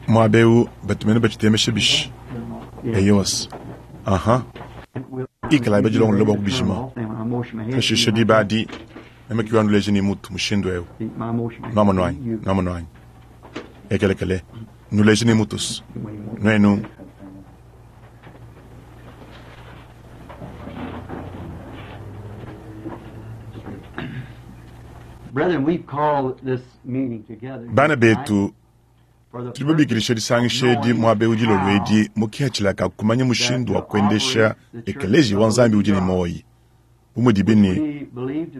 Muaba eu batu mene batshitemesha bishi? Eyos. Aha. Ikalayi badilongolola bua kubijima. Pashishe diba adi, meme ke wanuleja ne mutu mushindu eu. Nwamonu anyi? Nwamonu anyi? Ekelekele. Nuleje ne mutus. Nuenu. Bana betu, tudi babikilisha disangisha edi muaba eu dilolo edi mu kihatshila ka kumanya mushindu wa kuendesha ekeleziya wa Nzambi udi ne muoyi. Bu mudibi ne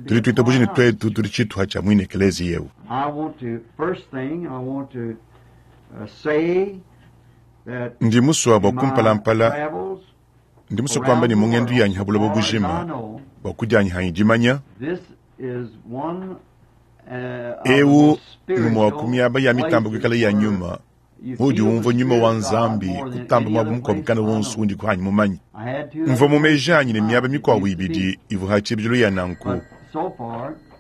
tudi tuitabuja ne tuetu tudi tshituha tshia muine ekeleziya eu. Ndi musua bua kumpalampala, ndi musue kuamba ne mu ngendu yanyi ha buloba bujima, bua kudianyi hanyi dimanya, eu ngumue wa ku miaba ya mitamba kuikala ya nyuma, muudi umvua nyuma wa Nzambi kutamba muaba mukuabu kana wonso undi kuanyi mumanye. Mvua mu meji anyi ne miaba mikuabu ibidi ivua ha tshibidilu ya nanku.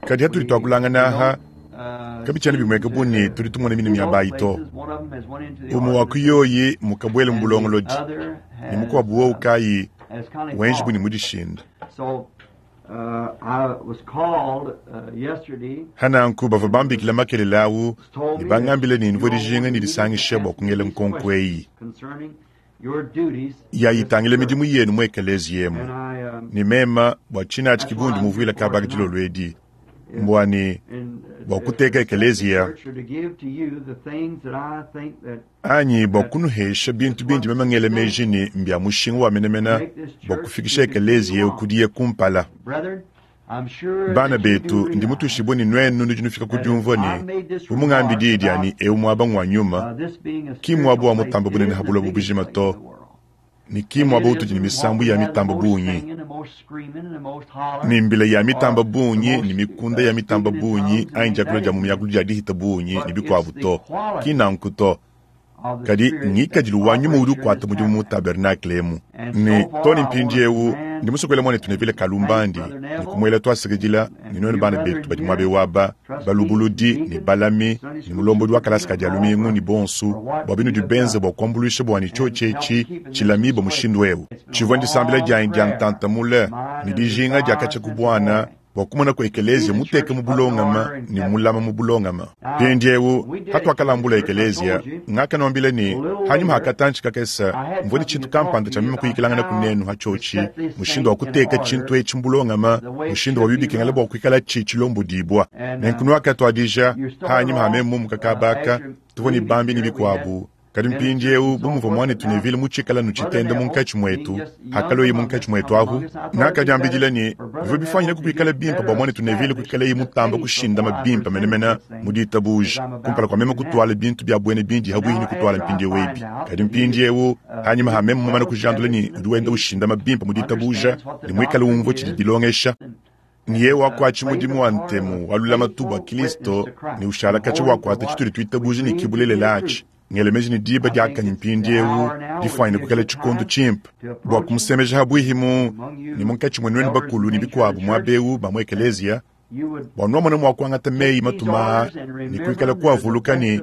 Kadi hatudi tuakulangana aha, kabitshiena bimueka bu ne tudi tumona mine miaba ayi to. Umue wa ku yoyi mukabuele mu bulongolodi, ne mukuabu wowu kayi wenji bu ne mudishinda. Hananku bavua bambikila makelela au ne bangambile ne nvua dijinga ne disangisha bua kungela nkonko eyi ya itangila midimu yenu mu ekeleziya emu. Ne mema bua tshinatshi ki bundi muvuila kaba dilolo edi mbua ne bua kuteka ekeleziya anyi bua kunuhesha bintu bindi meme ngela meji ne mbia mushinga wa menemene bua kufikisha ekeleziya eu kudiye kumpala. Bana betu, ndi mutuishibue ne nuenu nudi nufika ku diumvua ne, bu mungambi diyi dia ne eu muaba ngua nyuma, ki mmuaba wa mutamba bunene ha buloba bujima to, ne ki mmuaba utudi ne misambu ya mitamba bungi, ne mbila ya mitamba bungi, ne mikunda ya mitamba bungi, anyi diakula dia mu miakulu dia dihita bungi, ne bikuabu to. Ki nanku to. Kadi ngikadilu wa nyuma udi ukuata mudimu mu tabernakle emu. Ne to ne mpindieu ndi musue kuela muanetu Neville kalumbandi ne kumuela tuasakidila, ne nuenu bana betu badi muaba eu aba, balubuludi ne balami ne mulombodi wa kalasa ka Dia lumingu ne bonso, bua binudi benze bua kuambuluisha bua ne tshiotshi etshi tshilamibue mushindu eu. Tshivua ndisambila dianyi dia ntanta mule ne dijinga dia katshia ku buana bua kumona ku ekeleziya muteka mu bulongama ne mulama mu bulongama. Mpindieu, hatuakalambula ekeleziya, ngakanuambila ne, hanyima ha katantshi kakese, mvua ne tshintu kampanda tshia meme kuyikilangana ku nenu ha tshiotshi, mushindu wa kuteka tshintu etshi mu bulongama, mushindu wa bikengela bua kuikalatshi tshilombodibua. Nenku nuakatuadija, hanyima ha meme mumuka kaba aka, tuvua ne bambi ne bikuabu. Kadi mpindieu, bu muvua muanetu Neville mutshikale anu tshitenda munkatshi muetu, hakalueye munkatshi muetu ahu, ngakadiambidila ne, bivua bifuanyine kuikala bimpe bua muanetu Neville kuikaleye mutamba kushindama bimpe menemene mu ditabuja kumpala kua meme kutuala bintu bia buena bindi habuihi ne kutuala mpindieu ebi. Kadi mpindieu, hanyima ha meme mumane kujandula ne udi wenda ushindama bimpe mu ditabuja ne muikale umvua tshidi dilongesha, ne yeye wakuatshi mudimu wa ntemu wa lulamatu bua Kilisto ne ushala katshia wakuata tshitudi tuitabuja ne ki bulelela atshi, ngele meji ne diba diakanyi mpindieu difuanyine kuikala tshikondo tshimpe bua kumusemeja habuihi mu ne munkatshi mua nuenu bakulu ne bikuabu muaba eu ba mu ekeleziya, bua nuamona mua kuangata meyi matuma aa ne kuikala kuavuluka ne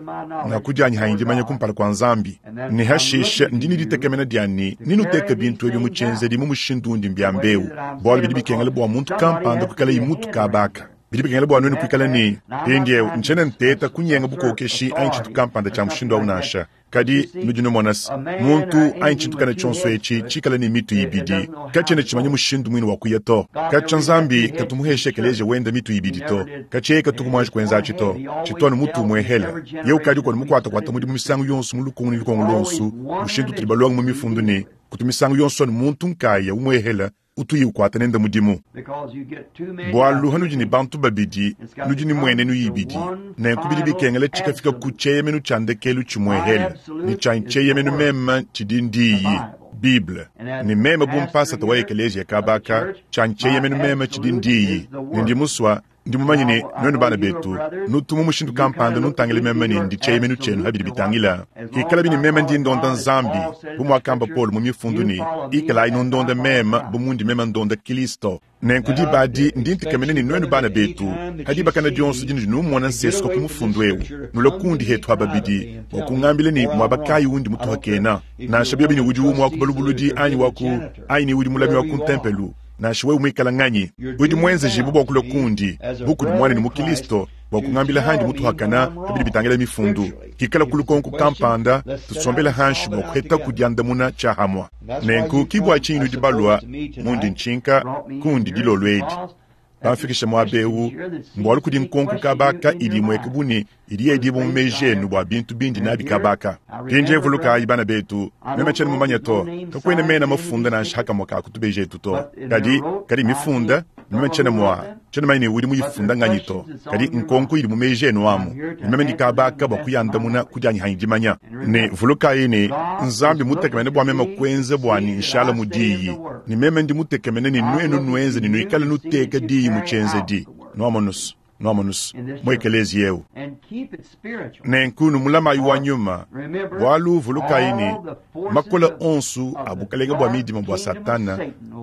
ngakudianyi hanyi dimanya kumpala kua Nzambi, ne hashishe ndi ne ditekemena dia ne nenuteke bintu ebi mu tshienzedi mu mushindu undi mbiamba eu, bualu bidi bikengela bua muntu kampanda kuikalaye mutu kaba aka. Bidi bikengela bua nuenu kuikala ne mpindieu ntshiena nteta kunyenga bukokeshi anyi tshintu kampanda tshia mushindu au nansha. Kadi nudi numona se, muntu anyi tshintu kana tshionso etshi tshikale ne mitu ibidi katshiena tshimanye mushindu muine wa kuya to. Katshia Nzambi katu muheshe ekeleziya wende mitu ibidi to. Katshia yeye katuku muanji kuenza atshi to. Tshitu anu mutu umuehela. Yeye ukadi kuanu mukuatakuata mudimu misangu yonso mu lukongo ne lukongo luonso, mushindu utudi balonge mu mifundu ne, kutu misangu yonso anu muntu nkaya umuehela utuyi ukuata nende mudimu. Bualu hanudi ne bantu babidi, nudi ne muenenu ibidi, nenku bidi bikengela tshikafika ku tshieyemenu tshia ndekelu tshimuehele, ne tshianyi tshieyemenu meme tshidi ndiyi, Bible. Ne meme bu mpasata wa ekeleziya kaba aka, tshianyi tshieyemenu meme tshidi ndiyi, ne ndi musua. Ndi mumanye ne, nuenu bana betu, nutu mu mushindu kampanda nuntangila meme ne ndi tshieyemenu tshienu ha bidi bitangila. Hikalabi ne meme ndi ndonda Nzambi, bu muakamba Paulo mu mifundu ne, Ikalayi nundonda meme bu mundi meme ndonda Kilisto. Nenku diba adi ndi ntekemena ne nuenu bana betu, ha dibakana dionso dinudi numona nsesuka ku mufundu eu, nulue kundi hetu aba babidi bua kungambila ne muaba kayi undi mutuhakena, nansha biobi ne udi umue wa ku balubuludi anyi wa ku anyi ne udi mulami wa ku ntempelu, nansha wewe muikala nganyi, udi muenzejibue bua kulua kundi bu kudi muanenu mu Kilisto bua kungambila handi mutuhakana pa bidi bitangila mifundu. Hikala ku lukonko kampanda, tusombele hanshi bua kuhetaku diandamuna tshiahamua. Nenku ki bua tshinyi nudi balua mundi ntshinka kundi dilolo edi. Bamfikisha muaba eu mbualu kudi nkonko kaba aka idi imueka bu ne idi yedibua mu meji enu bua bintu bindi nabi kaba aka. Mpindieu vulukayi, bana betu, meme tshiena mumanye to, kakuena mena mafunda nansha hakamue ka ku tubeji etu to. Kadi, kadi mifunda, meme tshiena mua, tshiena manye ne udi muyifunda nganyi to, kadi nkonko idi mu meji enu amu, ne meme ndi kaba aka bua kuyandamuna ku dianyi hanyi dimanya. Ne vulukayi ne, Nzambi mmutekemene bua meme kuenza bua ne nshala mu Diyi, ne meme ndi mutekemene ne nuenu nuenze ne nuikale nuteka Diyi mu tshienzedi. Nuamonus, nuamonus, mu ekeleziya eu. Nenku numulamayi wa nyuma, bualu vulukayi ne, makole onso a bukalenge bua midima bua Satana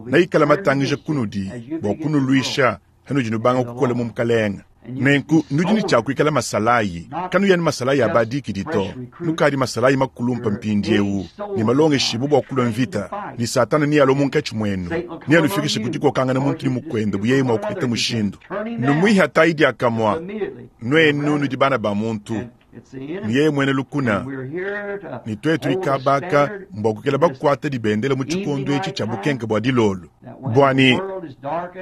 neikale matangija kunudi bua kunuluisha hanudi nubanga kukola mu Mukalenge. Nenku nudi ne tshia kuikala masalayi, kanuyi anu masalayi a badikidi to, nukadi masalayi makulumpa mpindieu ne malongeshibue bua kulua mvita, ne Satana nealue munkatshi muenu, neanufikishe ku dikokangana muntu ne mukuende bu yeye mua kupeta mushindu. Numuihatayi diakamue, nuenu nudi bana ba muntu. Ne yeye muena lukuna, ne tuetu ikabaka mbua kuikala bakuate dibendela mu tshikondo etshi tshia bukenke bua dilolo, bua ne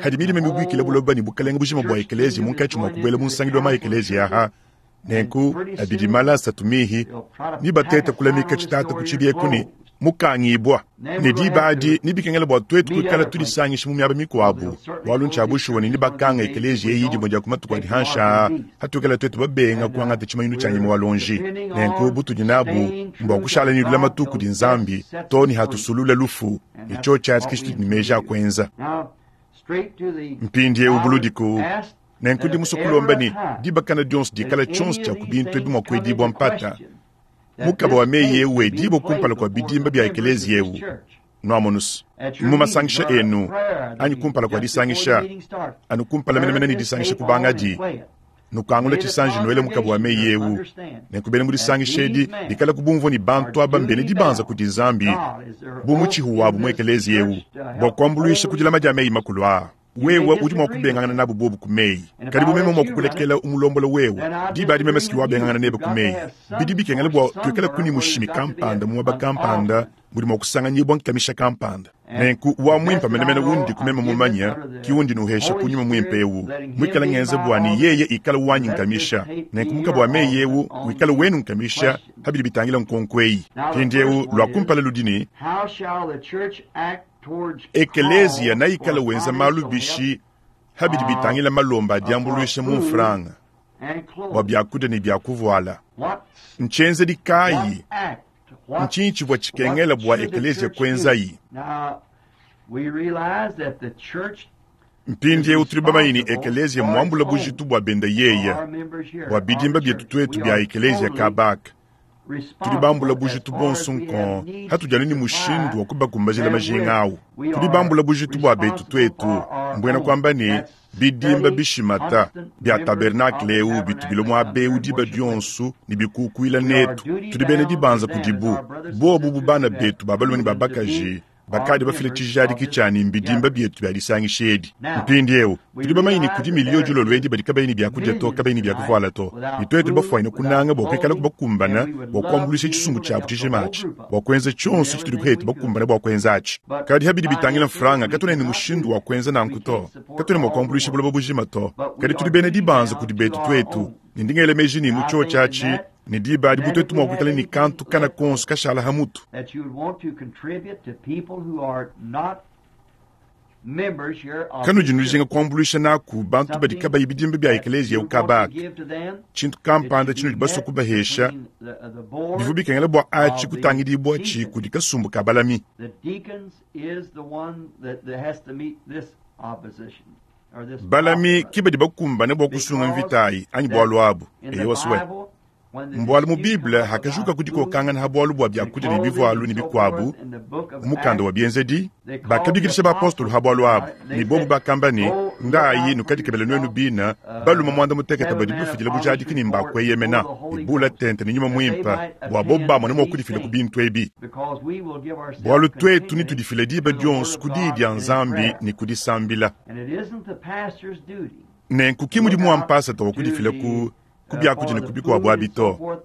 hadi midima mibuikile buloba ne bukelenge bujima bua ekeleziya munkatshi mua kubuela mu nsangilu wa ma-ekeleziya aha, nenku abidi mala asatu mihi nibatete kulamika tshitata ku tshibi eku ne mukangibua. Ne diba adi nebikengela bua tuetu kuikala tudisangisha mu miaba mikuabu, bualu ntshia bushuwa ne nebakanga ekeleziya eyi dimue dia ku matuku adi hanshi aa, hatuikala tuetu babenga kuangata tshimanyinu tshia nyama wa luonji. Nenku butudi nabu mbua kushala ne lulamatu kudi Nzambi too ne hatusulula lufu, ne tshiotshi atshi ke tshitudi ne meji a kuenza. Mpindieu buludiku, nenku ndi musue kulomba ne dibakana dionso dikala tshionso tshia ku bintu ebi mua kuedibua mpata, Mukaba wa meyi eu wedibua kumpala kua bidimba bia ekeleziya eu, nuamonus, mu masangisha enu, anyi kumpala kua disangisha, anu kumpala menemene ne disangisha kubangadi, nukangula tshisanji nuele mukaba wa meyi eu. Nenku bena mu disangisha edi bikalaku bumvua ne bantu aba mbena dibanza kudi Nzambi bu mutshihu wabu mu ekeleziya eu bua kuambuluisha ku dilama dia meyi makulu aa. Wewe udi mua kubengangana nabu bobu ku meyi, kadi bu meme mua kukulekela umulombola wewe, diba adi meme si wabengangana nebe ku meyi. Bidi bikengela bua tuikale ne mushimi kampanda muaba kampanda mudi mua kusanganyibua nkamisha kampanda. Nenku wa muimpe menemene undiku meme mumanye ki undi nuhesha ku nyuma muimpe eu, muikale ngenza bua ne yeye ikale wanyi nkamisha. Nenku mukaba wa meyi eu wikale wenu nkamisha pa bidi bitangila nkonko eyi. Mpindieu lua kumpala ludi ne, Ekeleziya neikale wenza malu bishi ha bidi bitangila malomba a diambuluisha mu mfranga bua biakudia ne bia kuvuala? Ntshienzedi kayi? Ntshinyi tshivua tshikengela bua ekeleziya kuenzayi? Mpindieu tudi bamanye ne ekeleziya mmuambula bujitu bua benda yeya bua bidimba bietu tuetu bia ekeleziya kaba aka. Tudi bambula bujitu buonso nkong hatudi anu ne mushindu wa kubakumbajila majinga au. Tudi bambula bujitu bua betu tuetu, mbuena kuamba ne, bidimba bishimata bia tabernakle eu bitu bilua muaba eu diba dionso ne bikukuila netu. Tudi bena dibanza kudibu, bobu bu bana betu ba balume ne ba bakaji Bakadi bafile tshijadiki tshia ne mbidimba bietu bia disangisha edi. Mpindieu tudi bamanye ne kudi miliyo dilolo edi badi kabayi ne biakudia to, kabayi ne bia kuvuala to, ne tuetu bafuanyine kunanga bua kuikalaku bakumbana bua kuambuluisha tshisumbu tshiabu tshijima atshi bua kuenza tshionso tshitudi kuetu bakumbane bua kuenza atshi. Kadi pa bidi bitangila mfranga, katuena ne mushindu wa kuenza nanku to. Katuena mua kuambuluisha buloba bujima to, kadi tudi bena dibanza kudi betu tuetu, ne ndi ngela meji ne mu tshiotshi atshi ne diba adi bu tuetu mua kuikala ne kantu kana konso kashala ha mutu. Kanudi nujinga kuambuluisha naku bantu badi kabayi bidimba bia ekeleziya eu kaba aka, tshintu kampanda tshinudi basue kubahesha, bivua bikengela bua atshi kutangidibuatshi kudi kasumbu ka balami. Balami ki badi bakumbane bua kusunga mvita ayi anyi bualu abu. Eyowa swe. Mbualu mu Bible hakajuka ku dikokangana ha bualu bua biakudia ne bivualu ne bikuabu mu mukanda wa Bienzedi, bakabikidisha bapostolo ha bualu abu, ne bobu bakamba ne, Ndayi nukadikebele nuenu bina balume muanda mutekete badi bafidila bujadiki ne mba kueyemena, ne bula tente ne Nyuma Muimpe, bua bobu bamone mua kudifila ku bintu ebi. Bualu tuetu netudifile diba dionso ku Diyi dia Nzambi ne ku disambila. Nenku ki mudimu wa mpasata wa kudifila ku ku biakudia ne ku bikuabu abi to.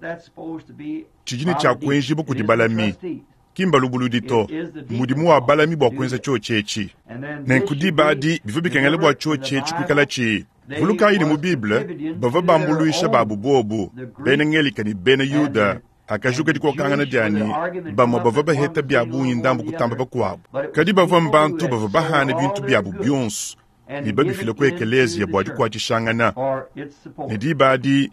Tshidi ne tshia kuenjibua kudi balami, ki mbalubuludi to. Mmudimu wa balami bua kuenza tshiotshi etshi. Nenku diba adi bivua bikengela bua tshiotshi etshi kuikalatshi. Vulukayi ne mu Bible bavua bambuluisha babu buobu, bena Ngelika ne bena Yuda, Hakajuka dikokangana dia ne bamue bavua baheta bia bungi ndambu kutamba bakuabu, kadi bavua mbantu bavua bahana bintu biabu bionso ne babifila ku ekeleziya bua dikuatshishangana, ne diba adi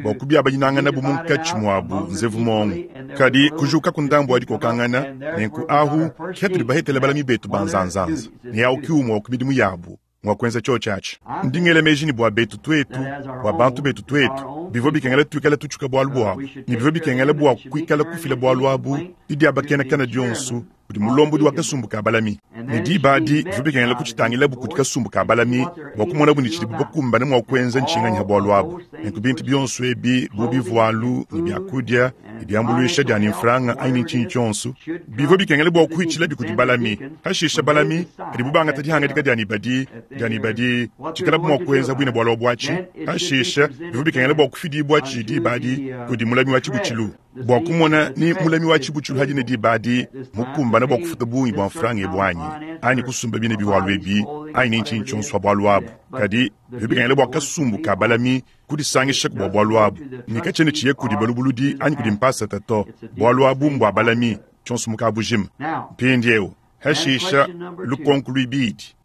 bua kubiabanyinanganabu munkatshi muabu nzevu muongo. Kadi kujukaku ndambu wa dikokangana, nenku ahu ke hatudi bahetele balami betu ba nzanzanza, ne au ki umue wa ku midimu yabu ngua kuenza tshiotshi atshi. Ndi ngela meji ne bua betu tuetu, bua bantu betu tuetu, bivua bikengela tuikale tutshuka bualu buabu, ne bivua bikengela bua kuikala kufila bualu abu didiabakenakana dionso kudi mulombodi wa kasumbu ka balami. Ne diba adi bivua bikengela kutshitangilabu kudi kasumbu ka balami bua kumonabu ne tshidibu bakumbane mua kuenza ntshinganyi ha bualu abu. Nenku bintu bionso ebi bu bivualu ne biakudia ne diambuluisha dia ne mfranga anyi ne ntshinyi tshionso bivua bikengela bua kuhitshilabi kudi balami. Hashisha balami padibu bangata dihangadika dia ne badi dia ne badi tshikalabu mua kuenza buine bualu abuatshi, hashisha bivua bikengela bua kufidibuatshi diba adi kudi mulami wa tshibutshilu bua kumona ni mulami wa tshibutshilu hadi ne diba adi mukumbane bua kufuta bungi bua mfranga ebu anyi anyi kusumba bine biwalu ebi anyi ne ntshinyi tshionso bualu abu. Kadi bivua bikengela bua kasumbu ka balami kudisangishaku bua bualu abu, ne katshiena tshiye kudi balubuludi anyi kudi mpasata to. Bualu abu mbua balami, tshionso mu kabujima. Mpindieu, hashisha lukonko luibidi.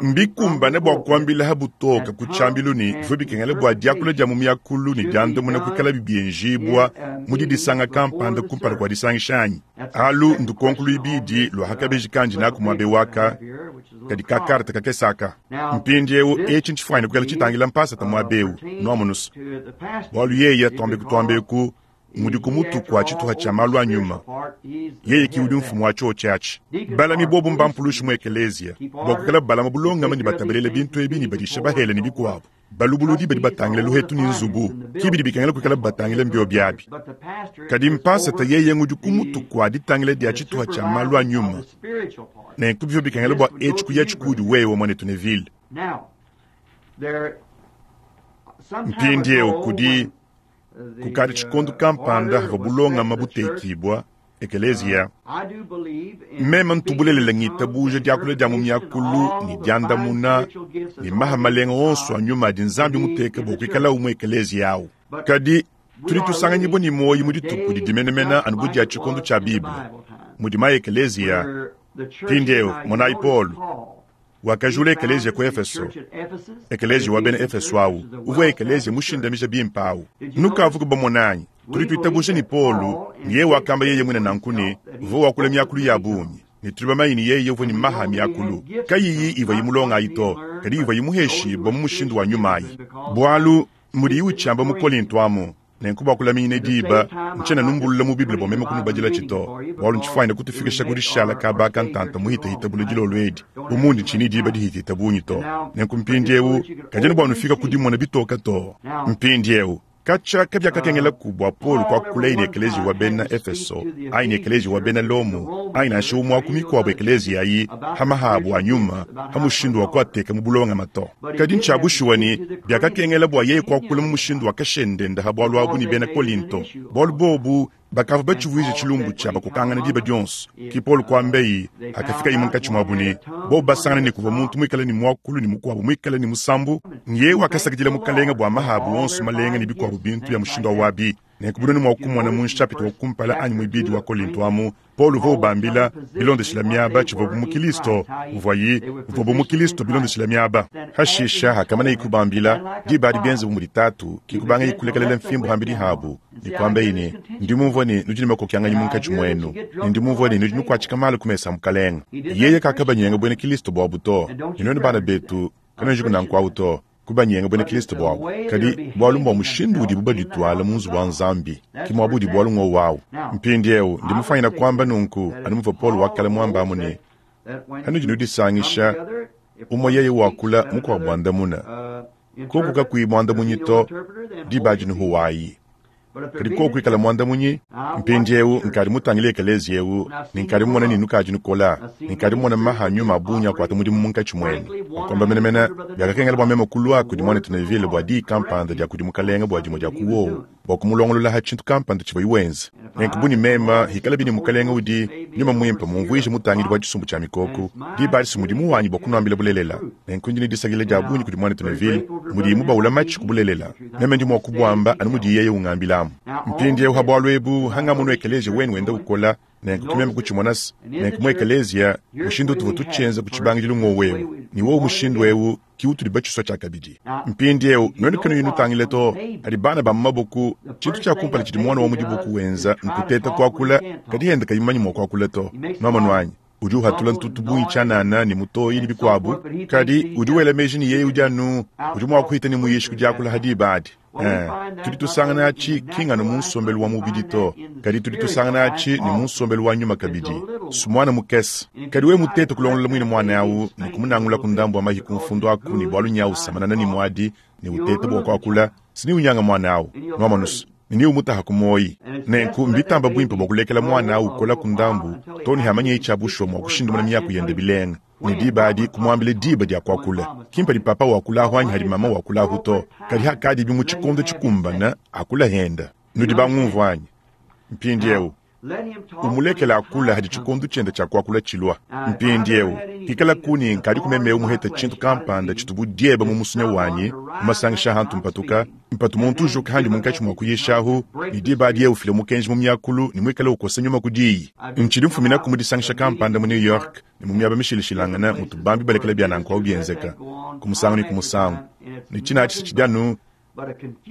Mbikumbane bua kuambila ha butoke ku tshiambilu ne bivua bikengela bua diakula dia mu miakulu ne diandamuna kuikalabi bienjibua mu didisanga kampanda kumpala kua disangisha anyi? Alu ndukonko luibidi lua ha kabeji kandi naku muaba eu aka kadi ka karte kakese aka. Mpindieu etshi ntshifuanyine kuikala tshitangila mpasata muaba eu, nuamonu's, bualu yeye, tuambeku tuambeku, ngudi ku mutu kua tshituha tshia malu a nyuma. Yeye ki udi mfumu wa tshiotshi atshi. Balami bobu mbampulushi mu ekeleziya bua kuikala balama bulongame ne batabalela bintu ebi ne badisha bahele ne bikuabu. Balubuludi badi batangila luhetu ne nzubu, ki bidi bikengela kuikala batangila mbiobi abi. Kadi mpasata yeye ngudi ku mutu kua ditangila dia tshituha tshia malu a nyuma. Nenku bivua bikengela bua etshi kuyatshi kuudi wewe, muanetu Neville. Mpindieu kudi Kukadi tshikondo kampanda havua bulongame butekibua, ekeleziya. Meme ntu bulelela ngitabuja diakula dia mu miakulu ne diandamuna ne maha malenga onso a nyuma adi Nzambi muteke bua kuikalawu mu ekeleziya au. Kadi tudi tusanganyibua ne muoyo mu dituku didi menemene anu bu dia tshikondo tshia Bible, mudi ma ekeleziya. Mpindieu monayi Paulo. Wakajula ekeleziya ku Efeso. Ekeleziya wa bena Efeso au uvua ekeleziya mushindamija bimpe au. Nukavuku bamone anyi? Tudi tuitabuja ne Paulo ne yeye wakamba yeye muine nanku ne uvua wakula miakulu ya bungi, ne tudi bamanye ne yeye uvua ne maha a miakulu, kayiyi ivua imulonga ayi to, kadi ivua imuheshibua mu mushindu wa nyuma ayi. Bualu mudiyi utshiamba mu Kolinto amu, Nenku bua kulaminyina diba, ntshiena numbulula mu Bible bua meme kunubadilatshi to, bualu ntshifuanyine kutufikisha ku dishala kaba ka ntanta muhitahita bule dilolo edi, bu mundi ntshiyi ne diba dihitahita bungi to. Nenku mpindieu, kadiena bua nufika ku dimona bitoka to. Mpindieu, katshia kabiakakengelaku bua Paulo kuakulaye ne ekeleziya wa bena Efeso, anyi ne ekeleziya wa bena Lomo, anyi nansha umue wa ku mikuabu ekeleziya ayi, pa maha abu a nyuma, pa mushindu wa kuateka mu bulongame to. Kadi ntshia bushuwa ne, biakakengela bua yeye kuakula mu mushindu wa kashendende ha bualu abu ne bena Kolinto, bualu bobu bakavua batshivuije tshilumbu tshia bakokangana diba dionso. Ke Paulo kuambaye hakafikaye munkatshi muabu ne, bobu basangane ne kuvua muntu muikale ne muakulu ne mukuabu muikale ne musambu, nyeye wakasakidila Mukalenge bua maha abu onso malenga ne bikuabu bintu bia mushindu au abi. Nenku bunene mua kumona mu nshapita wa kumpala anyi muibidi wa Kolinto amu, Paulo uvua ubambila bilondeshila miaba tshivuabu mu Kilisto, uvuayi uvuabu mu Kilisto bilondeshila miaba. Hashisha hakamanaye kubambila, diba adi bienze bu mudi Tatu, ki kubangaye kulekelela mfimbu hambidi habu. Ne kuambaye ne, Ndi mumvue ne, nudi ne makokianganyi munkatshi muenu, ne ndi mumvue ne, nudi nukuatshika malu ku mesa a Mukalenge. Yeye kakabanyenga buena Kilisto buabu to. Ne nuenu bana betu, kanuenjiku nanku awu to, kubanyenga buena Kilisto buabu. Kadi bualu mbua mushindu udibu badituala mu nzubu wa Nzambi, ke muaba udi bualu ngowu awu. Mpindiewu, ndi mufuanyina kuamba nunku, anu muvua Paulo wa kale muambe amu ne, Panudi nudisangisha, umue yeye wakula, mukuabu andamuna. Koku kakuyi muandamunyi to, diba adi nuhuwayi. Kadi koku kuikala muandamunyi, mpindiewu nkadi mutangile ekeleziya ewu, ne nkadi mumona ne nukadi nukola, ne nkadi mumona maha a nyuma a bungi akuata mudimu munkatshi muenu. Bua kuamba menemene, biakakengela bua meme kulua kudi muanetu Neville bua diyi kampanda dia kudi Mukalenga bua dimue dia ku wowu, bua kumulongolola ha tshintu kampanda tshivuaye wenza. Nenku bu ne mema, hikalabi ne Mukalenga udi Nyuma Muimpe mumvuije mutangidi wa tshisumbu tshia mikoko, diba adi si mudimu wanyi bua kunuambila bulelela. Nenku ndi ne disakidila dia bungi kudi muanetu Neville mudiye mubaula matshi ku bulelela. Meme ndi mua kubuamba anu mudiye yeye ungambilamu. Mpindiewu ha bualu ebu, hangamonu ekeleziya wenu wenda ukola, nenku ki meme kutshimona se, nenku mu ekeleziya, mushindu utuvua tutshienza ku tshibangidilu ngowu eu, ne wowu mushindu eu ki utudi batshisua tshiakabidi. Mpindiewu, nuenu kanuyi nutangila to, padi bana ba mu maboku, tshintu tshia kumpala tshidi muana wa mu diboku wenza nkuteta kuakula, kadi henda kayi mumanye mua kuakula to. Nuamonu anyi? Udi uhatula ntutu bungi tshianana ne mutoyi ne bikuabu, kadi udi wela meji ne yeye udi anu udi mua kuhita ne muyishi ku diakula ha diba adi. Eh, tudi tusangana atshi ki nganu mu nsombelu wa mubidi to, kadi tudi tusangana atshi ne mu nsombelu wa nyuma kabidi. Sumuana mukese, kadi wewe mutete kulongolola muine muana au ne kumunangula ku ndambu wa mahi ku mfundu aku ne bualu nyawu samanana ne muadi ne uteta bua kuakula, si ne unyanga muana au. Nuamonusu? Ne niumutaha ku muoyi. Nenku mbitamba buimpe bua kulekela muana au ukola ku ndambu too ne hamanyeye tshia bushuwa mua kushindumuna miaku yende bilenga. Ne diba adi kumuambile diba dia kuakula. Ki mpadi papa wakulahu anyi hadi mama wakulahu to, kadi hakadibi mu tshikondo tshikumbana, akula henda. Nudi bangumvua anyi? Mpindiewu, umulekele akula hadi tshikondo tshiende tshia kuakula tshilua. Mpindiewu, hikalaku ne nkadiku memeu muhete tshintu kampanda tshitu bu dieba mu musunya wanyi mu masangisha a hantu mpatuka, mpatu muntu ujuka handi munkatshi mua kuyishahu, ne diba adi yeye ufila mukenji mu miakulu ne muikale ukosa nyuma ku diyi. Ntshidi mfuminaku mu disangisha kampanda mu New York ne mu miaba mishilashilangane mutu bambi balekela bia nanku au bienzeka ku musangu ne ku musangu, ne tshina atshi tshidi anu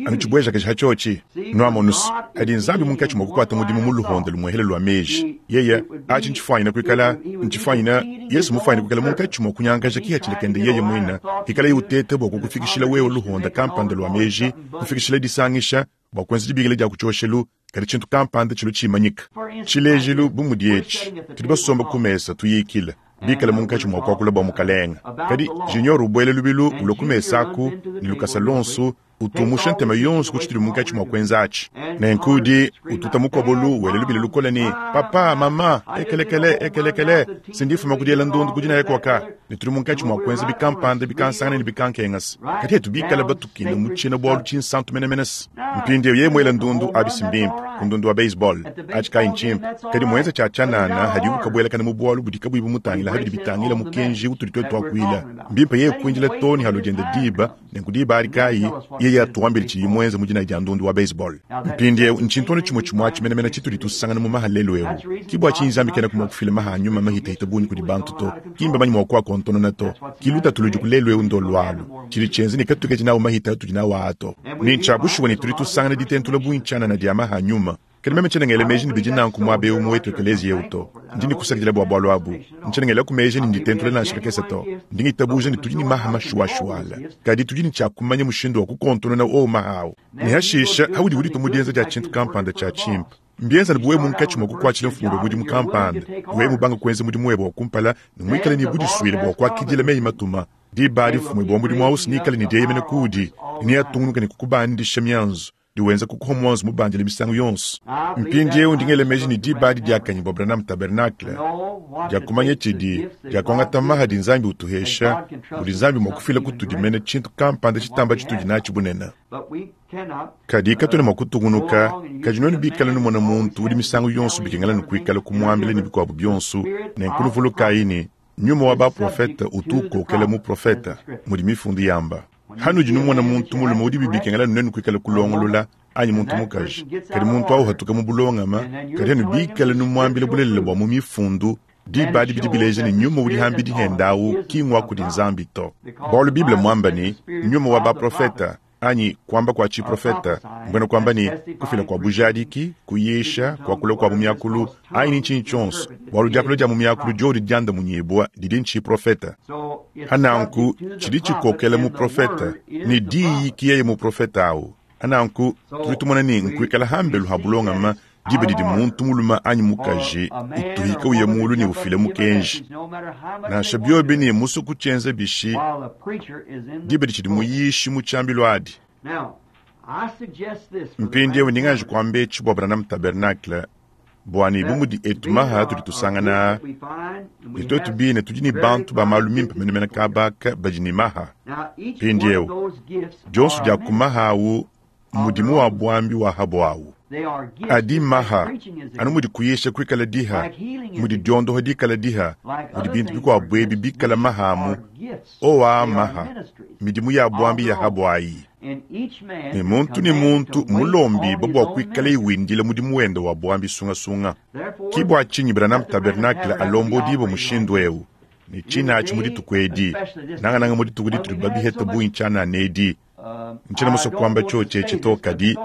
anu tshibuejakaji ha tshiotshi. Nuamonus, hadi Nzambi munkatshi mua kukuata mudimu mu luhonda lumuehele lua meji, yeye atshi ntshifuanyine kuikala ntshifuanyine Yesu mufuanyine kuikala munkatshi mua kunyangakaja kihatshila kende yeye muine, hikaleye uteta bua kukufikishila wewe luhonda kampanda lua meji, kufikishila disangisha bua kuenza dibikila dia ku tshioshelu, kadi tshintu kampanda tshilua tshimanyika. Tshilejilu bu mudi etshi, tudi basomba ku mesa tuyikila, bikale munkatshi mua kuakula bua Mukalenge. Kadi Junior ubuela lubilu ulua ku mesa aku ne lukasa luonso, utumusha ntema yonso ku tshitudi munkatshi mua kuenza atshi. Nenku udi ututa mukobolu wela lubila lukole ne, Papa, mama, ekelekele, ekelekele, si ndifuma ku diela ndundu ku dinaya kuaka, ne tudi munkatshi mua kuenza bikampanda bikansangana ne bikankengasa. Kadi etu bikale batukile mu tshiena-bualu tshinsantu menemene se. Mpindieu yeye muela ndundu, abi si mbimpe, ku ndundu wa baseball, atshi kayi ntshimpe. Kadi muenza tshia tshianana hadiwu kabuelakana mu bualu budi kabuyi bumutangila ha bidi bitangila mukenji utudi tuetu tuakuila. Mbimpe yeye kuindila too ne halua diende diba, nenku diba adi kayi yeye atuambile tshidiye muenze mu dinaya dia ndundu wa baseball. Mpindieu ntshintu anu tshimue tshimue atshi menemene tshitudi tusangana mu maha lelu eu. Ki bua tshinyi Nzambi kenaku mua kufila maha a nyuma mahitahita bungi kudi bantu to. Ki mbamanye mua kuakontonona to. Ki lutatu ludiku lelu eu ndolu alu. Tshidi tshienza ne katuikadi nawu mahita atudi nawu aa to. Ne ntshia bushuwa ne tudi tusangana ditentula bungi tshianana dia maha a nyuma. Kadi meme tshiena ngela meji ne bidi nanku muaba eu mu wetu ekeleziya eu to. Ndi ne kusakidila bua bualu abu. Ntshiena ngelaku meji ne nditentula nansha kakese to. Ndi ngitabuja ne tudi ne maha mashuwashuwala. Kadi tudi ne tshia kumanya mushindu wa kukontonona owu maha au. Ne hashisha, haudi uditua mu dienza dia tshintu kampanda tshia tshimpe, mbienza ne bu wewe munkatshi mua kukuatshila mfumu webe mudimu kampanda, wewe mubanga kuenza mudimu webe wa kumpala ne muikale ne budisuile bua kuakidila meyi-matuma, diba adi mfumu webe wa mudimu au neikale ne dieyemena kuudi ne neatungunuke ne kukubandisha mianzu ne wenza kukuha muanzu mubandile misangu yonso. Mpindieu ndi ngela meji ne diba adi diakanyine bua Branham Tabernacle dia kumanya tshidi dia kuangata maha adi Nzambi utuhesha, mudi Nzambi mua kufila kutudi mene tshintu kampanda tshitamba tshitudi natshi bunene. Kadi katuena mua kutungunuka, kadi nuenu bikale numona muntu udi misangu yonso bikengela nukuikala kumuambila ne bikuabu bionso, nenku nuvulukayi ne, nyuma wa baprofete utu ukokela muprofete, mudi mifundu yamba. Hanudi numona muntu mulume udi bikengela nuenu kuikala kulongolola, anyi muntu mukaji, kadi muntu au hatuka mu bulongama, kadi anu bikale numuambila bulelela bua mu mifundu, diba adi bidi bileja ne nyuma udi hambidi henda au ki ngua kudi Nzambi to. Bualu Bible muamba ne, nyuma wa baprofete. Anyi kuamba kua tshiprofeta, mbuena kuamba ne, kufila kua bujadiki, kuyisha, kuakula kua mu miakulu, anyi ne ntshinyi tshionso, bualu diakula dia mu miakulu diodi diandamunyibua didi ntshiprofeta. Pa nanku tshidi tshikokela muprofeta, ne diyi ki yeye muprofeta awu. Pa nanku tudi tumona ne nkuikala hambelu ha bulongama diba didi muntu mulume anyi mukaji utuhika uya mulu ne ufila mukenji. Nansha biobi ne musue kutshienza bishi, diba ditshidi muyishi mu tshiambilu adi. Mpindieu ndi nganji kuamba etshi bua Branham Tabernacle, bua ne bu mudi etu maha atudi tusangana aa, ne tuetu bine tudi ne bantu ba malu mimpe menemene kaba aka badi ne maha. Mpindieu, dionso dia ku maha au mmudimu wa buambi wa ha buawu. Adi mmaha, anu mudi kuyisha kuikala diha, mudi diondoha dikala diha, mudi bintu bikuabu ebi bikala maha amu. Owa maha, midimu ya buambi ya ha buayi. Ne muntu ne muntu mmulombibue bua kuikalaye windila mudimu wende wa buambi sungasunga. Ki bua tshinyi Branham Tabernacle alombodibue mushindu eu, ne tshine atshi mu dituku edi, nangananga mu dituku ditudi babihete bungi tshianana edi. Ntshiena musue kuamba tshiotshi etshi to, kadi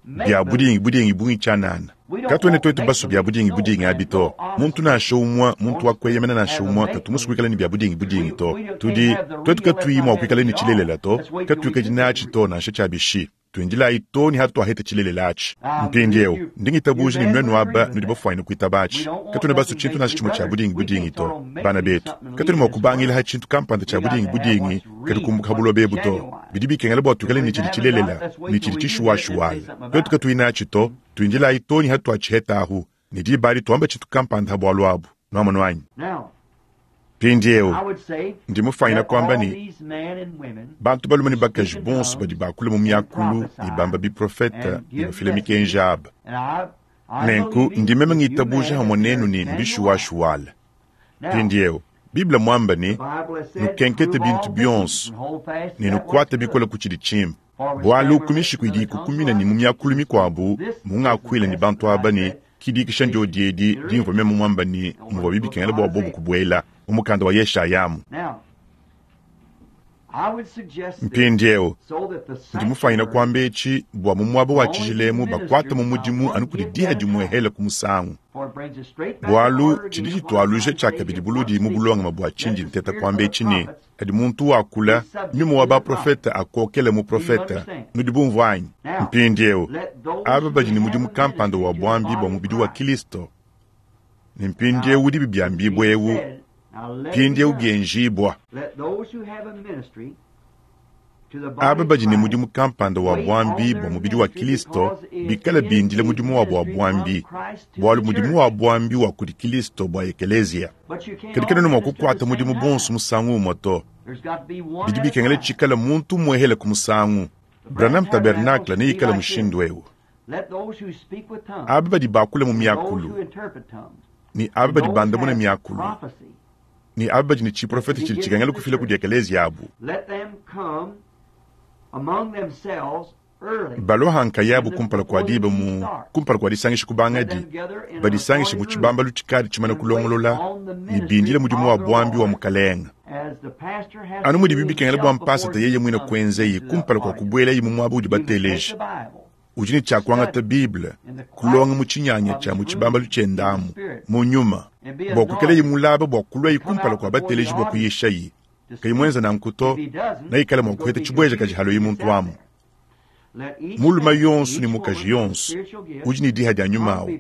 bia budingi budingi bungi tshianana. Katuena tuetu basue bia budingi budingi abi to. Muntu nansha umue, muntu wa kueyemena nansha umue, katu musue kuikala ne bia budingi budingi to. Tudi, tuetu katuyi mua kuikala ne tshilelela to, katuikadi natshi to nansha tshia bishi. Tuindilayi too ne hatuaheta tshilelela atshi. Mpindieu, ndi ngitabuja ne nuenu aba nudi bafuanyine kuitaba atshi. Katuena basue tshintu nansha tshimue tshia budingi budingi to, bana betu. Katuena mua kubangila ha tshintu kampanda tshia budingi budingi kadi kumbuka ha buloba ebu to. Bidi bikengela bua tuikale ne tshidi tshilelela ne tshidi tshishuwashuwala. Tuetu katuyi natshi to, tuindilayi too ne hatuatshiheta ahu, ne diba adi tuamba tshintu kampanda ha bualu abu. Nuamonu anyi? Mpindieu, ndi mufuanyine kuamba ne, bantu balume ne bakaji bonso badi bakula mu miakulu ne bamba biprofete ne bafila mikenji aba. Nenku ndi meme ngitabuja hamue nenu ne mbishuwashuwala. Mpindieu, Bible muambe ne, Nukenkete bintu bionso ne nukuate bikole ku tshidi tshimpe. Bualu ku mishiku idi ikukumina ne mu miakulu mikuabu mungakuila ne bantu aba ne, Ki dikisha ndiodi edi dimvua meme muamba ne muvuabi bikengela bua bobu kubuela mu mukanda wa Yeshaya amu. Mpindieu, ndi mufuanyine kuamba etshi bua mu muaba wa tshijila emu bakuate mu mudimu anu kudi diha dimuehela ku musangu, bualu tshidi tshitualuja tshiakabidi buludi mu bulongame bua tshindi nteta kuamba etshi ne, Kadi muntu wakula, nyuma wa baprofete akokele muprofete. Nudi bumvua anyi? Mpindieu, aba badi ne mudimu kampanda wa buambi bua mubidi wa Kilisto, ne mpindieu udibi biambibua eu, mpindieu bienjibua. Aba badi ne mudimu kampanda wa buambi bua mubidi wa Kilisto bikale bindile mudimu wabu wa buambi, bualu mudimu wa buambi wa kudi Kilisto bua ekeleziya. Kadi kena mua kukuata mudimu bonso musangu umue to. Bidi bikengela tshikale muntu umuehele ku musangu. Branham Tabernacle neikale mushindu eu. Aba badi bakula mu miakulu ne aba badi bandamuna miakulu ne aba badi ne tshiprofete tshidi tshikengela kufila kudi ekeleziya abu balua ha nkayabu kumpala kua diba mu kumpala kua disangisha kubangadi, badisangishe mu tshibambalu tshikadi tshimana kulongolola ne bindile mudimu wa buambi wa Mukalenge. Anu mudibi bikengela bua mpasata yeye muine kuenzeyi kumpala kua kubuelayi mu muaba udi bateleji, udi ne tshia kuangata Bible, kulonga mu tshinyanya tshia mu tshibambalu tshiende amu mu nyuma, bua kuikalayi mulaba bua kuluayi kumpala kua bateleji bua kuyishayi. Kayi muenza nanku to, neikale mua kuheta tshibuejakaji haluayi muntu amu. Mulume yonso ne mukaji yonso udi ne diha dia nyuma au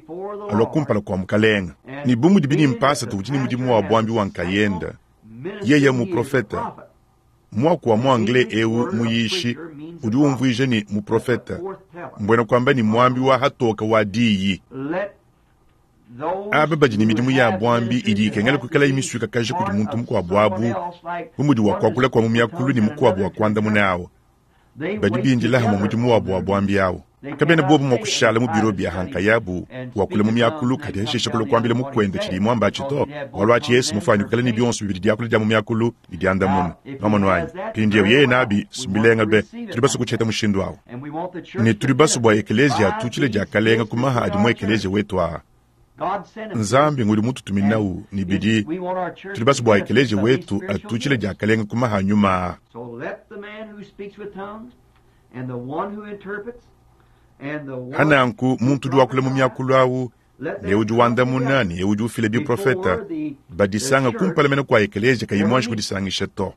alua kumpala kua Mukalenga. Ne bu mudibi ne mpasata udi ne mudimu wa buambi wa nkayenda, yeye muprofete. Muaku wa mu anglais eu muyishi udi umvuija ne muprofete, mbuena kuamba ne muambi wa hatoka wa diyi. Aba badi ne midimu ya buambi idi ikengela kuikalayi misuikakaja kudi muntu mukuabu abu, bu mudi wa kuakula kua mu miakulu ne mukuabu wa kuandamuna awu, badi bindila hamue mudimu wabu wa buambi awu. Kabena bobu mua kushala mu biro bia ha nkayabu wakula mu miakulu kadi hashisha kulua kuambila mukuende tshidiye muamba atshi to, bualu atshi Yesu mufuane kuikala ne bionso bibidi diakula dia mu miakulu ne diandamuna. Nwamonu anyi? Mpindieu yeye nabi, mbilenga be. Tudi basue kutshiheta mushindu awu. Ne tudi basue bua ekeleziya atutshile diakalenga ku maha adi mu ekeleziya wetu aa. Nzambi ngudi mututuminawu ne bidi, tudi basue bua ekeleziya wetu atutshile diakalenga ku maha a nyuma aa. Hananku muntu udi wakula mu miakulu awu ne udi wandamuna ne udi ufila biprofeta badisanga kumpala mene kua ekeleziya kayi muanji kudisangisha to.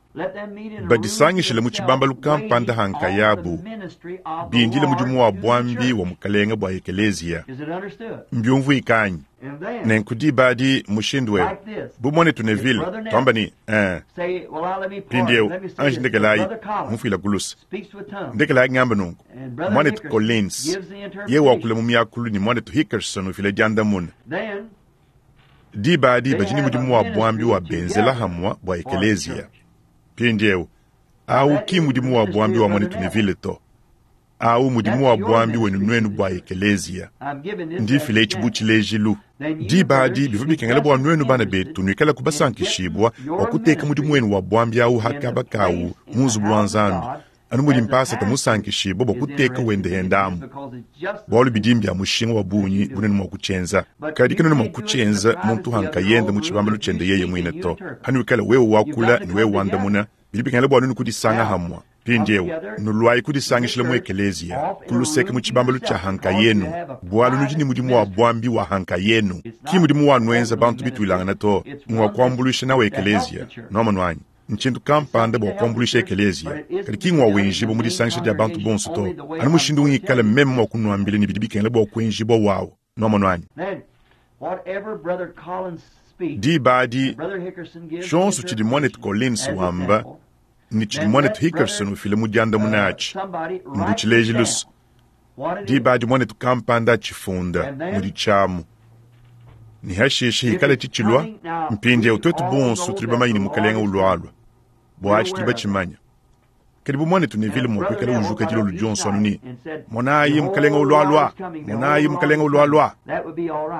Badisangishile mu tshibambalu kampanda ha nkayabu, bindile mudimu wa buambi wa Mukalenge bua ekeleziya. Mbiumvuika anyi? Nenku diba adi mushindu eu, bu muanetu Neville, tuamba ne, eh, mpindieu, anji ndekelayi, mumfuila ku luse. Ndekelayi ngamba nunku, muanetu Collins, ye wakula mu miakulu ne muanetu Hickerson ufila diandamuna. Diba adi badi ne mudimu wa buambi wa benzela hamua bua ekeleziya. Mpindieu, au ki mudimu wa buambi wa muanetu Neville to. Au mudimu wa buambi wenu nuenu bua ekeleziya. Ndi mfila etshi bu tshilejilu. Diba adi bivua bikengela bua nuenu bana betu nuikale kubasankishibua bua kuteka mudimu wenu wa buambi au ha kaba kawu mu nzubu wa Nzambi, anu mudi mpasata musankishibua bua kuteka wende henda amu, bualu bidi mbia mushinga wa bungi bunenu mua kutshienza. Kadi kanuena mua kutshienza muntu ha nkayende mu tshibambalu tshiende yeye muine to. Hanuikala wewe wakula ne wewe wandamuna, bidi bikengela bua nuenu kudisanga hamua. Mpindieu, nuluayi kudisangishila mu ekeleziya, ku luseke mu tshibambalu tshia ha nkayenu, bualu nudi ne mudimu wa buambi wa ha nkayenu. Ki mudimu wa nuenza bantu bituilangana to, ngua kuambuluisha nawu ekeleziya. Nuamonu anyi? Ntshintu kampanda bua kuambuluisha ekeleziya, kadi ki ngua wenjibua mu disangisha dia bantu bonso to, anu mushindu ungikala meme mua kunuambila ne bidi bikengela bua kuenjibua wawu. Nuamonu anyi? Diba adi, tshionso tshidi muanetu Collins wamba ne tshidi muanetu Hickerson ufila mu diandamuna atshi mbu tshilejilu. Diba adi muanetu kampanda atshifunda mudi tshiamu ne hashishe hikala tshitshilua. Mpindieu tuetu bonso tudi bamanye ne Mukalenge ulualua, bua atshi tudi batshimanya. Kadi bu muanetu Neville mua kuikala ujuka dilolo dionso anu ne, monayi Mukalenge ulualua, monayi Mukalenge ulualua,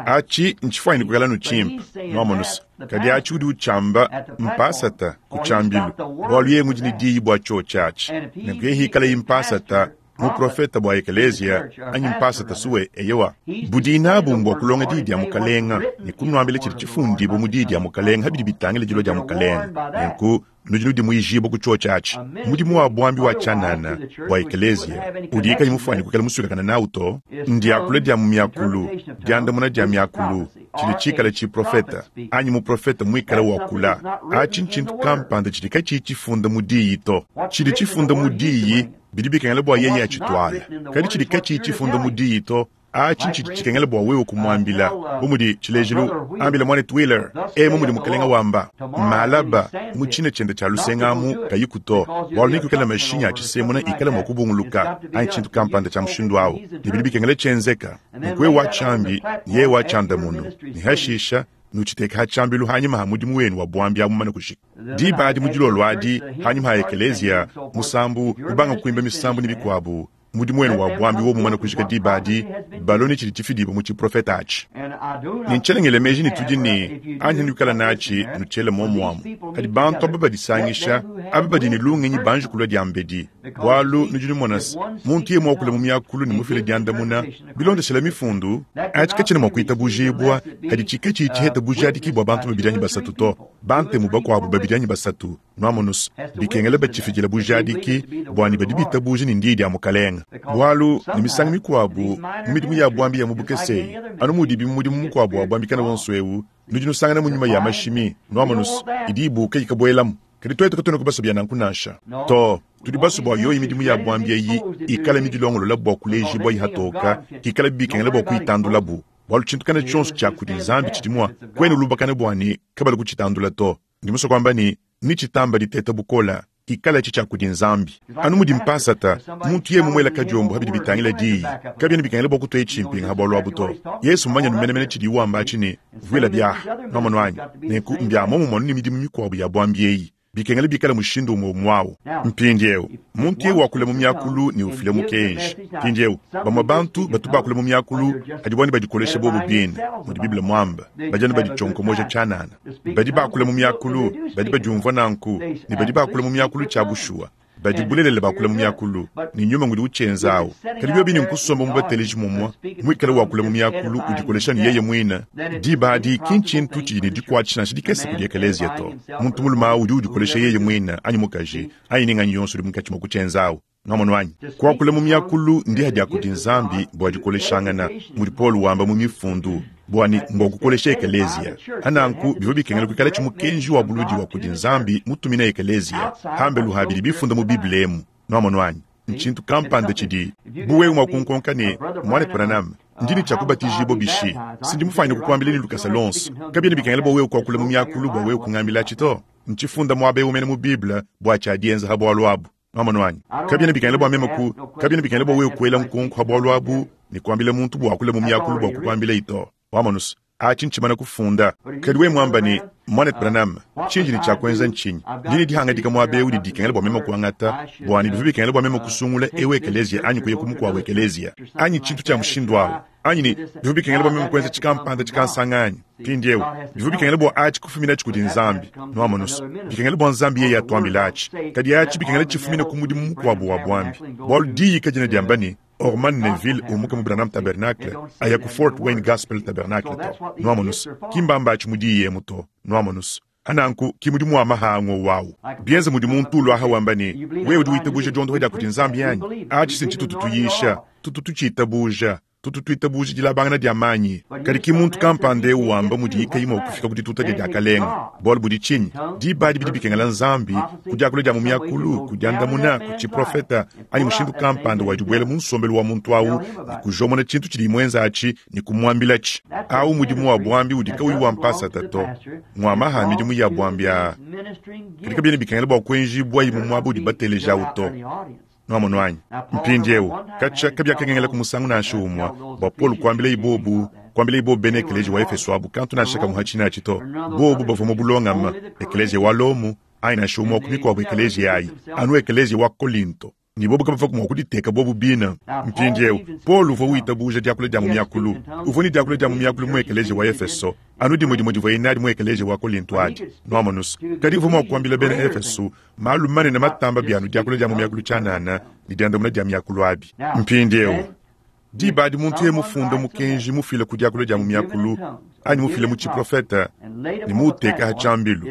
atshi ntshifuanyine kuikala anu tshimpe, nuamonu se. Kadi atshi udi utshiamba mpasata ku tshiambilu, bualu yeye ngudi ne diyi bua tshiotshi atshi. Nenku yeye hikalayi mpasata, muprofeta bua ekeleziya, anyi mpasata suwe, eyowa, budi nabu mbua kulonga diyi dia Mukalenga ne kunuambila tshidi tshifundibue mu diyi dia Mukalenga ha bidi bitangila dilua dia Mukalenga. Nenku nudi nudimuijibua ku tshiotshi atshi. Mudimu wa buambi wa tshianana bua ekeleziya udi kayi mufuane kuikala musuikakane nawu to, ndiakula dia mu miakulu, diandamuna dia miakulu, tshidi tshikale tshiprofeta anyi muprofeta muikale wakula. Atshi ntshintu kampanda tshidi katshiyi tshifunda mu diyi to. Tshidi tshifunda mu diyi bidi bikengela bua yeye atshituala, kadi tshidi katshiyi tshifunda mu diyi to, atshi ntshidi tshikengela bua wewe kumuambila. Bu mudi tshilejilu, ambila muanetu Wheeler, emu mudi Mukalenga wamba, malaba mu tshina tshiende tshia lusenga amu kayiku to, bualu nekuikale mashinyi a tshisemuna ikala mua kubunguluka anyi tshintu kampanda tshia mushindu au, ne bidi bikengela tshienzeka. Nunku wewe watshiambi, yeye watshiandamunu, ne hashisha nutshiteke ha tshiambilu hanyima ha mudimu wenu wa buambi abu mumane kushika. Diba adi mu dilolo adi, hanyima ha ekeleziya, musambu, ubanga kuimba misambu ne bikuabu, mudimu wenu wa buambi wo mumane kujika diba adi, balone tshidi tshifidibua mu tshiprofeta atshi. Ne ntshiena ngela meji ne tudi ne anyi nuikala natshi nutshiele muomuamu. Kadi bantu aba badisangisha, aba badi ne lungenyi banji kulua diambedi, bualu nudi numona se, muntu yeye muakule mu miakulu ne mufile diandamuna bilondeshela mifundu, atshi katshiena mua kuitabujibua, kadi tshikatshiyi tshiheta bujadiki bua bantu babidi anyi basatu to, bantemu bakuabu babidi anyi basatu. Nuamonus, bikengela batshifidila bujadiki bua ne badi bitabuja ne ndiyi dia Mukalenga. Bualu ne misangu mikuabu mu midimu ya buambi ya mu bukese eyi, anu mudibi mu mudimu mukuabu wa buambi kana wonso eu, nudi nusangana mu nyuma ya mashimi, nuamonus, idi ibuka ikabuelamu. Kadi tuetu katuena kubasue bia nanku nansha. To, tudi basue bua yoyi midimu ya buambi eyi ikale midilongolola bua kulejibua ihatoka, kikala bikengela bua kuyitandulabu, bualu tshintu kana tshionso tshia kudi Nzambi tshidi mua kuena ulubakana bua ne kabalu kutshitandula to. Ndi musue kuamba ne, nitshitamba diteta bukola, ikalatshi tshia kudi Nzambi. Anu mudi mpasata, muntu yeye mumuela kadiombo ha bidi bitangila diyi, kabiena bikengela bua kutueye tshimpinga ha bualu abu to. Yesu mmumanye anu menemene tshidiye wamba atshi ne, Vuila biaha, nuamonu anyi? Nenku mbia muomumue anu ne midimu mikuabu ya buambi eyi, bikengela bikale mushindu umue umue au. Mpindieu, muntu yeye wakula mu miakulu ne ufila mukenji. Mpindieu, bamue bantu batu bakula mu miakulu kadi buani badikolesha bobu bine, mudi Bible muambe, badi anu baditshionkomoja tshianana. Badi bakula mu miakulu badi badiumvua nanku, ne badi bakula mu miakulu tshia bushuwa badi bulelela bakula mu miakulu, ne nyuma ngudi utshienza awu. Kadi biobi ne nkusomba mu bateleji mumue, muikale wakula mu miakulu udikolesha ne yeye muine, diba adi ki ntshintu tshidi ne dikuatshisha nansha dikese kudi ekeleziya to. Muntu mulume awu udi udikolesha yeye muine anyi mukaji anyi ne nganyi yonso udi munkatshi mua kutshienza awu. Nwamonu anyi? Kuakula mu miakulu ndiha dia kudi Nzambi bua dikoleshangana, mudi Paulo wamba mu Mifundu, bua ne mbua kukolesha ekeleziya. Pa nanku bivua bikengela kuikalatshi mukenji wa buludi wa kudi Nzambi mutumina ekeleziya, pambelu ha bidi bifunda mu Bible emu. Nwamonu anyi? Ntshintu kampanda tshidi, bu wewe mua kunkonka ne, Muanetu Branham, ndi ne tshia kubatijibua bishi? Si ndi mufuanyine kukuambila ne lukasa luonso. Kabiena bikengela bua wewe kuakula mu miakulu bua wewe kungambilatshi to. Ntshifunda muaba eu mene mu Bible bua tshia dienza ha bualu abu. Nwamonu anyi? Kabiena bikengela bua meme ku, kabiena bikengela bua wewe kuela nkonko ha bualu abu ne kuambila muntu bua akule mu miakulu bua kukuambilayi to. Wamonu's? Atshi ntshimana kufunda. Kadi wewe muamba ne, Muanetu Branham, tshindi ne tshia kuenza ntshinyi? Ndi ne dihangadika muaba eu didi dikengela bua meme kuangata, bua ne bivua bikengela bua meme kusungula eu ekeleziya anyi kuya ku mukuabu ekeleziya, anyi tshintu tshia mushindu au, anyi ne bivua bikengela bua meme kuenza tshikampanda tshikansanga anyi? Mpindieu, bivua bikengela bua atshi kufuminatshi kudi Nzambi. Nuamonu's? Bikengela bua Nzambi yeye atuambile atshi. Kadi atshi bikengela tshifumine ku mudimu mukuabu wa buambi, bualu Diyi kadiena diamba ne, Orman Neville umuka mu Branham Tabernacle aya ku Fort Wayne Gospel Tabernacle to. Nuamonu's? Ki mbamba atshi mu Diyi emu to. Nuamonu's? Ananku ki mudimu wa mahango wawu. Bienza mudi muntu uluaha wamba ne, Wewe udi witabuja diondopa dia kudi Nzambi anyi? Atshi si ntshitutu tuyisha. Tutu tutshiitabuja. Tutu tuitabuja dilabangana dia manyi. Kadi ki muntu kampanda eu wamba mudiyi kayi mua kufika ku dituta dia diakalenga. Bualu budi tshinyi? Diba adi bidi bikengela Nzambi, ku diakula dia mu miakulu, ku diandamuna, ku tshiprofeta, anyi mushindu kampanda wa dibuela mu nsombelu wa muntu au ne kujomona tshintu tshidiyi muenza atshi ne kumuambilatshi. Au mudimu wa buambi udi kauyi wa mpasata to, ngua maha a midimu ya buambi aa. Kadi kabiena bikengela bua kuenjibuayi mu muaba udi bateleji au to. Nuamonu anyi? Mpindieu, katshia kabiakengengelaku musangu nansha umue bua Paulo kuambilaye bobu kuambilaye bobu bena ekeleziya wa Efeso abu kantu nansha kamue ha tshine atshi to. Bobu bavua mu bulongame, ekeleziya wa Lomo, anyi nansha umue wa ku mikuabu ekeleziya ayi, anu ekeleziya wa Kolinto, ne bobu kabavuaku mua kuditeka bobu bine. Mpindieu, Paulo uvua witabuja diakula dia mu miakulu. Uvua ne diakula dia mu miakulu mu ekeleziya wa Efeso, anu dimue dimue divuaye nadi mu ekeleziya wa Kolinto adi. Nuamonu's? Kadi uvua mua kuambila bena Efeso malu manene matamba bia anu diakula dia mu miakulu tshianana ne diandamuna dia miakulu abi. Mpindieu, diba adi muntu yeye mufunde mukenji mufila ku diakula dia mu miakulu anyi mufila mu tshiprofete ne muuteka ha tshiambilu,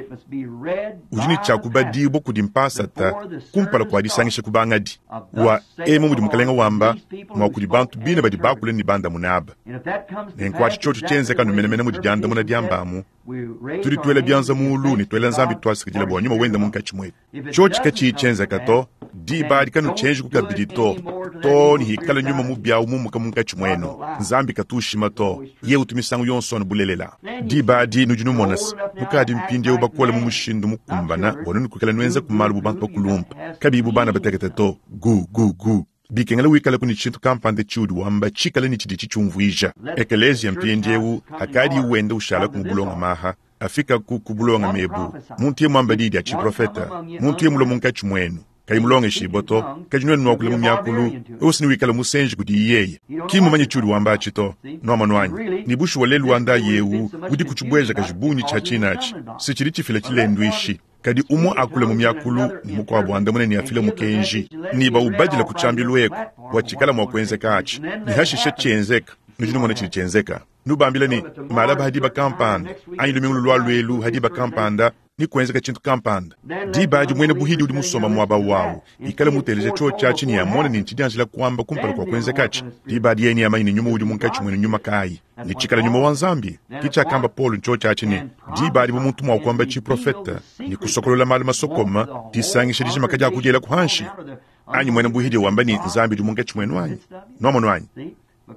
udi ne tshia kubadibua kudi mpasata kumpala kua disangisha kubangadi wa emu mudi Mukelenge wamba mua kudi bantu bine badi bakula ne bandamuna aba. Nenku atshi tshiotshi tshienzeka anu menemene mudi diandamuna diambamu. Tudi tuela bianza muulu ne tuela Nzambi tuasakidila bua nyuma wende munkatshi muetu. Tshiotshi katshiyi tshienzeka to, diba adi kanutshienjiku kabidi to, too ne hikala nyuma mubi au mumuka munkatshi muenu. Nzambi katu ushima to, yeye utu misangu yonso anu bulelela. Diba adi nudi numona se, nukadi mpindieu bakole mu mushindu mukumbana bua nuenu kuikala nuenzaku malu bu bantu bakulumpe, kabiyi bu bana batekete to. Gu, gu, gu. Bikengela wikalaku ne tshintu kampanda tshiudi wamba tshikale ne tshidi tshitshiumvuija. Ekeleziya mpindieu akadi wenda ushalaku mu bulongame aha, afikaku ku bulongame ebu. Muntu yeye muamba diyi dia tshiprofeta, muntu yeye mulue munkatshi muenu, kayi mulongeshibue to, kadi nuenu nuakula mu miakulu, wewe si newikale musenji kudiyi yeye. Ki mmumanye tshiudi wamba atshi to. Nuamonu anyi? Ne bushuwa lelu wa ndayi eu udiku tshibuejakaji bungi tshia tshine atshi, si tshidi tshifila tshilenduishi. Kadi umue akule mu miakulu ne mukuabu andamune ne afile mukenji, ne baubadila ku tshiambilu eku bua tshikala mua kuenzeka atshi, ne hashishe tshienzeka. Nudi numona tshidi tshienzeka. Nubambile ne, Malaba ha diba kampanda, anyi lumingu lulualua elu ha diba kampanda, ne kuenzeka tshintu kampanda. Diba adi muena buhidi udi musomba muaba wawu ikale muteleje tshiotshi atshi ne amone ne ntshidianjila kuamba kumpala kua kuenzekatshi. Diba adi yeye neamanye ne nyuma udi munkatshi muenu nyuma kayi, ne tshikala nyuma wa Nzambi. Ke tshiakamba Paulo ntshiotshi atshi ne, diba adi bu muntu mua kuamba tshiprofete ne kusokolola malu masokome, disangisha dijima kadiakudielaku hanshi, anyi muena buhidi wamba ne Nzambi udi munkatshi muenu anyi? Nuamonu anyi?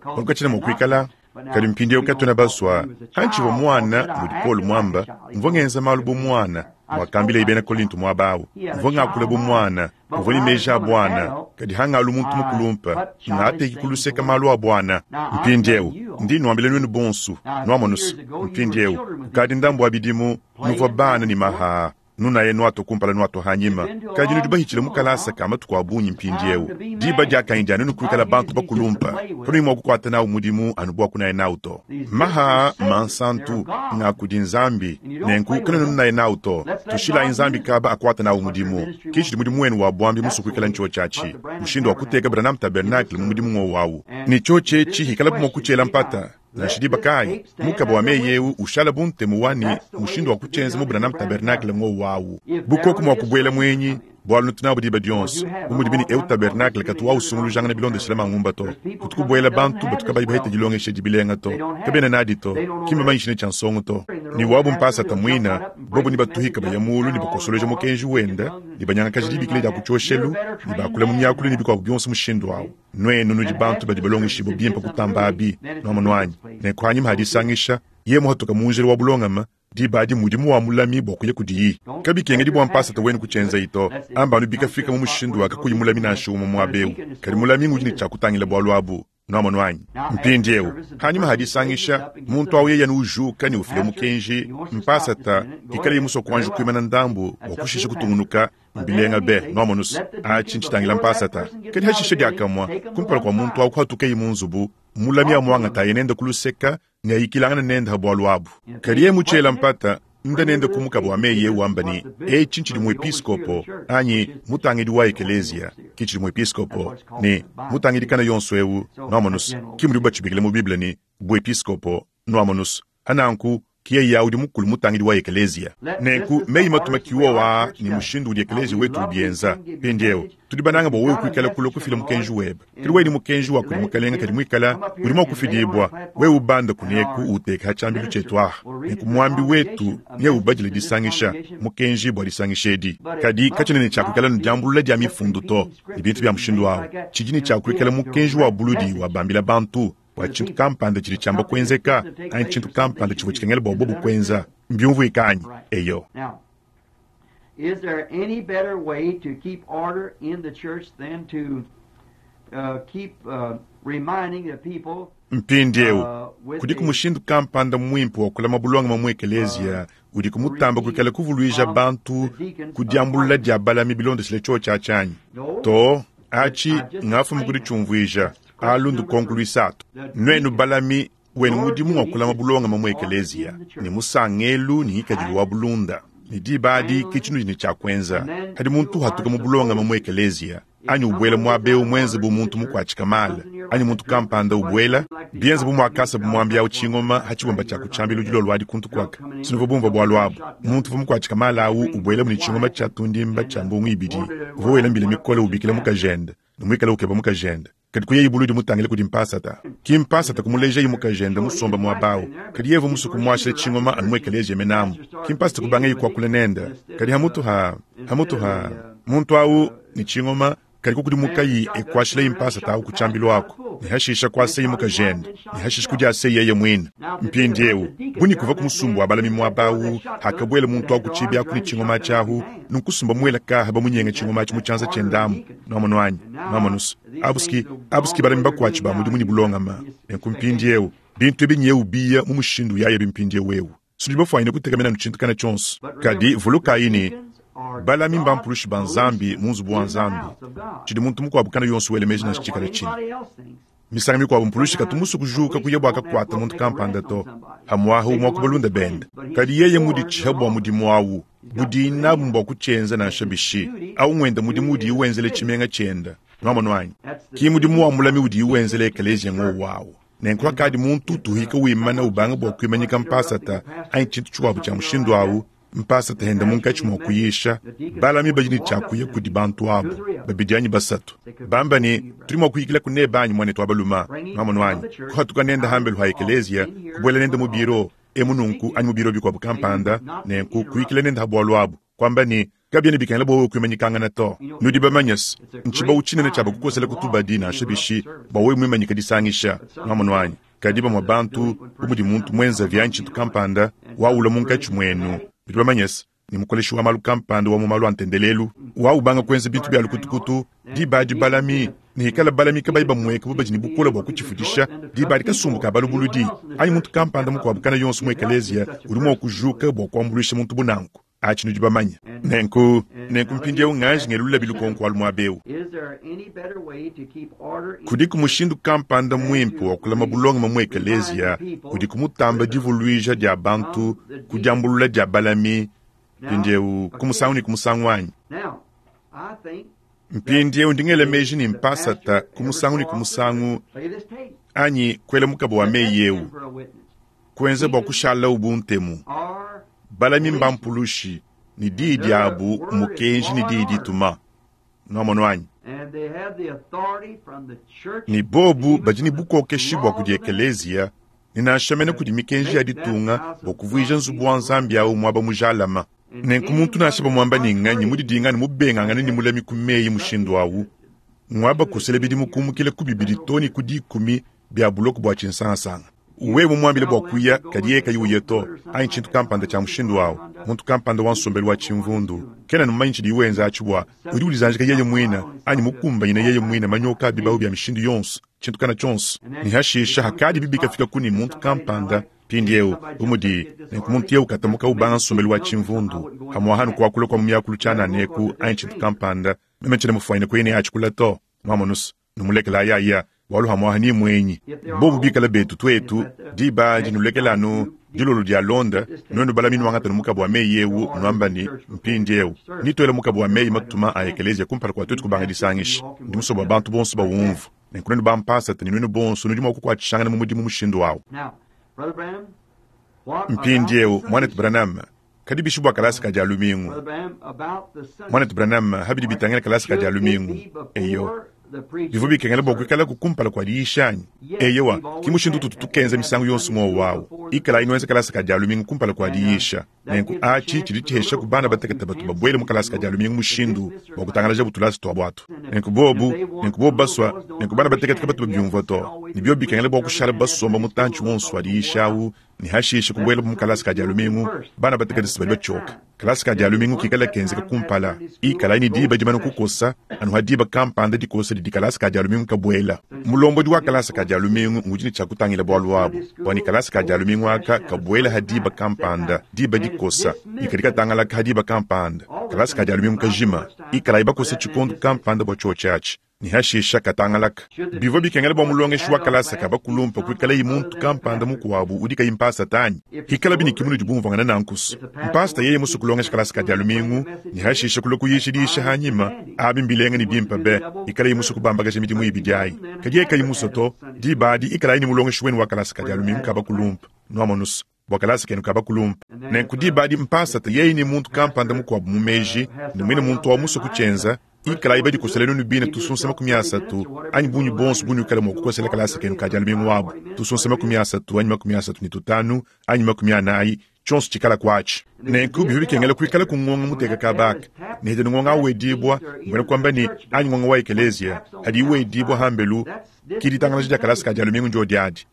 Bualu katshiena mua kuikala. Kadi mpindieu katuena basua. Pantshivua muana, mudi Paulo muamba, mvua ngenza malu bu muana, muakambilaye bena Kolinto muaba au. Mvua ngakula bu muana, mvua ne meji a buana, kadi hangalu muntu mukulumpe, ngateki ku luseke malu a buana. Mpindieu ndi nnuambila nuenu bonso, nuamonu se, mpindieu kukadi ndambu wa bidimu, nuvua bana ne mahaa. Nunaye nuatua kumpala nuatua hanyima, kadi nudi bahitshile mu kalasa ka matuku a bungi mpindieu. Diba diakanyi dia nuenu kuikala bantu bakulumpa, kanuyi mua kukuata nawu mudimu anu bua kunaya nawu to. Maha mansantu nga kudi Nzambi, nenku kanuena nunaya nawu to. Tushilayi Nzambi kaba akuata nawu mudimu. Ke tshidi mudimu wenu wa buambi musue kuikala ntshiotshi atshi, mushindu wa kuteka Branham Tabernacle mu mudimu ngowu awu. Ne tshiotshi etshi hikalabu mua kutshiela mpata, Nansha diba kayi, mukaba wa meyi eu ushala bu ntemu wa ne mushindu wa kutshienza mu Branham Tabernacle ngowu awu. Bu koku mua kubuela muenyi, Bualu nutu nabu diba dionso. Bu mudibi ne eu tabernakle katu wausungulujangana bilondeshile mangumba to. Kutu kubuela bantu batu kabayi bahete dilongesha edi bilenga to. Kabena nadi to. Ki mbamanyishe ne tshia nsongo to. Ne wabu mpasata muina, bobu ne batuhika baya mulu ne bakosoloja mukenji wenda, ne banyangakaja dibikila dia ku tshioshelu, ne bakula mu miakulu ne bikuabu bionso mushindu au. Nuenu nudi bantu badi balongeshibue bimpe kutamba abi, nuamonu anyi? Nenku hanyima ha disangisha, yeye muhatuka mu njila wa bulongame, Diba adi mmudimu wa mulami bua kuya kudiyi. Kabikengedi bua mpasata wenu kutshienzayi to. Amba anu bikafika mu mushindu wa kakuyi mulami nansha umue muaba eu. Kadi mulami ngudi ne tshia kutangila bualu abu. Nuamonu anyi? Mpindieu, panyima ha disangisha, muntu au yeye anu ujuka ne ufila mukenji, mpasata, pikaleye musue kuanji kuimana ndambu bua kushisha kutungunuka, mbilenga be. Nuamonu's? Atshi ntshitangila mpasata. Kadi hashishe diakamue, kumpala kua muntu au kuhatukeyi mu nzubu, mulami amuangataye nende ku luseka neayikilangane nende ha bualu abu. Kadi yeye mutshiela mpata, nda nende ku mukaba wa meyi eu wamba ne, Etshi ntshidi muepiskopo, anyi mutangidi wa ekeleziya, ki tshidi muepiskopo, ne mutangidi kana yonso eu, nuamonus, ki mudibu batshibikila mu Bible ne, buepiskopo, nuamonus. Ha nanku, ki yeye udi mukulu mutangidi wa ekeleziya. Nenku meyi matuma ki wowo aa ne mushindu udi ekeleziya wetu ubienza. Mpindieu, tudi banange bua wewe kuikala kulua kufila mukenji webe. Kadi wewe ne mukenji wa kudi Mukelenge kadi muikala udi mua kufidibua, wewe ubanda kuneku uwuteke ha tshiambilu tshietu aha. Nenku muambi wetu neubadile disangisha mukenji bua disangisha edi. Kadi katshiena ne tshia kuikala ne diambulula dia mifundu to, ne bintu bia mushindu au. Tshidi ne tshia kuikala mukenji wa buludi wabambila bantu bua tshintu kampanda tshidi tshiamba kuenzeka anyi tshintu kampanda tshivua tshikengela bua bobu kuenza. Mbiumvuike anyi? Eyo. Is there any better way to keep order in the church than to uh, keep uh, reminding the people Mpindieu, kudiku mushindu kampanda muimpe wa kulama bulongame mu ekeleziya udiku mutamba kuikala kuvuluija bantu ku diambulula dia balami bilondeshile tshiotshi atshi anyi? Too, atshi ngafuma ku ditshiumvuija. Alu ndukonko luisatu. Nuenu balami, wenu mudimu ngua kulama bulongame mu ekeleziya ne musangelu ne ngikadilu wa bulunda. Ne diba adi ke tshinudi ne tshia kuenza. Padi muntu uhatuka mu bulongame mu ekeleziya anyi ubuela muaba eu muenze bu muntu mukuatshika mala anyi muntu kampanda ubuela bienze bu muakasabu muambi au tshingoma ha tshibumba tshia ku tshiambilu dilolo adi kuntu kuaka, sinuvua bumvua bualu abu. Muntu uvua mukuatshika mala au ubuelamu ne tshingoma tshia tundimba tshia mbungu ibidi, uvua wela mbila mikole ubikila mukajende ne muikale ukeba mukajende. Kadi kuyayi buludi mutangile kudi mpasata. Ki mpasata kumulejayi mukajende musombe muaba au, kadi yeye uvua musue kumuashila tshingoma anu mu ekeleziya menamu. Ki mpasata kubangaye kuakula nende, kadi hamutu ha hamutu ha muntu au ne tshingoma, kadi kukudimukayi e kuashilayi mpasata au ku tshiambilu aku, ne hashisha kuasayi mukajende, ne hashisha kudiasayi yeye muine. Mpindieu, bu ne kuvua ku musumba wa balami muaba au, hakabuela muntu au ku tshibi aku ne tshingoma atshi ahu, nunku sumba muela kaha bamunyenga tshingoma atshi mu tshianza tshiende amu. Nuamonu anyi? Nuamonu's? Abuski, abuski balami bakuatshi ba mudimu ne bulongama. Nenku mpindieu, bintu ebi nyewu biya mu mushindu uyayabi mpindieu eu. Tudi bafuanyine kutekemena anu tshintu kana tshionso. Kadi vulukayi ne, balami mbampulushi ba Nzambi mu nzubu wa Nzambi. Tshidi muntu mukuabu kana yonso wela meji nansha tshikale tshinyi. Misangu mikuabu mpulushi katu musue kujuka kuya bua kakuata muntu kampanda to, pamu'apa umue wa ku balunda bende. Kadi yeye muditshihe bua mudimu au, budiyi nabu mbua kutshienza nansha bishi. Au ng'wende mudimu udiye wenzela tshimenga tshiende. Nuamonu anyi? Ki mudimu wa mulami udiye wenzela ekeleziya ng'wowu au. Nenku hakadi muntu utuhika wimana ubanga bua kuimanyika mpasata anyi tshintu tshikuabu tshia mushindu au, mpasata ende munkatshi mua kuyisha, balami badi ne tshia kuya kudi bantu abu, babidi anyi basatu, bamba ne, Tudi mua kuyikilaku nebe anyi, muanetu wa balume? Nuamonu anyi? Kuhatuka nende hambelu ha ekeleziya, kubuela nende mu biro emu nunku anyi mu biro bikuabu kampanda, nenku kuyikila nende ha bualu abu, kuamba ne, Kabiena bikengela bua wewe kuimanyikangana to. Nudi bamanye se, ntshibawu tshinene tshia bakukosela ku tubadi nansha bishi bua wewe muimanyike disangisha. Nuamonu anyi? Kadi bamue bantu, bu mudi muntu muenzavi anyi tshintu kampanda, waula munkatshi muenu, nudi bamanye se, ne mukoleshi wa malu kampanda wa mu malu a ntendelelu, waubanga kuenza bintu bia lukutukutu, diba adi balami, ne hikala balami kabayi bamueka bu badi ne bukole bua kutshifudisha, diba adi kasumbu ka balubuludi anyi muntu kampanda mukuabu kana yonso mu ekeleziya udi mua kujuka bua kuambuluisha muntu bu nanku. Atshi nudi bamanye. Nenku, nenku mpindieu nganji ngelulula lukonko alu muaba eu. Kudiku mushindu kampanda muimpe wa kulama bulongame mu ekeleziya udiku mutamba divuluija dia bantu ku diambulula dia balami mpindieu ku musangu ne ku musangu anyi? Mpindieu ndi ngela meji ne mpasata ku musangu ne ku musangu anyi kuela mukaba wa meyi eu kuenza bua kushalawu bu ntemu. Balami mbampulushi. Ne diyi diabu mmukenji ne diyi dituma. Nwamonu anyi? Ne bobu badi ne bukokeshi bua kudi ekeleziya, ne nansha mene kudi mikenji ya ditunga, bua kuvuija nzubu wa Nzambi au muaba mujalama. Nenku muntu nansha bamuamba ne nganyi mudidinga ne mubengangane ne mulami ku meyi mushindu au, ngua bakosela bidimu kumukila ku bibidi too ne ku dikumi bia buloko bua tshinsangasanga. Wewe mumuambile bua kuya, kadi yeye kayi uya to, anyi tshintu kampanda tshia mushindu au, muntu kampanda wa nsombelu wa tshimvundu, kena mumanye tshidiye wenza atshi bua udi udizanjika yeye muine anyi mukumbanyine yeye muine manyoka a bibawu bia mishindu yonso, tshintu kana tshionso. Ne hashisha hakadi bikafika ku ne muntu kampanda mpindieu bu mudi nenku muntu eu katamuka ubanga nsombelu wa tshimvundu, pamuapa kuakula kua mu miakulu tshianana eku anyi tshintu kampanda, meme tshiena mufuanyine kuya ne atshikula to. Mwamonusu, numulekela ayaya, bualu pamuapa ni muenyi. Bobu bikala betu tuetu, diba adi nulekela anu dilolo dia londa, nuenu balami nuangata mukabu wa meyi eu, nuamba ne, mpindieu, nituele mukabu wa meyi matuma a ekeleziya kumpala kua tuetu kubanga disangisha. Ndi musue bua bantu bonso bawumvue. Nenku nuenu bampasata ne nuenu bonso nudi mua kukuatshishangana mu mudimu mushindu au. Mpindieu, muanetu Branham, kadi bishi bua kalasa ka dia lumingu? Muanetu Branham, habidi bitangila kalasa ka dia lumingu. Eyo, bivua bikengela bua kuikalaku kumpala kua diyisha anyi? Eyowa, ki mushindu ututu tukenza misangu yonso ngowu awu. Ikalayi nuenza kalasa ka dia lumingu kumpala kua diyisha. Nenku atshi tshidi tshihesha ku bana batekete batu babuele mu kalasa ka dia lumingu mushindu wa kutangalaja butulasa tuabu atu. Nenku bobu, nenku bobu basua, nenku bana batekete kabatu babiumvua to. Ne biobi bikengela bua kushala basomba mutantshi wonso wa diyisha awu, ne hashishe kubuela mu kalasa ka dia lumingu, bana batekete si badi batshioka. Kalasa ka dia lumingu kikala kenzeka kumpala, ikalayi ne diba dimane kukosa, anu ha diba kampanda dikosa didi kalasa ka dia lumingu kabuela. Mulombodi wa kalasa ka dia lumingu ngudi ne tshia kutangila bualu abu, bua ne kalasa ka dia lumingu aka kabuela ha diba kampanda, diba dikosa, ne kadi katangalaka ha diba kampanda. Kalasa ka dia lumingu kajima, ikalayi bakosa tshikondo kampanda bua tshiotshi atshi, ne hashisha katangalaka. Bivua bikengela bua mulongeshi wa kalasa ka bakulumpa kuikalayi muntu kampanda mukuabu udi kayi mpasata anyi? Ikalabi ne kimunudi bumvuangana nankusu. Mpasata yeye musue kulongesha kalasa ka dia lumingu ne hashisha kulua kuyisha diyisha hanyima, abi mbilenga ne bimpe be, ikalayi musue kubambakaja midimu ibidi ayi. Kadi yeye kayi musue to, diba adi ikalayi ne mulongeshi wenu wa kalasa ka dia lumingu ka bakulumpa, nuamonusu, bua kalasa kenu ka bakulumpa. Nenku diba adi mpasata yeye ne muntu kampanda mukuabu mu meji, ne muine muntu awu musue kutshienza, ikalayi badikosela nuenu bine tusunsa 30 anyi bungi bonso bunuikala mua kukosela kalasa kenu ka dia lumingu abu, tusunsa 30 anyi 35 anyi 40, tshionso tshikala kuatshi. Nenku bivua bikengela kuikala ku ngonga muteka kabaka, ne hidi ngonga awu wedibua, mbuena kuamba ne anyi ngonga wa ekeleziya, hadi wedibua hambelu, ki ditangalaja dia kalasa ka dia lumingu ndio adi.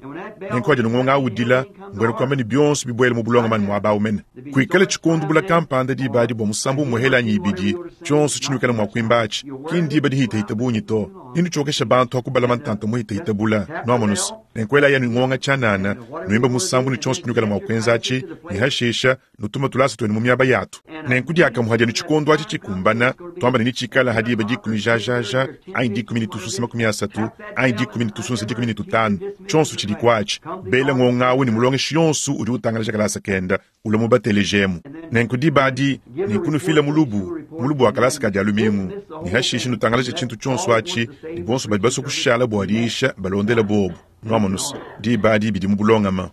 Nenku hadi ngonga awu udila, mbuena kuamba ne bionso bibuele mu bulongame muaba awu mene. Kuikala tshikondo bula kampanda diba adi bua musambu umue anyi ibidi, tshionso tshinuikala mua kuimba atshi, ki ndiba dihitahita bungi to. Ninutshokesha bantu akubala mantanta muhitahita bula, nuamonusu. Nenku elayi anu ngonga tshianana, nuimba musambu ne tshionso tshinuikala mua kuenza atshi, ne hashisha nutuma tulasa tuenu mu miaba yatu. Nenku diakamue hadi anu tshikondo atshi tshikumbana, tuamba ne nitshikala ha diba dikumi jajaja, anyi dikumi ne tusunsa 30, anyi dikumi ne tusunsa 15, tshionso tshidi kuatshi. Bela ngonga awu ne mulongeshi yonso udi utangalaja kalasa kenda, ulua mubatelejemu. Nenku diba adi, nenku nufila mulubu, mulubu wa kalasa ka dia lumingu, ne hashisha nutangalaja tshintu tshionso atshi, ne bonso badi basue kushala bua diyisha balondela bobu. Nuamonusu, diba adi bidi mu bulongama.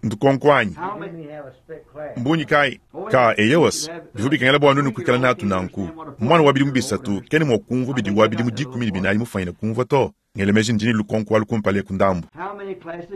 Ndukonko anyi? Mbunyi kayi? Ka eyowas, bivua bikengela bua nuenu kuikala natu nanku. Muana wa bidimu bisatu kena mua kumvua bidi wa bidimu 14 mufuanyine kumvua to. Ngela meji ndi ne lukonko alu kumpala eku ndambu.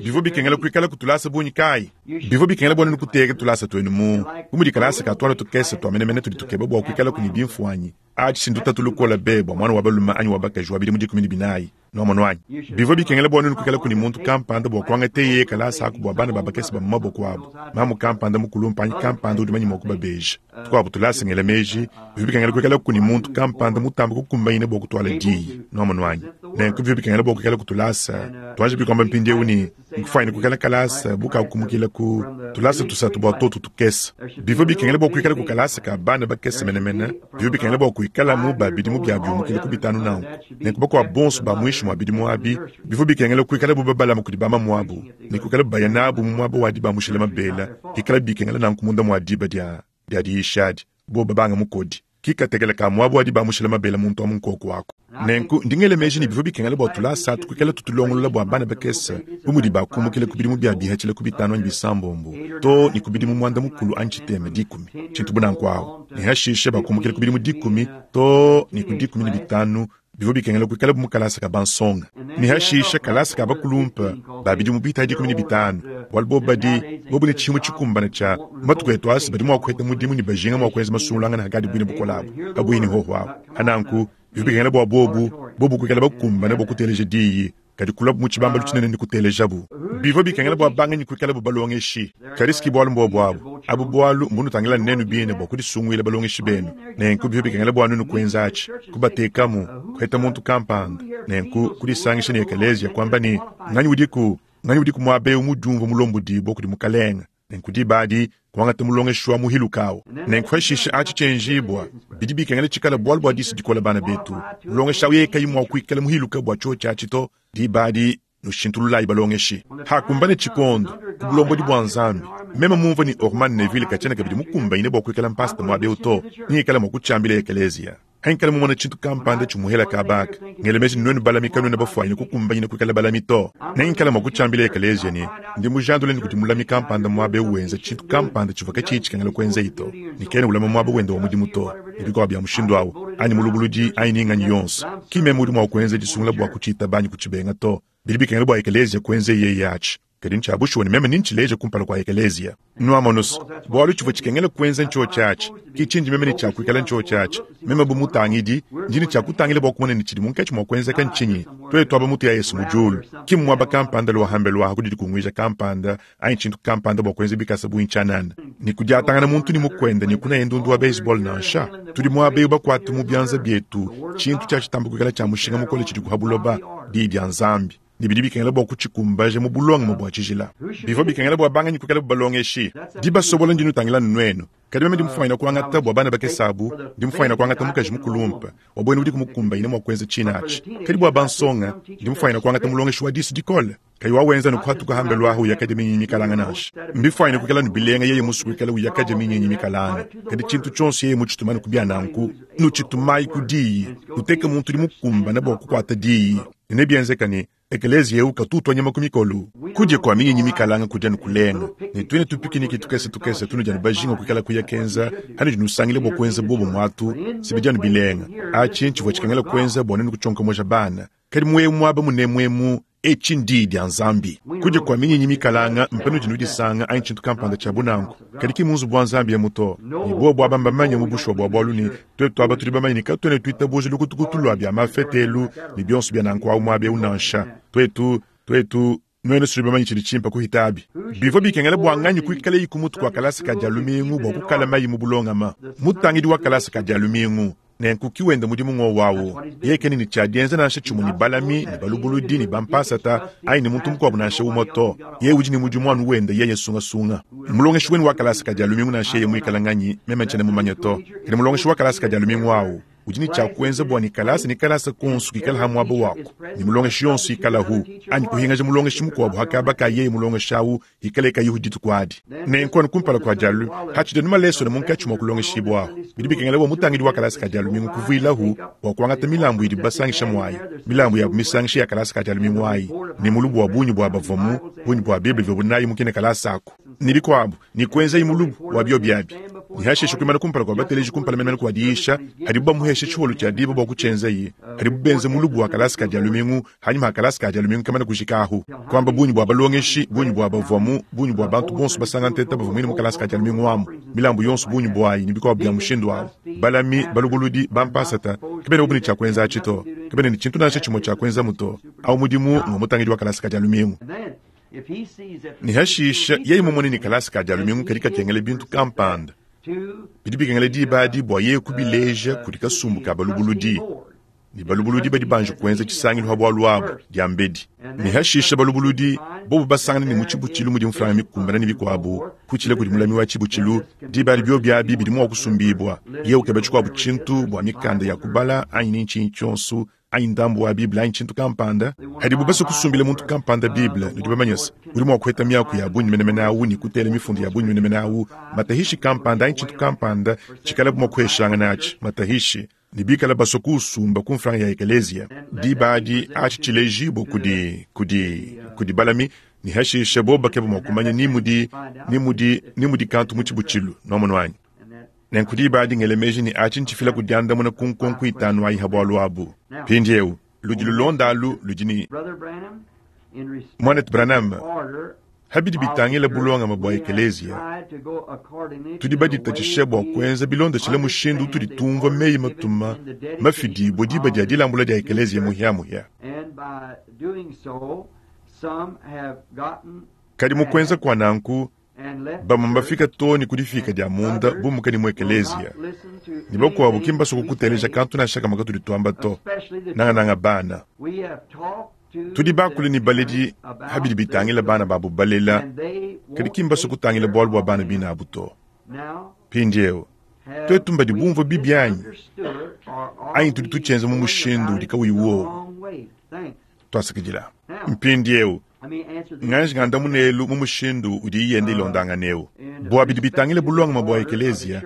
Bivua bikengela kuikala ku tulasa bungi kayi? Bivua bikengela bua nuenu kuteka tulasa tuenu mu bu mudi kalasa ka tuana tukese tua menemene tudi tukeba bua kuikala ku ne bimfuanyi. Atshi ndutatu lukola be bua muana wa balume anyi wa bakaji wa bidimu 14. Nuamonu anyi? Bivua bikengela bua nuenu kuikala ku ne muntu kampanda bua kuangata yeye kalasa aku bua bana ba bakese ba mu maboko abu. Mamu kampanda mukulumpa anyi kampanda udi manya mua kubabeja. Tukuabu tulasa ngela meji, bivua bikengela kuikala ku ne muntu kampanda mutambe kukumbanyina bua kutuala diyi. Nuamonu anyi? Nenku bivua bikengela bua kuikala ku tulasa. Tuanji bikuamba mpindieu ne, nkufuanyine kuikala kalasa bu kakumukila ku tulasa tusatu bua totu tukese. Bivua bikengela bua kuikala ku kalasa ka bana bakese menemene, bivua bikengela bua kuikala mu ba bidimu bia biumukila ku bitanu nanku. Nenku bakuabu bonso ba muinshi mua bidimu abi, bivua bikengela kuikala bu babalama kudi bamamuabu, ne kuikala baya nabu mu muaba wa dibamushila mabela, ikala bikengela nanku munda mua diba dia dia diyisha adi, bobu babanga mukodi. Ki katekela ka muaba wa dibamushila mabela muntu amu nkoku aku. Nenku ndi ngela meji ne bivua bikengela bua tulasa atu kuikala tutulongolola bua bana bakese bu mudi bakumukila ku bidimu bia bihatshila ku bitanu anyi bisambombo too ne ku bidimu muanda mukulu anyi tshitema dikumi, tshintu bu nanku awu, ne hashishe bakumukila ku bidimu dikumi too ne ku 15. Bivua bikengela kuikala bu mu kalasa ka bansonga, ne hashishe kalasa ka bakulumpe ba bidimu bita 15, bualu bobu badi bobu ne tshihimu tshikumbane tshia matuku etu asa badi mua kuheta mudimu ne bajinga mua kuenza masungulangana hakadi buine bukole abu kabuyi ne hoho abu. Hananku bivua bikengela bua bobu bobu kuikala bakumbane bua kuteleja diyi, kadi kuluabu mu tshibambalu tshinene ne kutelejabu. Bivua bikengela bua banganyi kuikalabu balongeshi, kadi si ki bualu mbuobu abu. Abu bualu mbunutangila nenu bine bua kudisunguila balongeshi benu. Nenku bivua bikengela bua nuenu kuenza atshi, kubatekamu, kuheta muntu kampanda, nenku kudisangisha ne ekeleziya, kuamba ne, Nganyi udiku, nganyi udiku muaba eu mudiumvua mulombodibua kudi Mukalenge? Nenku diba adi kuangata mulongeshi wa muhiluka awu. Nenku hashishe atshi tshienjibua, bidi bikengela tshikala bualu bua disu dikola bana betu. Mulongeshi awu yeye kayi mua kuikala muhiluka bua tshiotshi atshi to, diba adi nushintululayi balongeshi. Hakumbane tshikondo, ku bulombodi bua Nzambi, meme mumvue ne Orman Neville katshiena kabidi mukumbanyine bua kuikala mpasata muaba eu to, ningikala mua kutshiambila ekeleziya. Hankala mumona tshintu kampanda tshimuhela kabaka, ngela meji ne nuenu balami kanuena bafuanyine kukumbanyina kuikala balami to. Nengikala mua kutshiambila ekeleziya ne, ndi mujandule ne kudi mulami kampanda muaba eu wenza tshintu kampanda tshivua katshiyi tshikengela kuenzeyi to, ne kena ulama muaba wende wa mudimu to, ne bikuabu bia mushindu au, anyi mulubuludi anyi ni nganyi yonso. Ki meme udi mua kuenza disungula bua kutshitaba anyi kutshibenga to. Bidi bikengela bua ekeleziya kuenzeyi yeye atshi. Kadi ntshia bushuwa ne meme nentshileje kumpala kua ekeleziya. Nuamonu's, bualu tshivua tshikengela kuenza ntshiotshi atshi, ki tshindi meme ne tshia kuikala ntshiotshi atshi. Meme bu mutangidi, ndi ne tshia kutangila bua kumona ne tshidi munkatshi mua kuenzeka ntshinyi. Tuetu aba mutu ya Yesu mu diulu, ki mmuaba kampanda lua hambelu aha ku didikunguija kampanda anyi tshintu kampanda bua kuenza bikasa bungi tshianana ne kudiatangana muntu ne mukuende ne kunaya ndundu wa baseball nansha. Tudi muaba eu bakuate mu bianza bietu tshintu tshia tshitamba kuikala tshia mushinga mukole tshidi ku buloba, Diyi dia Nzambi. Ne bidi bikengela bua kutshikumbaja mu bulongame bua tshijila. Bivua bikengela bua banganyi kuikalabu balongeshi? Dibasobola ndi nutangila anu nuenu. Kadi meme ndi mufuanyine kuangata bua bana bakese abu, ndi mufuanyine kuangata mukaji mukulumpe wa buena udiku mukumbanyine mua kuenza tshine atshi. Kadi bua bansonga, ndi mufuanyine kuangata mulongeshi wa disu dikole, kayi wawenza ne kuhatuka hambelu ahu uyakaja minyinyi mikalanga nansha. Mbifuanyine kuikala ne bilenga yeye musue kuikala uyakaja minyinyi mikalanga, kadi tshintu tshionso yeye mutshituma ne ku bia nanku, nutshitumayi ku diyi, nuteke muntu udi mukumbane bua kukuata diyi. Ne nebienzeka ne, ekeleziya eu katu utua nyama ku mikolo. Kudia kua minyinyi mikalanga kudi anu kulenga, ne tuine tupikiniki tukese tukese tunudi anu bajinga kuikala kuya kenza anudi nusangila bua kuenza bobo muatu, si bidi anu bilenga. Atshi ntshivua tshikengela kuenza bua nuenu kutshionkomoja bana. Kadi mu eu muaba munemu emu, etshi ndiyi dia Nzambi. Kudia kua minyinyi mikalanga mpanudi nudisanga anyi tshintu kampanda tshia bu nanku, kadi ki mu nzubu wa Nzambi emu to. Ne bobu aba mbamanye mu bushuwa bua bualu ne tuetu aba tudi bamanye ne katuena tuitabuja lukutukutu lua bia mafete elu ne bionso bia nanku awu muaba eu nansha. Tuetu, tuetu, nuenu tudi bamanye tshidi tshimpe kuhita abi. Bivua bikengela bua nganyi kuikalayi ku mutu kua kalasa ka Dia lumingu bua kukalamayi mu bulongama? Mutangidi wa kalasa ka Dia lumingu. Nenku ki wenda mudimu ng'wowu awu. Yeye kena ne tshia dienza nansha tshimue ne balami, ne balubuludi, ne bampasata, anyi ne muntu mukuabu nansha umue to. Yeye udi ne mudimu anu wenda yeye sungasunga. Mulongeshi wenu wa kalasa ka Dia lumingu nansha yeye muikale nganyi, meme ntshiena mumanye to. Kadi mulongeshi wa kalasa ka Dia lumingu awu udi ne tshia kuenza bua ne kalasa ne kalasa konso kikale ha muaba waku, ne mulongeshi yonso ikalahu, anyi kuhingaja mulongeshi mukuabu ha kaba ka yeye mulongeshi awu ikale kayihu dituku adi. Nenku anu kumpala kua dialu, hatshidi anu malesona munkatshi mua kulongeshibua ahu, bidi bikengela bua mutangidi wa kalasa ka Dia lumingu kuvuilahu bua kuangata milambu idibu basangisha muayi, milambu yabu misangisha ya kalasa ka Dia lumingu ayi, ne mulubu wa bungi bua bavuamu, bungi bua Bible ivuabu nayi mu kine kalasa aku, ne bikuabu, ne kuenzayi mulubu wa biobi abi, ne hashishe kuimana kumpala kua bateleji kumpala menemene kua diyisha hadibu bamuhesha tshiholu tshia diba bua kutshienzaye, hadibu benza mulubu wa kalasa ka Dia lumingu Hanyima ha kalasa ka Dia lumingu kamane kujika ahu, kuamba bungi bua balongeshi, bungi bua bavuamu, bungi bua bantu bonso basanga nteta bavua muine mu kalasa ka Dia lumingu amu, milambu yonso bungi buayi ne bikuabu bia mushindu au. Balami, balubuludi, bampasata kabena bobu ne tshia kuenza atshi to, kabena ne tshintu nansha tshimue tshia kuenzamu to. Au mudimu ngua mutangidi wa kalasa ka Dia lumingu. Ne hashisha yeye mumone ne kalasa ka Dia lumingu kadi kakengela bintu kampanda, bidi bikengela diba adi bua yeye kubileja kudi kasumbu ka balubuludi. Ne balubuludi badi banji kuenza tshisangilu ha bualu abu diambedi, ne hashisha balubuludi bobu basangane ne mu tshibutshilu mudi mfranga mikumbane ne bikuabu, kutshila kudi mulami wa tshibutshilu, diba adi biobi abi bidi mua kusumbibua, yeye ukeba tshikuabu tshintu bua mikanda ya kubala anyi ne ntshinyi tshionso. Anyi ndambu wa Bible anyi tshintu kampanda. Padibu basue kusumbila muntu kampanda Bible, nudi bamanye se, udi mua kupeta miaku ya bungi menemene awu ne kutela mifundu ya bungi menemene awu, matahishi kampanda anyi tshintu kampanda tshikalabu mua kuheshangana atshi, matahishi, ne bikala basue kuusumba ku mfranga ya ekeleziya. Diba adi, atshi tshilejibue kudi, kudi, kudi balami, ne hashishe bobo bakeba mua kumanya ni mudi, ni mudi, ni mudi kantu mu tshibutshilu. Nwamonu anyi? Nenku diba adi ngele meji ne atshi ntshifila ku diandamuna ku nkonko itanu ayi ha bualu abu. Mpindieu, ludi lulonda alu ludi ne, Muanetu Branham, ha bidi bitangila bulongame bua ekeleziya, tudi baditatshishe bua kuenza bilondeshile mushindu utudi tumvua meyi-matuma mafidibue diba dia dilambula dia ekeleziya muhiamuhia. Kadi mu kuenza kua nanku, Bamue mbafika too ne ku difiika dia munda bumuka ne mu ekeleziya, ne bakuabu ki mbasue kukuteleja kantu nansha kamue katudi tuamba to, nangananga bana. Tudi bakule ne baledi pa bidi bitangila bana babu balela, kadi ki mbasue kutangila bualu bua bana bine abu to. Mpindieu, tuetu mbadi bumvue bibi anyi? Anyi tudi tutshienza mu mushindu udi kauyi wowu? Tuasakidila. Mpindieu, nganji ngandamuna elu mu mushindu udiyi yenda ilondangana eu. Bua bidi bitangila bulongame bua ekeleziya,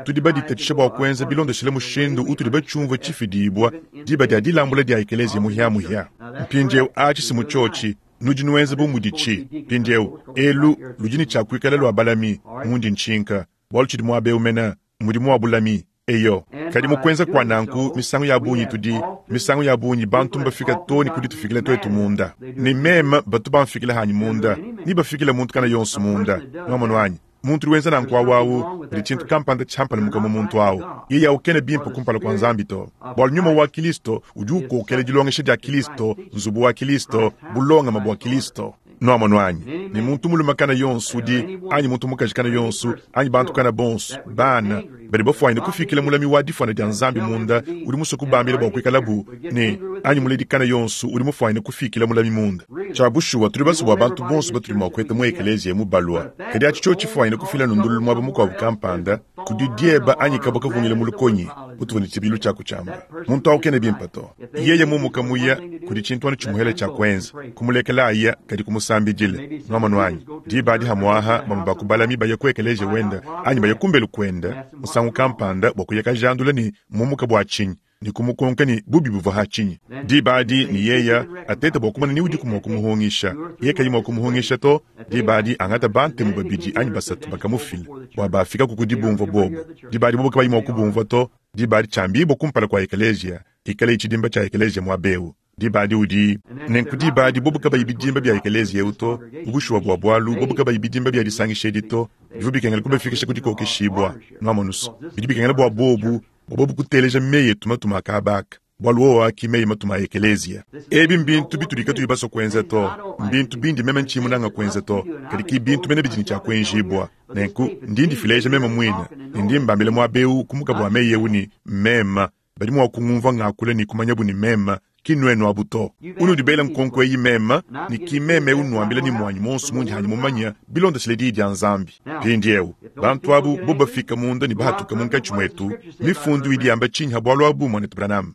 tudi baditatshisha bua kuenza bilondeshile mushindu utudi batshiumvue tshifidibua diba dia dilambula dia ekeleziya muhiamuhia. Mpindieu atshi si mu tshiotshi, nudi nuenza bu muditshi. Mpindieu, elu ludi ne tshia kuikala lua balami, mundi ntshinka, bualu tshidi muaba eu mene mmudimu wa bulami. Eyo, kadi mu kuenza kua nanku, misangu ya bungi tudi, misangu ya bungi bantu mbafika too ne ku ditufikila tuetu munda. Ne meme batu bamfikila hanyi munda, ne bafikila muntu kana yonso munda. Nwamonu anyi? Muntu udi wenza nanku awu awu, kudi tshintu kampanda tshiampalamuka mu muntu awu. Yeye awu kena bimpe kumpala kua Nzambi to. Bualu Nyuma wa Kilisto udi ukokela dilongesha dia Kilisto, nzubu wa Kilisto, bulongame bua Kilisto. Nwamonu anyi? Ne muntu mulume kana yonso udi, anyi muntu mukaji kana yonso, anyi bantu kana bonso, bana, badi bafuanyine kufikila mulami wa difuana dia Nzambi munda udi musue kubambila bua kuikalabu ne, anyi muledi kana yonso udi mufuanyine kufikila mulami munda. Tshia bushuwa, tudi basue bua bantu bonso batudi mua kuheta mu ekeleziya emu balua. Kadi atshi tshiotshi tshifuanyine kufila lundululu muaba mukuabu kampanda, kudi dieba anyi kabua kavungila mu lukonyi, mutuvua ne tshibilu tshia kutshiamba. Muntu au kena bimpe to. Yeye mumuka muya, kudi tshintu anu tshimuhela tshia kuenza, kumulekela aya, kadi kumusambidila. Nwamonu anyi? Diba adi hamuaha bamue ba ku balami baya ku ekeleziya wenda anyi baya kumbelu kuenda musangu kampanda bua kuya kajandula ne mmumuka bua tshinyi ne kumukonka ne bubi buvua ha tshinyi. Diba adi ne yeya ateta bua kumona ni udiku mua kumuhungisha. Yeye kayi mua kumuhungisha to, diba adi angata bantemu babidi anyi basatu bakamufila bua bafikaku ku dibumvua bobo. Diba adi bobo kabayi mua kubumvua to, diba adi tshiambibua kumpala kua ekeleziya, ikale tshidimba tshia ekeleziya muaba eu. Diba adi udi nenku diba adi bobo kabayi bidimba bia ekeleziya eu to, mu bushuwa bua bualu, bobo kabayi bidimba bia disangisha edi to, bivua bikengela kubafikisha ku dikokeshibua. Nwamonu's, bidi bikengela bua bobu, bua bobu kuteleja meyi etu matuma a kaba aka, bualu wowo aki meyi matuma a ekeleziya. Ebi mbintu bitudi katuyi basue kuenza to, mbintu bindi meme ntshiyi munanga kuenza to, kadi ki bintu mene bidi ne tshia kuenjibua. Nenku ndi ndifileja meme muine, ne ndi mbambila muaba eu ku mukabu wa meyi eu ne, meme. Badi mua kungumvua ngakula ne kumanyabu ne meme, ki nnuenu abu to. Unudi bela nkonko eyi meme, ne ki meme eu nnuambila ne muanyi muonso mundi hanyi mumanye bilondeshile Diyi dia Nzambi. Mpindieu, bantu abu bobu bafika munda ne bahatuka munkatshi muetu, Mifundu idi yamba tshinyi ha bualu abu, Muanetu Branham?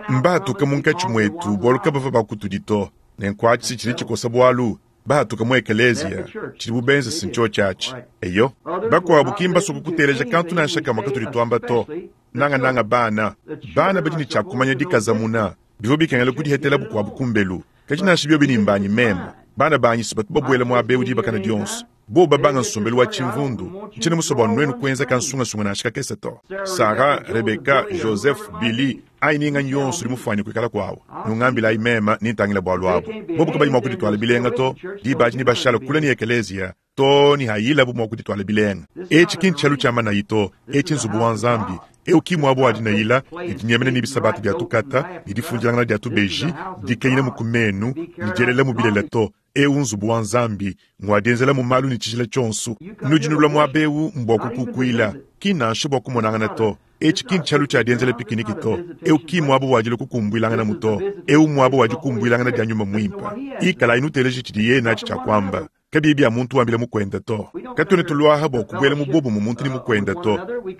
Mbahatuka munkatshi muetu bualu kabavua ba kutudi to. Nenku atshi tshidi tshikosa bualu. Bahatuka mu ekeleziya, tshidibu benza si ntshiotshi atshi. Eyo, bakuabu ki mbasue kukuteleja kantu nansha kamue katudi tuamba to, nangananga bana. Bana badi ne tshia kumanya dikazamuna. Bivua bikengela kudihetela bukuabu kumbelu. Kadi nansha biobi ne mbanyi meme, bana banyi si batu babuela muaba eu dibakana dionso. Bobu babanga nsombelu wa tshimvundu, ntshiena musue bua nuenu kuenza kansungasunga nansha kakese to. Sarah, Rebecca, Joseph, Billy, anyi ni nganyi yonso udi mufuanyine kuikala kuawu, nungambilayi meme ne ntangila bualu abu. Bobu kabayi mua kudituala bilenga to, diba adi nebashale kule ne ekeleziya too ne hayilabu mua kudituala bilenga. Etshi ki ntshialu tshia manayi to, etshi nzubu wa Nzambi. Eu ki muaba wa dinayila ne dinyemena ne bisabata bia tukata ne difundilangana dia tubeji, dikenyinamu ku menu ne dielelamu bilele to. Eu nzubu wa Nzambi, ngua dienzelamu malu ne tshijila tshionso. Nudi nulua muaba eu mbua kukukuila, ki nansha bua kumonangana to. Etshi ki ntshialu tshia dienzela pikiniki to. Eu ki muaba wa dilua kukumbuilanganamu to. Eu mmuaba wa dikumbuilangana dia Nyuma Muimpe. Ikalayi nuteleja tshidiye natshi tshia kuamba. Kabiyi bia muntu wambila mukuende to. Katuena tuluaha bua kubuela mu buobumue muntu ne mukuende to.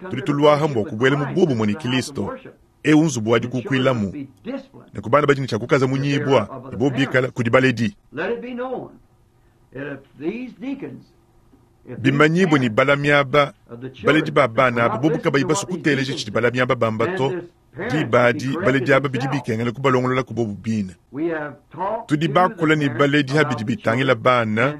Tudi tuluaha mbua kubuela mu buobumue ne Kilisto. Eu nzubu wa dikukuilamu. Nenku bana badi ne tshia kukaza munyibua ne bobu bikala kudi baledi. Bimanyibue ne balami aba, baledi ba bana aba bobu kabayi basue kuteleja tshidi balami aba bamba to, diba adi baledi aba bidi bikengela kubalongolola ku bobu bine. Tudi bakula ne baledi ha bidi bitangila bana,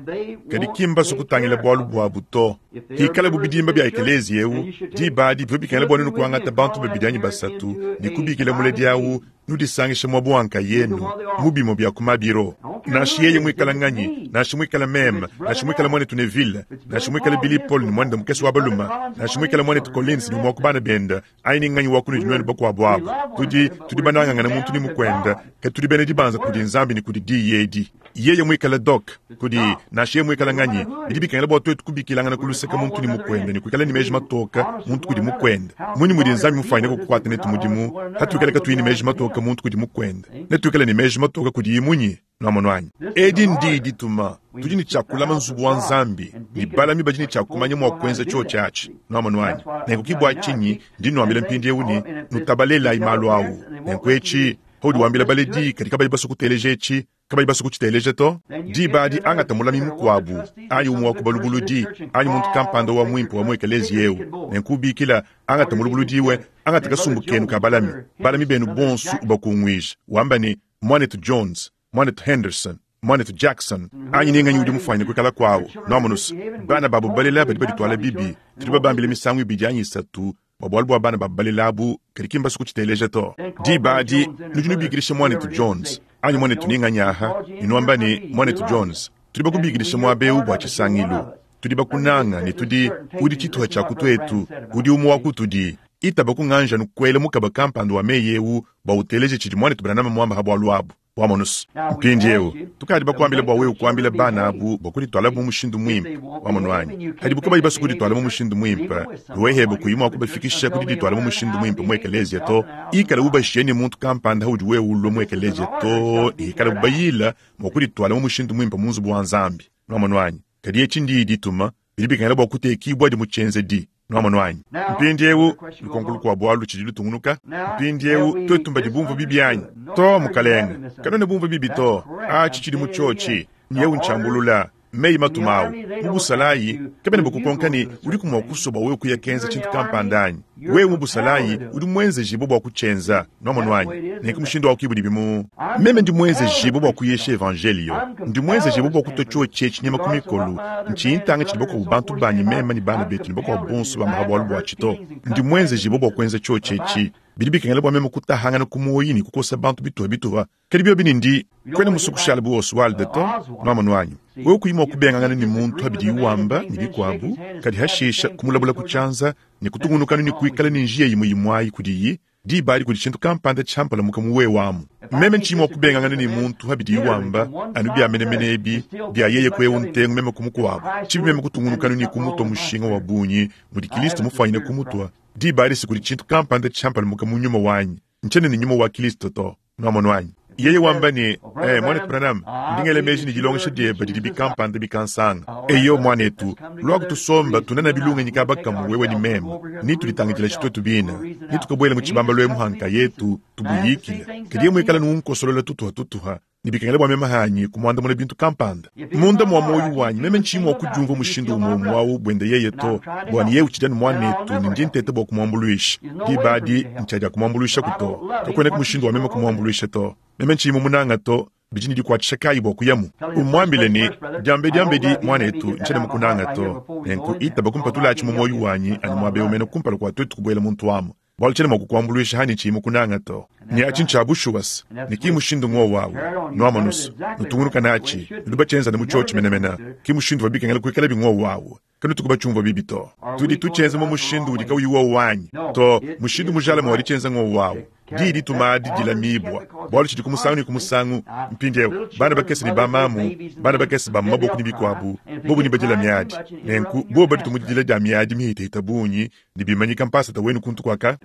kadi ki mbasue kutangila bualu buabu to. Pikalabu bidimba bia ekeleziya eu, diba adi bivua bikengela bua nuenu kuangata bantu babidi anyi basatu ne kubikila muledi au, nudisangishe muaba wa nkayenu mu bimue bia ku mabiro. Nansha yeye muikale nganyi, nansha muikale meme, nansha muikale muanetu Neville, nansha muikale Billy Paul ne muanende mukese wa balume, nansha muikale muanetu Collins ne umue wa ku bana bende, anyi ni nganyi wa kunudi nuenu bakuabu abu, tudi, tudi banangangane muntu ne mukuende, kadi tudi bena dibanza kudi Nzambi ne kudi Diyi edi. Yeye muikale Doc, kudi, nansha yeye muikale nganyi, bidi bikengela bua tuetu kubikilangana ku luseke muntu ne mukuende ne kuikala ne meji matoke muntu kudi mukuende. Mmunyi mudi Nzambi mufuanyine kukuata netu mudimu hatuikale katuyi ne meji matoke muntu kudi mukuende? Netuikale ne meji matoke kudiye munyi? Nuamonu anyi? Edi ndiyi dituma. Tudi ne tshia kulama nzubu wa Nzambi, ne balami badi ne tshia kumanya mua kuenza tshiotshi atshi. Nuamonu anyi? Nenku ke bua tshinyi ndi nnuambila mpindieu ne, nutabalelayi malu au. Nenku etshi, paudi wambila baledi kadi kabayi basue kuteleja etshi, kabayi basue kutshiteleja to, diba adi angata mulami mukuabu, anyi umue wa ku balubuludi, anyi muntu kampanda wa muimpe wa mu ekeleziya eu. Nenku ubikila, angata mulubuludiwe, angata kasumbu kenu ka balami, balami benu bonso ubakunguije, wamba ne, Muanetu Jones, Muanetu Henderson, Muanetu Jackson, anyi ni nganyi udi mufuanyine kuikala kuawu, nuamonus, bana babu balela badi badituala bibi. Tudi babambile misangu ibidi anyi isatu bua bualu bua bana babu balela abu, kadi ki mbasue kutshiteleja to. Diba adi nudi nubikidisha Muanetu Jones, anyi Muanetu ni nganyi aha, ne nuamba ne, Muanetu Jones, tudi bakubikidisha muaba eu bua tshisangilu. Tudi bakunanga ne tudi, udi tshituha tshia ku tuetu, udi umue wa kutudi. Itaba ku nganja nukuele mukaba kampanda wa meyi eu bua uteleje tshidi muanetu Branham muamba ha bualu abu. Wamonus? Mpindieu, tukadi bakuambile bua wewe kuambila bana abu bua kuditualabu mu mushindu muimpe. Wamonu anyi? Hadibu kabayi basue kudituala mu mushindu muimpe, wewe hebe kuyi mua kubafikisha ku didituala mu mushindu muimpe mu ekeleziya to. Ikala ubashiye ne muntu kampanda haudi wewe ulua mu ekeleziya too ne hikalabu bayila mua kudituala mu mushindu muimpe mu nzubu wa Nzambi. Nwamonu anyi? Kadi eci ndiyi dituma, bidi bikengela bua kutekibuadi mu tshienzedi. Nwamonu anyi? Mpindiewu, lukonko lukuabu alu lutshidi lutungunuka. Mpindiewu, tuetu mbadi bumvue bibi anyi? To, mukalenge. Kanuena bumvue bibi to. Aci tshidi mu tshiotshi. Nyewu ntshiambulula. Meyi matuma awu. Mu busalayi, kabena bakukonka ne, udiku mua kusua bua wewe kuya kenza tshintu kampanda anyi? Wewe mu busalayi, udi muenzejibue bua kutshienza. Nwamonu anyi? Nenku mushindu awu ki budibi mu. Meme ndi muenzejibue bua kuyisha Evanjeliyo. Ndi muenzejibue bua kutua tshiotshi etshi nyama ku mikolu, ntshiyi ntanga tshidi bakuabu bantu banyi meme ne bana betu ne bakuabu bonso bamba pa bualu buatshi to. Ndi muenzejibue bua kuenza tshiotshi etshi. Bidi bikengela bua meme kutahangana ku muoyi ne kukosa bantu bituha bituha. Kadi biobi ne ndi, kuena musue kushala bu Oswald to, nwamonu anyi? Wewe kuyi mua kubengangana ne muntu pa bidiye wamba ne bikuabu, kadi hashisha kumulabula ku tshianza ne kutungunukanu ne kuikala ne njiya imue imue ayi kudiyi, diba adi kudi tshintu kampanda tshiampalamuka mu wewe amu. Meme ntshiyi mua kubengangana ne muntu pa bidiye wamba, anu bia menemene ebi, bia yeye ku eu ntengu meme ku mukuabu, tshibi meme kutungunukanu ne kumutua mushinga wa bungi mudi Kilisto mufuanyine kumutua, diba adi se kudi tshintu kampanda tshiampalamuka mu nyuma wanyi. Ntshiena ne nyuma wa Kilisto to. Nwamonu anyi? Yeye wamba ne, Eh, Mwanetu Branham, ndi ngela meji ne dilongesha diebe didi bikampanda bikansanga. Eyo, mwanetu, luaku tusomba tunana bilungenyi kaba kamue wewe ne meme, ne tuditangidilashi twetu bine, ne tukabuela mu tshibambalu emu ha nkayetu, tubuyikile. Kadi yeye muikale nunkosolole tutuha-tutuha, ne bikengela bua meme hanyi kumuandamuna bintu kampanda. Munda mua muoyo wanyi meme ntshiyi mua kudiumvua mushindu umue umue au buende yeye to, bua ne yeye utshidi anu muanetu ne ndi nteta bua kumuambuluisha. Diba adi ntshiadiakumuambuluishaku to. Kakuenaku mushindu wa meme kumuambuluisha to. Meme ntshiyi mumunanga to, bidi ne dikuatshisha kayi bua kuyamu? Umuambile ne, Diambediambedi, muanetu, ntshiena mukunanga to. Nenku itaba kumpatulatshi mu muoyo wanyi anu muaba eu mene kumpala kua tuetu kubuela muntu amu. Bualu tshiena mua kukuambuluisha hanyi tshiyi mukunanga to. Ne atshi ntshia bushuwa-se, ne ki mushindu ng'wowu awu. Nuamonu's, nutungunuka natshi, nudi batshienza mu tshiotshi menemene. Ki mushindu uvua bikengela kuikalabi ng'wowu awu. Kanutuku batshiumvua bibi to. Tudi tutshienza mu mushindu udi kauyi wowu anyi? To, mushindu mujalame wa ditshienza ng'wowu awu. Diyi dituma adi dilamibua, bualu tshidi ku musangu ne ku musangu. Mpindieu, bana bakese ne bamamu, bana bakese ba mu maboko ne bikuabu, bobu nebadila miadi. Nenku, bobu baditu mu didila dia miadi mihitahita bungi, ne bimanyika mpasata wenu kuntu kuaka?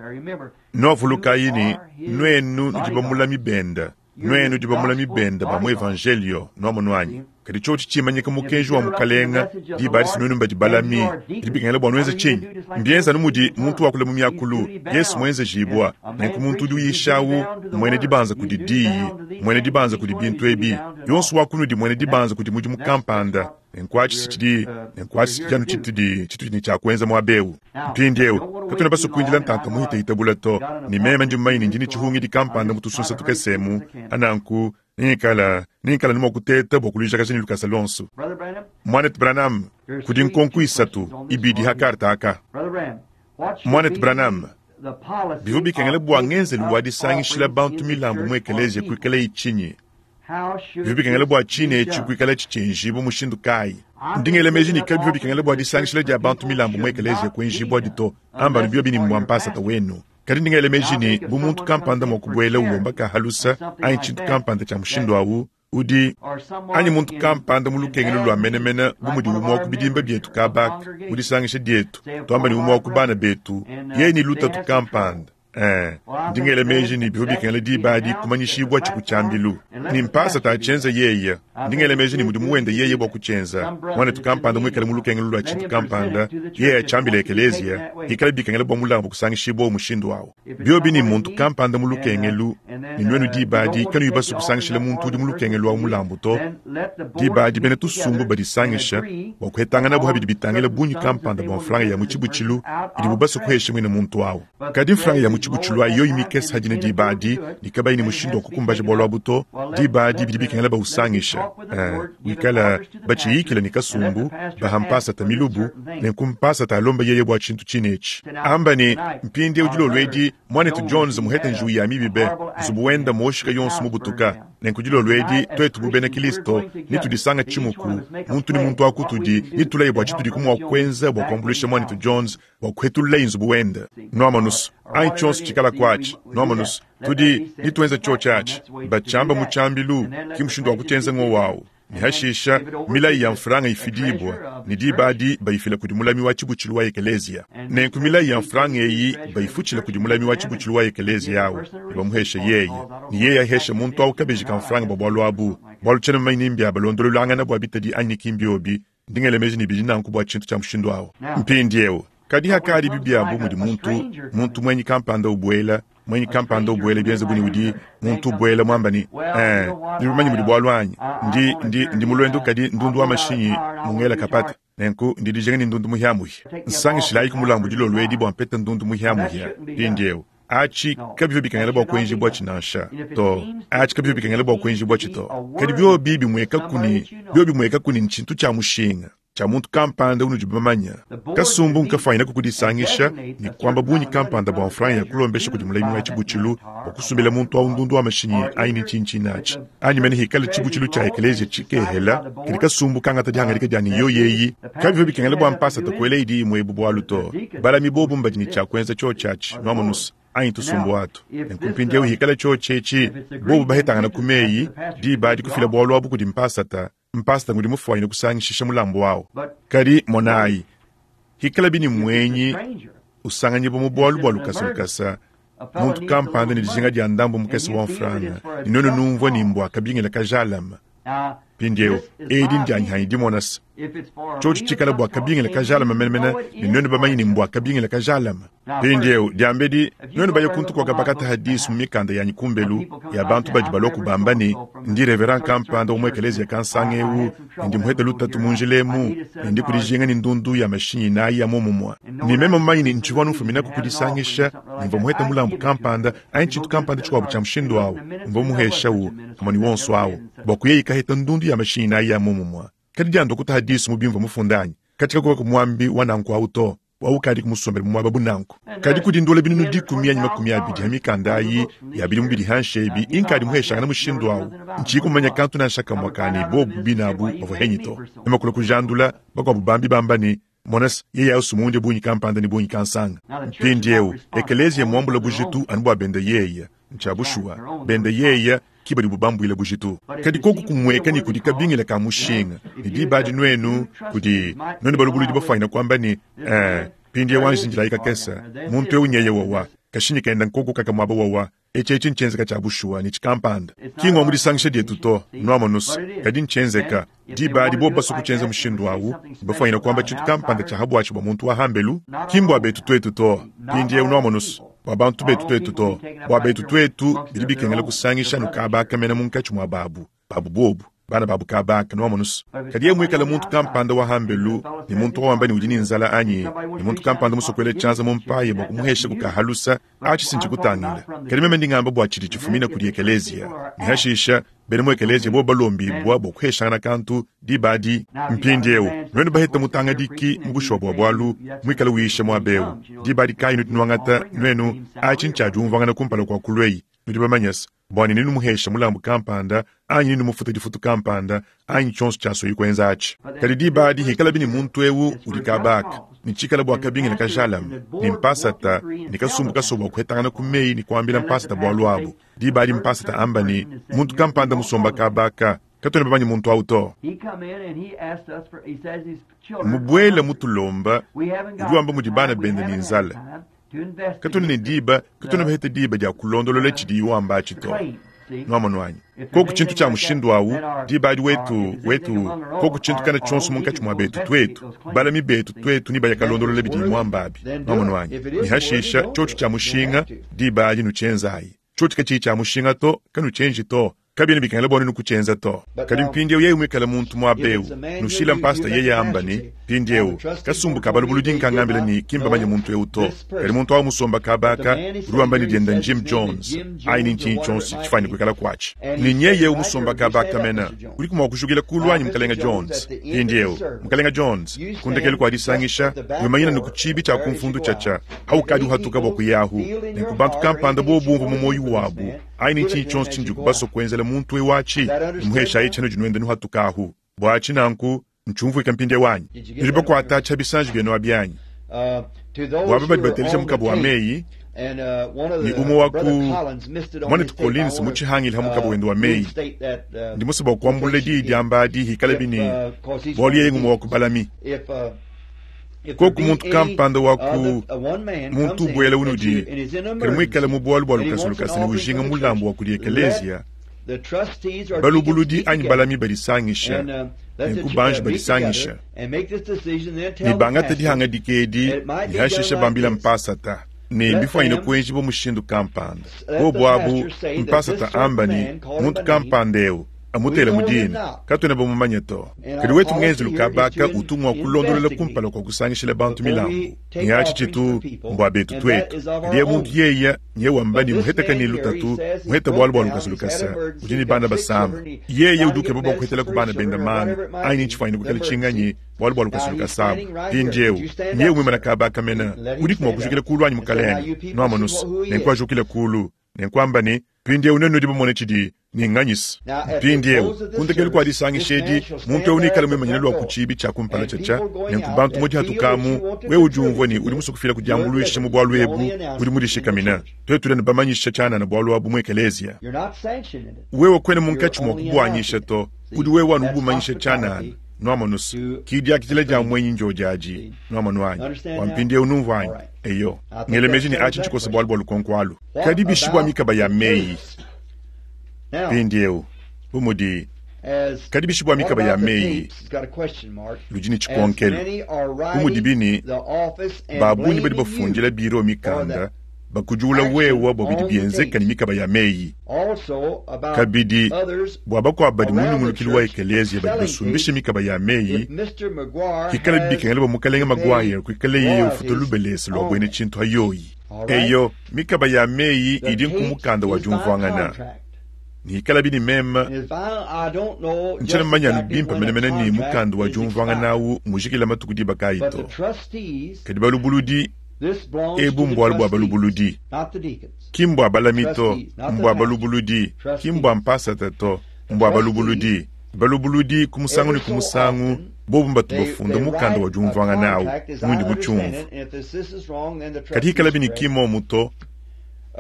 Nuavulukayi ne, nuenu nudi bamulami benda. Nuenu nudi bamulami benda ba mu Evanjeliyo, nuamonu anyi? Kadi tshiotshi tshimanyika mukenji wa Mukalenga, diba adi nuenu mbadi balami. Bidi bikengela bua nuenze tshinyi? Mbienza anu mudi muntu wakula mu miakulu, Yesu muenzejibua. Nenku muntu udi uyisha awu mmuena dibanza kudi Diyi, mmuena dibanza kudi bintu ebi. Yonso wa kunudi mmuena dibanza kudi mudimu kampanda. Nenku atshi si tshidi, nenku atshi si anu tshitudi, tshitudi ne tshia kuenza muaba eu. Mpindieu, katuena basue kuindila ntanta muhitahita bule to, ne meme ndi mumanye ne ndi ne tshihungidi kampanda mu tusunsa tukese emu, ananku nengikala, nengikala ne mua kuteta bua kuluijakaja ne lukasa luonso. Muanetu Branham, kudi nkonko isatu, ibidi ha karte aka. Muanetu Branham, bivua bikengela bua ngenzelu wa disangishila bantu milambu mu ekeleziya kuikalayi tshinyi? Bivua bikengela bua tshine etshi kuikalatshi tshienjibua mushindu kayi? Ndi ngela meji ne kabivua bikengela bua disangishila dia bantu milambu mu ekeleziya kuenjibuadi to, amba anu biobi ne mbua mpasata wenu. Kadi ndi ngela meji ne, bu muntu kampanda mua kubuela ulomba ka halusa anyi tshintu kampanda tshia mushindu au, udi anyi muntu kampanda mu lukengelu lua menemene bu mudi umue wa ku bidimba bietu kabaka mu disangisha dietu, tuamba ne umue wa ku bana betu, yeye ne lutatu kampanda, Ee, ndi ngela meji ne bivua bikengela diba adi kumanyishibua ku tshiambilu ne mpasata atshienza yeye. Ndi ngela meji ne mudimu wende yeye bua kutshienza. Muanetu kampanda muikale mu lukengelu lua tshintu kampanda, yeye atshiambile ekeleziya, hikala bikengela bua mulambu kusangishibua mushindu au. Biobi ne muntu kampanda mu lukengelu, ne nuenu diba adi kanuyi basue kusangishila muntu udi mu lukengelu au mulambu to, diba adi bena tusumbu badisangisha bua kuhetanganabu ha bidi bitangila bungi kampanda bua mfranga ya mu tshibutshilu idibu basue kuhesha muine muntu au. Kadi mfranga ya mu tshibutshilu ayi yoyi mikese hadina diba adi ne kabayi ne mushindu wa kukumbaja bualu abu to, diba adi bidi bikengela bausangisha, eh, wikala batshiyikila ne kasumbu, baha mpasata milubu, nenku mpasata alomba yeye bua tshintu tshine etshi. Amba ne, Mpindieu dilolo edi, muanetu Jones muhete njiwu ya mibi be, nzubu wenda muoshika yonso mubutuka. Nenku dilolo edi, tuetu bu bena Kilisto, netudisanga tshimuku, muntu ne muntu wa kutudi, netulaye bua tshitudiku mua kuenza bua kuambuluisha muanetu Jones bua kuhetululaye nzubu wende. Nuamonu's, anyi tshionso tshikalaku atshi, nuamonu's, tudi ne tuenza tshiotshi atshi. Batshiamba mu tshiambilu, ki mushindu wa kutshienza ngowu awu. Ne hashisha, milayi ya mfranga ifidibua, ne diba adi bayifila kudi mulami wa tshibutshilu wa ekeleziya. Nenku milayi ya mfranga eyi bayifutshila kudi mulami wa tshibutshilu wa ekeleziya awu, ne bamuhesha yeye, ne yeye ahesha muntu awu kabeji ka mfranga bua bualu abu, bualu tshiena mumanye ni mbia balondololangana bua bitadi anyi ki mbiobi. Ndi ngela meji ne bidi nanku bua tshintu tshia mushindu au. Mpindieu, kadi hakadi bibi abu mudi muntu, muntu muenyi kampanda ubuela, muenyi kampanda ubuela bienze bu ne udi muntu ubuela muamba ne, eh, nudi bamanye mudi bualu anyi? Ndi, ndi, ndi mu luendu kadi ndundu wa mashinyi mungela kapata. Nenku ndi dijinga ne ndundu muhiamuhia. Nsangishilayiku mulambu dilolo edi bua mpete ndundu muhiamuhia. Mpindieu, Atshi kabivua bikengela bua kuenjibuatshi nansha. To, atshi kabivua bikengela bua kuenjibuatshi to. Kadi biobi bimuekaku ne, biobi bimuekaku ne ntshintu tshia mushinga, tshia muntu kampanda unudi bamanye, kasumbu nkafuanyinaku kudisangisha ne kuamba bungi kampanda bua mfranga ya kulombesha kudi mulami wa tshibutshilu bua kusumbila muntu au ndundu wa mashinyi anyi ne ntshintshinyi atshi, anyi mene hikale tshibutshilu tshia ekeleziya tshikehela, kadi kasumbu kangata dihangadika dia ne yoyeyi. Kabivua bikengela bua mpasata kuela idi imue ebu bualu to. Balami bobu mbadi ne tshia kuenza tshiotshi atshi, nuamonu's, anyi tusumbu atu. Nenku mpindieu hikala tshiotshi etshi, bobu bahetangana ku meyi, diba adi kufila bualu abu kudi mpasata, mpasata ngudi mufuanyine kusangishisha mulambu au. Kadi monayi, hikalabi ne muenyi usanganyibua mu bualu bua lukasa lukasa, muntu kampanda ne dijinga dia ndambu mukese wa mfranga, ne nuenu numvua ne mbua kabingila kajalame. Mpindieu, edi ndianyi dimona se, tshiotshi tshikala bua kabingila kajalame menemene, ne nuenu bamanye ne mbua kabingila kajalame. Mpindieu, diambedi nuenu baye kuntu kuakabakata disu mu mikanda yanyi kumbelu ya bantu badi balua kubamba ne, ndi reverend kampanda wa mu ekeleziya kansanga eu, ne ndi muhete lutatu mu njila emu, ne ndi kudijinga ne ndundu ya mashinyi inayi ya muomumue. Ne meme mumanye ne ntshivua anu mfuminaku ku disangisha, ne mvua muhete mulambu kampanda anyi tshintu kampanda tshikuabu tshia mushindu au, mvua muheshawu pamue ne wonso au bua kuya ikaheta ndundu ya mashinyi inayi ya muomumue. Kadi diandua kutaha disu mu bimvua mufunde anyi? Katshika kuvua muambi wa nanku au to. Waukadi kumusombela mu muaba bu nanku. Kadi kudi ndola binunu dikumi anyi makumi abidi ha mikanda ayi ya bidimu bidi hanshi ebi inkadi muheshangana mushindu awu. Ntshiyi kumanya kantu nansha kamue ka ne bobu binabu bavua henyi to. Meme kulua kujandula bakuabu bambi bamba ne, Mona se, yeye au sumunde bungi kampanda ne bungi kansanga. Mpindieu, ekeleziya muambula bujitu anu bua bende yeye. Ntshia bushuwa, bende yeye ki badibu bambuile bujitu. Kadi koku kumueka ne kudi kabingila ka mushinga, ne diba adi nuenu kudi nuenu balubuludi bafuanyina kuamba ne, Eh, mpindieu anji indilayi kakese, muntu eu nyeye wawa, kashinyi kenda nkoku kaka muaba wawa. Etshi etshi ntshienzeka tshia bushuwa ne tshikampanda. Ki ngua mu disangisha dietu to, nuamonu's, kadi ntshienzeka. Diba adi bobu basue kutshienza mushindu awu, mbafwanyine kuamba tshintu kampanda tshia habuatshi bua muntu wa hambelu, ki mbua betu tuetu to. Mpindiewu nuamonu's, bua bantu betu tuetu to. Bua betu tuetu, bidi bikengela kusangisha anu kaba aka mena munkatshi mua babu, babu bobu, bana babu kaba aka, nuamonu's. Kadi yeye muikale muntu kampanda wa hambelu, ne muntu wa wamba ne udi ne nzala anyi, ne muntu kampanda musue kuela tshianza mu mpaye bua kumuheshaku ka halusa, atshi si ntshikutangila. Kadi meme ndi ngamba bua tshidi tshifumina kudi ekeleziya, ne hashisha, bena mu ekeleziya bobo balombibua bua kuheshangana kantu diba adi. Mpindiewu, nuenu baheta mutangadiki mu bushuwa bua bualu, muikale uyisha muaba eu, diba adi kayi nudi nuangata nuenu, atshi ntshia diumvuangana kumpala kua kulueyi, nudi bamanyese, bua ne nenumuhesha mulambu kampanda, anyi nenumufuta difutu kampanda, anyi tshionso tshiasueyi kuenza atshi. Kadi diba adi hikalabi ne muntu eu udi kaba aka, ne tshikala bua kabingila kajalame, ne mpasata ne kasumbu kasua bua kuhetangana ku meyi ne kuambila mpasata bualu abu, diba adi mpasata amba ne, muntu kampanda musomba kaba aka, katuena bamanye muntu au to. Mubuele mutulomba, udi wamba mudi bana bende ne nzala. Katuena ne diba, katuena bahete diba dia kulondolola tshidiye wamba atshi to. Nuamonu anyi? Koku tshintu tshia mushindu awu, diba adi wetu, wetu, koku tshintu kana tshionso munkatshi mua betu tuetu, balami betu tuetu ne baya kalondolola bidiye muamba abi. Nuamonu anyi? Ne hashisha, tshiotshi tshia mushinga, diba adi nutshienzayi. Tshiotshi katshiyi tshia mushinga to, kanutshienji to. Kabiena bikengela bua nuenu kutshienza to. Kadi mpindieu yeye muikale muntu muaba eu, nushila mpasita yeye amba ne, Mpindieu, kasumbu ka balubuludi nkangambila ne, ki mbamanye muntu eu to. Kadi muntu au musomba kaba aka, udi wamba ne dienda n'Jim Jones, anyi ni ntshinyi tshionso tshifuane kuikala kuatshi. Ne nyeye eu musomba kaba aka mena, udiku mua kujukila kulu anyi, Mukalenga Jones? Mpindieu, Mukalenga Jones, ku ndekelu kua disangisha, wimanyina ne ku tshiibi tshia kumfundu tshiatshia, aukadi uhatuka bua kuyahu. Nenku bantu kampanda bobu bumvua mu muoyo wabu, Anyi ne ntshinyi tshionso tshindiku basue kuenzela muntu eu atshi, numuheshayi tshianudi nuenda nuhatuka ahu. Bua atshi nanku, ntshiumvuike mpindieu anyi? Nudi bakuata atshi ha bisanji bienu abi anyi? Bua aba badi bateleja mukaba wa meyi, ne umue wa ku muanetu Collins mutshihangile ha mukaba wende wa meyi, ndi musue bua kuambulula diyi diamba adi hikalabi ne bualu yeye ngumue wa ku balami. Koku muntu kampanda wa ku muntu ubuela unudi, kadi muikale mu bualu bua lukasa lukasa ne ujinga mulambu wa kudi ekeleziya, balubuludi anyi balami badisangisha, nenku banji badisangisha ne bangata dihangadika edi ne hashisha bambila mpasata ne mbifuanyine kuenjibua mushindu kampanda. Bobu abu mpasata amba ne muntu kampanda eu amutele mu dina, katuena bamumanye to. Kadi wetu ngenzelu kabaka utu mua kulondolola kumpala kua kusangishila bantu milambu, ne atshi tshitu mbua betu tuetu. Kadi ye muntu yeya nye wamba ne muheteka ne lutatu, muheta bualu bua lukasa lukasa, udi ne bana basama, yeye udi ukeba bua kuhetelaku bana benda manga, anyi ntshifuanyine kuikala tshinganyi bualu bua lukasa lukasa abu. Mpindiewu nyeye muimana kaba aka mena, udiku mua kujukila kulu anyi mukalenge? Nuamonu's, nenku ajukile kulu. Nenkuamba ne, Mpindiewu nuenu nudi bamone tshidi ne nganyisa. Mpindiewu, ku ndekelu kua disangisha edi, muntu ewu neikale muimanyine lua ku tshiibi tshia kumpala tshiatshia. Nenku bantu mu dihatuka amu, wewe udi umvua ne udi musue kufila ku diambuluisha mu bualu ebu, udi mudishikamine. Tuetu tudi anu bamanyisha tshianana bualu abu mu ekeleziya. Wewe kuena munkatshi mua kubuanyisha to, udi wewe anu ubumanyisha tshianana. Nuamonu's, ki diakidila dia muenyi ndiodi adi. Nuamonu anyi? Bua mpindiewu numvua anyi? Eyo, ngela meji ne atshi ntshikosa bualu bua lukonko alu. Kadi bishi bua mikaba ya meyi? Mpindiewu, bu mudi, kadi bishi bua mikaba ya meyi? Ludi ne tshikonkelu. Bu mudibi ne, ba bungi badi bafundila biro mikanda bakudiula wewa bua bidi bienzeka ne mikaba ya meyi. Kabidi, bua bakuabu badi mu nyungulukilu wa ekeleziya badi basumbisha mikaba ya meyi, pikalabi bikengela bua Mukalenge Maguire kuikaleye ufuta lubelese lua buena tshintu ayoyi. Eyo, mikaba ya meyi idi nku mukanda wa diumvuangana. Ne ikalabi ne meme ntshiena mumanye anu bimpe menemene ne mukanda wa diumvuangana au mujikila matuku diba kayi to. Kadi balubuludi, ebu mbualu bua balubuludi, ki mbua balami to, mbua balubuludi, ki mbua mpasata to, mbua balubuludi. Balubuludi ku musangu ne ku musangu bobu mbatu bafunda mukanda wa diumvuangana au, mundi mutshiumvue. Kadi hikalabi ne ki mmomu to,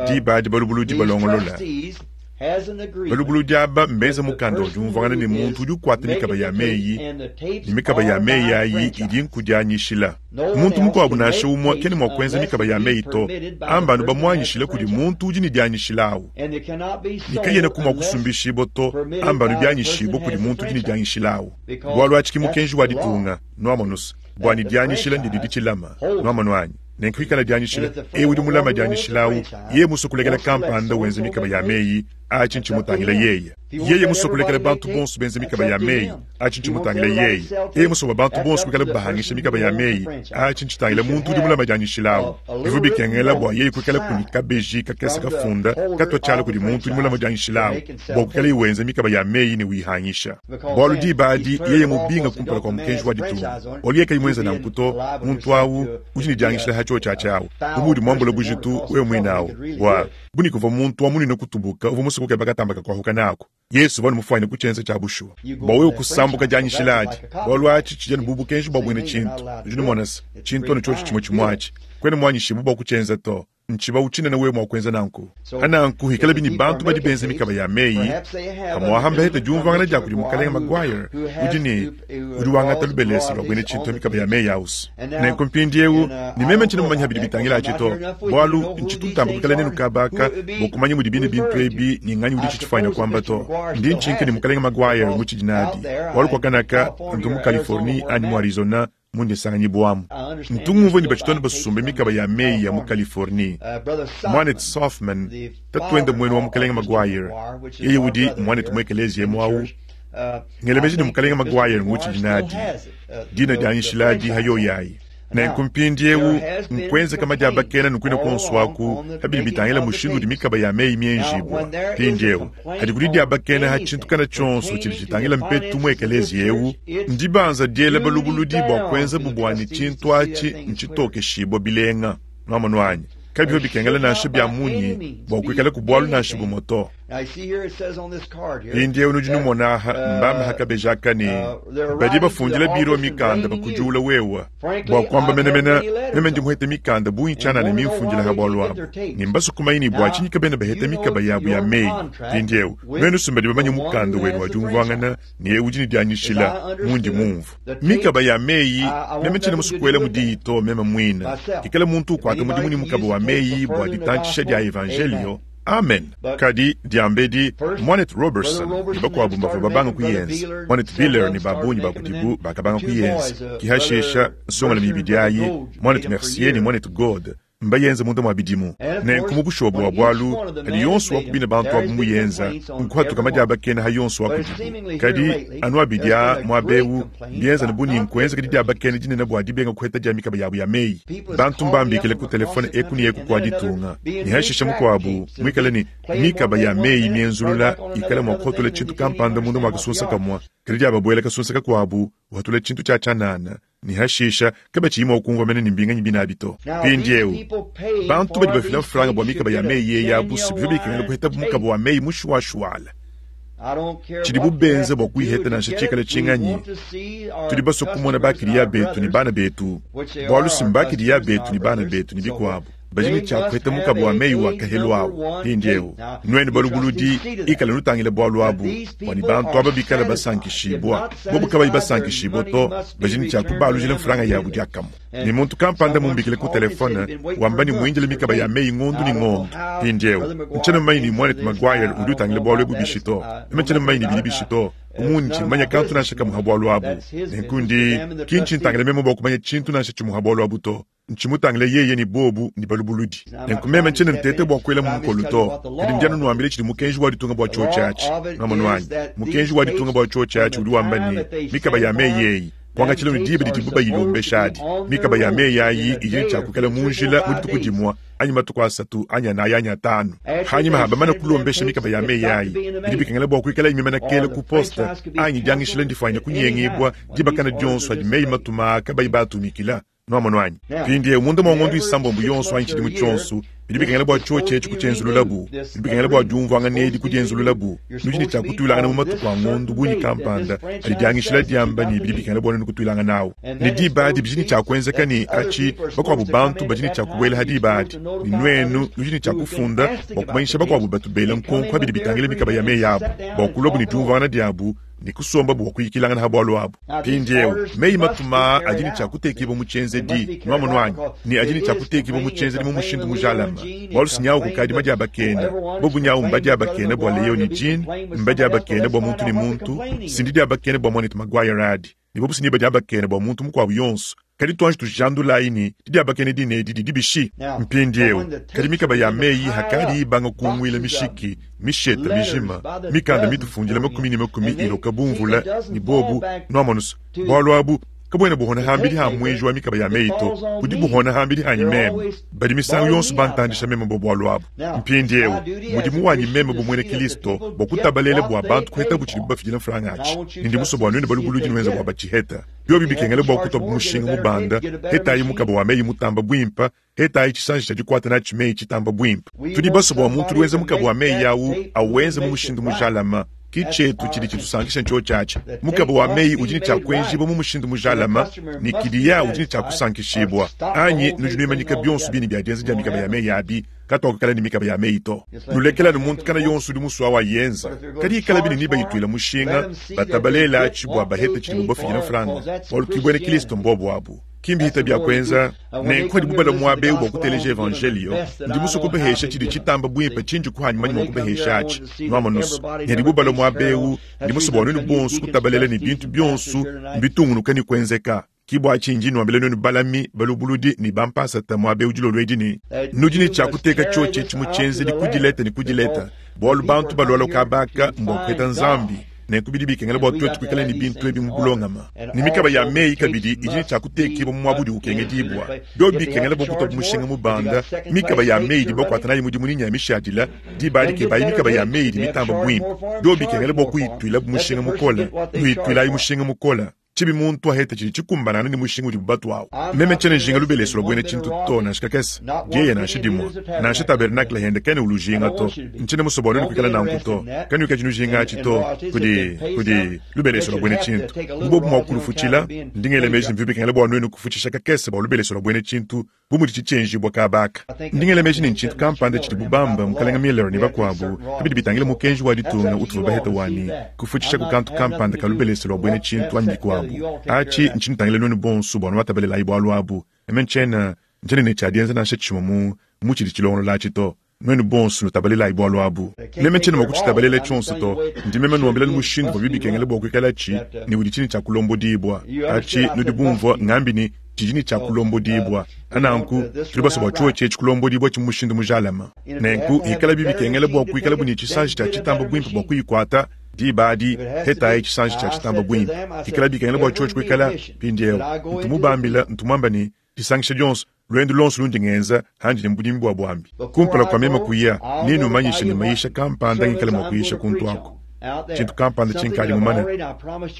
diba adi balubuludi balongolola. Balubuludi aba mbenze mukanda wa diumvuangana ne muntu udi ukuata mikaba ya meyi, ne mikaba ya meyi ayi idi nkudianyishila. Muntu mukuabu nansha umue kena mua kuenza mikaba ya meyi to, amba anu bamuanyishile kudi muntu udi ne dianyishila awu. Ne kayenaku mua kusumbishibua to, amba anu bianyishibua kudi muntu udi ne dianyishila awu. Bualu atshi ki mukenji wa ditunga, nuamonus, bua ne dianyishila ndidi ditshilama. Nuamonu anyi? Nenku ikala dianyishila, eu udi mulama dianyishila awu, yeye musue kulekela kampanda wenza mikaba ya meyi, atshi ntshimutangila yeye. Yeye musue kulekela bantu bonso benza mikaba ya meyi, atshi ntshimutangila yeye. Yeye musue bua bantu bonso kuikala bahangisha mikaba ya meyi, atshi ntshitangila muntu udi mulama dianyishila awu. Bivua bikengela bua yeye kuikala ne kabeji kakese kafunda katua tshiala kudi muntu udi mulama dianyishila awu bua kuikalaye wenza mikaba ya meyi ne uyihangisha. Bualu diba adi yeye mubinga kumpala kua mukenji wa ditunga. Bualu yeye kayi muenza nanku to, muntu awu udi ne dianyishila ha tshiotshi atshi awu, bu muudi muambula bujitu wewe muine awu, bua bu ne kuvua muntu wa munene kutubuka uvua musue kukeba katamba kakuahuka naku. Yesu uvua mufuanyine kutshienza tshia bushuwa bua wewe kusambuka dianyishila adi, bualu atshi tshidi anu bu bukenji bua buena tshintu. Udi numona se, tshintu anu tshiotshi tshimue tshimue atshi, kuena muanyishibue bua kutshienza to. Ntshibawu tshinene wewe mua kuenza nanku. Pa nanku, hikalabi ne bantu badi benza mikaba ya meyi, pamu'apa mbahete diumvuangana dia kudi Mukalenge Maguire, udi ne udi wangata lubelese lua buena tshintu pa mikaba ya meyi ausu. Nenku mpindieu, ne meme ntshiena mumanye bidi bitangila atshi to, bualu ntshitu ntamba kuikala nenu kaba aka bua kumanya mudi bine bintu ebi ne nganyi udi tshitshifuanyine kuamba to. Ndi ntshinka ne Mukalenge Maguire ngutshidi nadi, bualu kuakanaka ntu mu Californie anyi mu Arizona mundi nsanganyibuamu. Ntu ngumvua ne batshitone basumbe mikaba ya meyi ya mu Californie. Muanetu Sothmann, tatuende muenu wa Mukalenge Maguire, yeye udi muanetu mu ekeleziya emu awu. Ngela meji ne Mukalenge Maguire ngutshidi nadi dina dianyishila adi ha yoyi ayi. Nenku mpindiewu nkuenzeka madiabakena ne kuine kuonso aku pa bidi bitangila mushindu udi mikaba ya meyi mienjibua. Mpindiewu hadi kudi diabakena ha tshintu kana tshionso tshidi tshitangila mpetu mu ekeleziya ewu, ndibanza diela balubuludi bua kuenzabu bua ne tshintu atshi ntshitokeshibua bilenga. Nuamonu anyi? Kabivua bikengela nansha bia munyi bua kuikalaku bualu nansha bumue to. Mpindieu nudi numona aha, mbamba ha kabeji aka ne, badi bafundila biro mikanda bakudiula wewa. Bua kuamba menemene, meme ndi muhete mikanda bungi tshianana mimfundila ha bualu abu, ne mbasue kumanya ne bua tshinyi kabena baheta mikaba yabu ya meyi. Mpindieu nuenu si mbadi bamanye mukanda wenu wa diumvuangana ne eu udi ne dianyishila, mundi mumvue. Mikaba ya meyi, meme tshiena musue kuelamu diyi to meme muine. Ikala muntu ukuata mudimu ne mukaba wa meyi bua ditantshisha dia evanjelio, Amen. Kadi, diambedi, Muanetu Roberson ne bakuabu mbavua babanga kuyenza. Muanetu Beeler ne ba bungi ba kudibu bakabanga kuyenza. Ki hashisha, nsongalume ibidi ayi, Muanetu Mercier ne Muanetu Goad, mbayenze munda mua bidimu. Nenku mu bushuwa bua bualu, padi yonso wa ku bine bantu abu muyenza, nkuhatuka madiabakena ha yonso wa kudibu. Kadi, anu abidi aa muaba eu, mbienza bu ne nkuenzeka didiabakena dinene bua dibenga kuheta dia mikaba yabu ya meyi. Bantu mbambikile ku telefone eku ne eku kua ditunga, ne hashishe mukuabu muikale ne mikaba ya meyi mienzulula ikala mua kuhatula tshintu kampanda munda mua kasunsa kamue, kadi diababuela kasunsa kakuabu uhatula tshintu tshia tshianana, ne hashisha kabatshiyi mua kumvua mene ne mbinganyi binabi to. Mpindieu bantu badi bafila mfranga bua mikaba ya meyi eyi abu si bivua bikengela kuhetabu mukaba wa meyi mushuashuala. Tshidibu benza bua kuyiheta nansha tshikale tshinganyi, tudi basue kumona bakiliya betu ne bana betu, bualu si mbakiliya betu ne bana betu ne bikuabu badi ne tshia kuheta mukaba wa meyi wa kahelu awu. Mpindieu nuenu balubuludi, ikale nutangila bualu abu, bua ne bantu aba bikale basankishibua. Bobu kabayi basankishibua to, badi ne tshia kubalujila mfranga yabu diakamue. Ne muntu kampanda mumbikile ku telefone wamba ne muindile mikaba ya meyi ngondu ne ngondu. Mpindieu, ntshiena mumanye ne muanetu Maguire udi utangila bualu ebu bishi to. Meme ntshiena mumanye ne bidi bishi to. Bu mundi manya kantu nansha kamue ha bualu abu, nenku ndi ki ntshintangila meme bua kumanya tshintu nansha tshimue ha bualu abu to. Ntshimutangile yeye ne bobu ne balubuludi. Nenku meme ntshiena nteta bua kuela mu mukolu to, kadi ndi anu nuambila tshidi mukenji wa ditunga bua tshiotshi atshi. Nwamonu anyi? Mukenji wa ditunga bua tshiotshi atshi udi wamba ne, mikaba ya meyi eyi, kuangatshila ne diba didibu bayilombesha adi, mikaba ya meyi ayi idi ne tshia kuikala mu njila mu dituku dimue anyi matuku asatu anyi anayi anyi atanu. Hanyima ha bamane kulombesha mikaba ya meyi ayi, bidi bikengela bua kuikalayi mimane kela ku poste anyi diangishila ndifuanyine kunyengibua diba kana dionso adi meyi matuma aa kabayi baatumikila. Nwamonu anyi? Mpindieu, munda mua ngondu isambombo yonso anyi tshidimu tshionso, Bidi bikengela bua tshiotshi etshi kutshienzululabu. Bidi bikengela bua diumvuangana edi kudienzululabu. Nudi ne tshia kutuilangana mu matuku a ngondo bungi kampanda adi diangishila diamba ne bidi bikengela bua nuenu kutuilangana awu. Ne diba adi bidi ne tshia kuenzeka ne atshi bakuabu bantu badi ne tshia kubuela ha diba adi. Ne nuenu nudi ne tshia kufunda bua kumanyisha bakuabu batu bela nkonko pa bidi bitangila mikaba ya meyi abu, bua kuluabu ne diumvuangana diabu ne kusomba bua kuyikilangana ha bualu abu. Mpindieu, meyi matuma aa adi ne tshia kutekibua mu tshienzedi, nuamonu anyi? Ne adi ne tshia kutekibua mu tshienzedi mu mushindu mujalame, bualu si nyawu kukadi madiabakena. Bobu nyawu mbadiabakena bua Leo ne Gene, mbadiabakena bua muntu ne muntu, si ndidiabakena bua muanetu Maguire adi, ne bobu si nebadiabakena bua muntu mukuabu yonso. Kadi tuanji tujandulayi ne, didiabakena dine edi didi bishi? Mpindieu, kadi mikaba ya meyi hakadi ibanga kunguila mishiki, misheta mijima, mikanda mitufundila makumi ne makumi iloka bu mvula, ne bobu, nuamonu's, bualu abu kabuena buhona hambidi ha muenji wa mikaba ya meyi to, budi buhona hambidi hanyi meme. Badi misangu yonso bantandisha meme bua bualu abu. Mpindieu, mudimu wanyi meme bu muena Kilisto bua kutabalela bua bantu kuhetabu tshidibu bafidila mfranga atshi, ne ndi musue bua nuenu balubuludi nuenza bua batshiheta. Biobi bikengela bua kutua mushinga mubanda, hetayi mukaba wa meyi mutamba buimpe, hetayi tshisanji tshia dikuata natshi meyi tshitamba buimpe. Tudi basue bua muntu udi wenza mukaba wa meyi au awenze mu mushindu mujalame. Ki tshietu tshidi tshitusankisha ntshiotshi atshi. Mukaba wa meyi udi ne tshia kuenjibua mu mushindu mujalame, ne kiliya udi ne tshia kusankishibua. Anyi nudi nuimanyika bionso bine bia dienza dia mikaba ya meyi abi? Katuakukala ne mikaba ya meyi to. Nulekele anu muntu kana yonso udi musue awayenza. Kadi ikalabi ne nibayituila mushinga, batabalela atshi bua bahete tshidibu bafidila mfranga, bualu ki buena Kilisto mbuobu abu. Ki mbihita bia kuenza nenku padibu balua muaba eu bua kuteleja evanjeliyo. Ndi musue kubahesha tshidi tshitamba buimpe tshindi kuhanyi manya mua kubahesha atshi. Nuamonu's, ne hadibu balua muaba eu, ndi musue bua nuenu bonso kutabalela ne bintu bionso mbitungunuka ne kuenzeka. Ki bua tshinyi ndi nnuambila nuenu balami, balubuludi ne bampasata muaba eu dilolo edi ne, nudi ne tshia kuteka tshiotshi etshi mu tshienzedi ku dileta ne ku dileta, bualu bantu balualua kaba aka mbua kupeta Nzambi. Nenku bidi bikengela bua tuetu kuikala ne bintu ebi mu bulongama. Ne mikaba ya meyi kabidi idi ne tshia kutekibua mu muaba udi ukengedibua. Biobi bikengela bua kutua mushinga mubanda, mikaba ya meyi idi bakuata nayi mudimu ne nya mishadila, diba adi kebayi mikaba ya meyi idi mitamba buimpe. Biobi bikengela bua kuyituilabu mushinga mukole, nuyituilayi mushinga mukole. Tshibi muntu aheta tshidi tshikumbanangana ne mushinga udibu batuawu. Meme tshiena njinga lubelesu lua buena tshintu to, nansha kakese, dieya nansha dimue, nansha tabernakle hende kena ulujinga to. Ntshiena musue bua nuenu kuikala nanku to. Kanuikadi nujinga atshi to, kudi, kudi lubelesu lua buena tshintu. Bu bobu mua kulufutshila, ndi ngela meji ne bivua bikengela bua nuenu kufutshisha kakese bua lubelesu lua buena tshintu, bu mudi tshitshienjibua kaba aka. Ndi ngela meji ne ntshintu kampanda tshidibu bamba, Mukalenga Miller ne bakuabu, pa bidi bitangila mukenji wa ditunga utuvua baheta wa ne, kufutshishaku kantu kampanda ka lubelese lua buena tshintu anyi bikuabu. Atshi ntshinutangila nuenu bonsu bua nuatabalelayi bualu abu. Meme ntshiena, ntshiena ne tshia dienza nansha tshimue mu, mu tshidi tshilongolola atshi to. Nuenu bonsu nutabalelayi bualu abu. Meme tshiena mua kutshitabalela tshionso to. Ndi meme nnuambila anu mushindu uvuabi bikengela bua kuikalatshi ne udi tshine tshia kulombodibua. Atshi nudi bumvua ngambi ne, tshidi ne tshia kulombodibua. Nanku, tudi basue bua tshiotshi etshi kulombodibua tshi mu mushindu mujalame. Nenku, hikalabi bikengela bua kuikalabu ne tshisanji tshia tshitamba buimpe bua kuyikuata, diba adi, hetayi tshisanji tshia tshitamba buimpe. Hikalabi bikengela bua tshiotshi kuikala, mpindieu, ntu mubambila, ntu muamba ne, disangisha dionso, Luendu luonso lundi ngenza handi ne mu budimi bua buambi, kumpala kua meme kuya, nenumanyishe ne mayisha kampanda ngikale mua kuyisha kuntu aku, tshintu kampanda tshinkadi mumane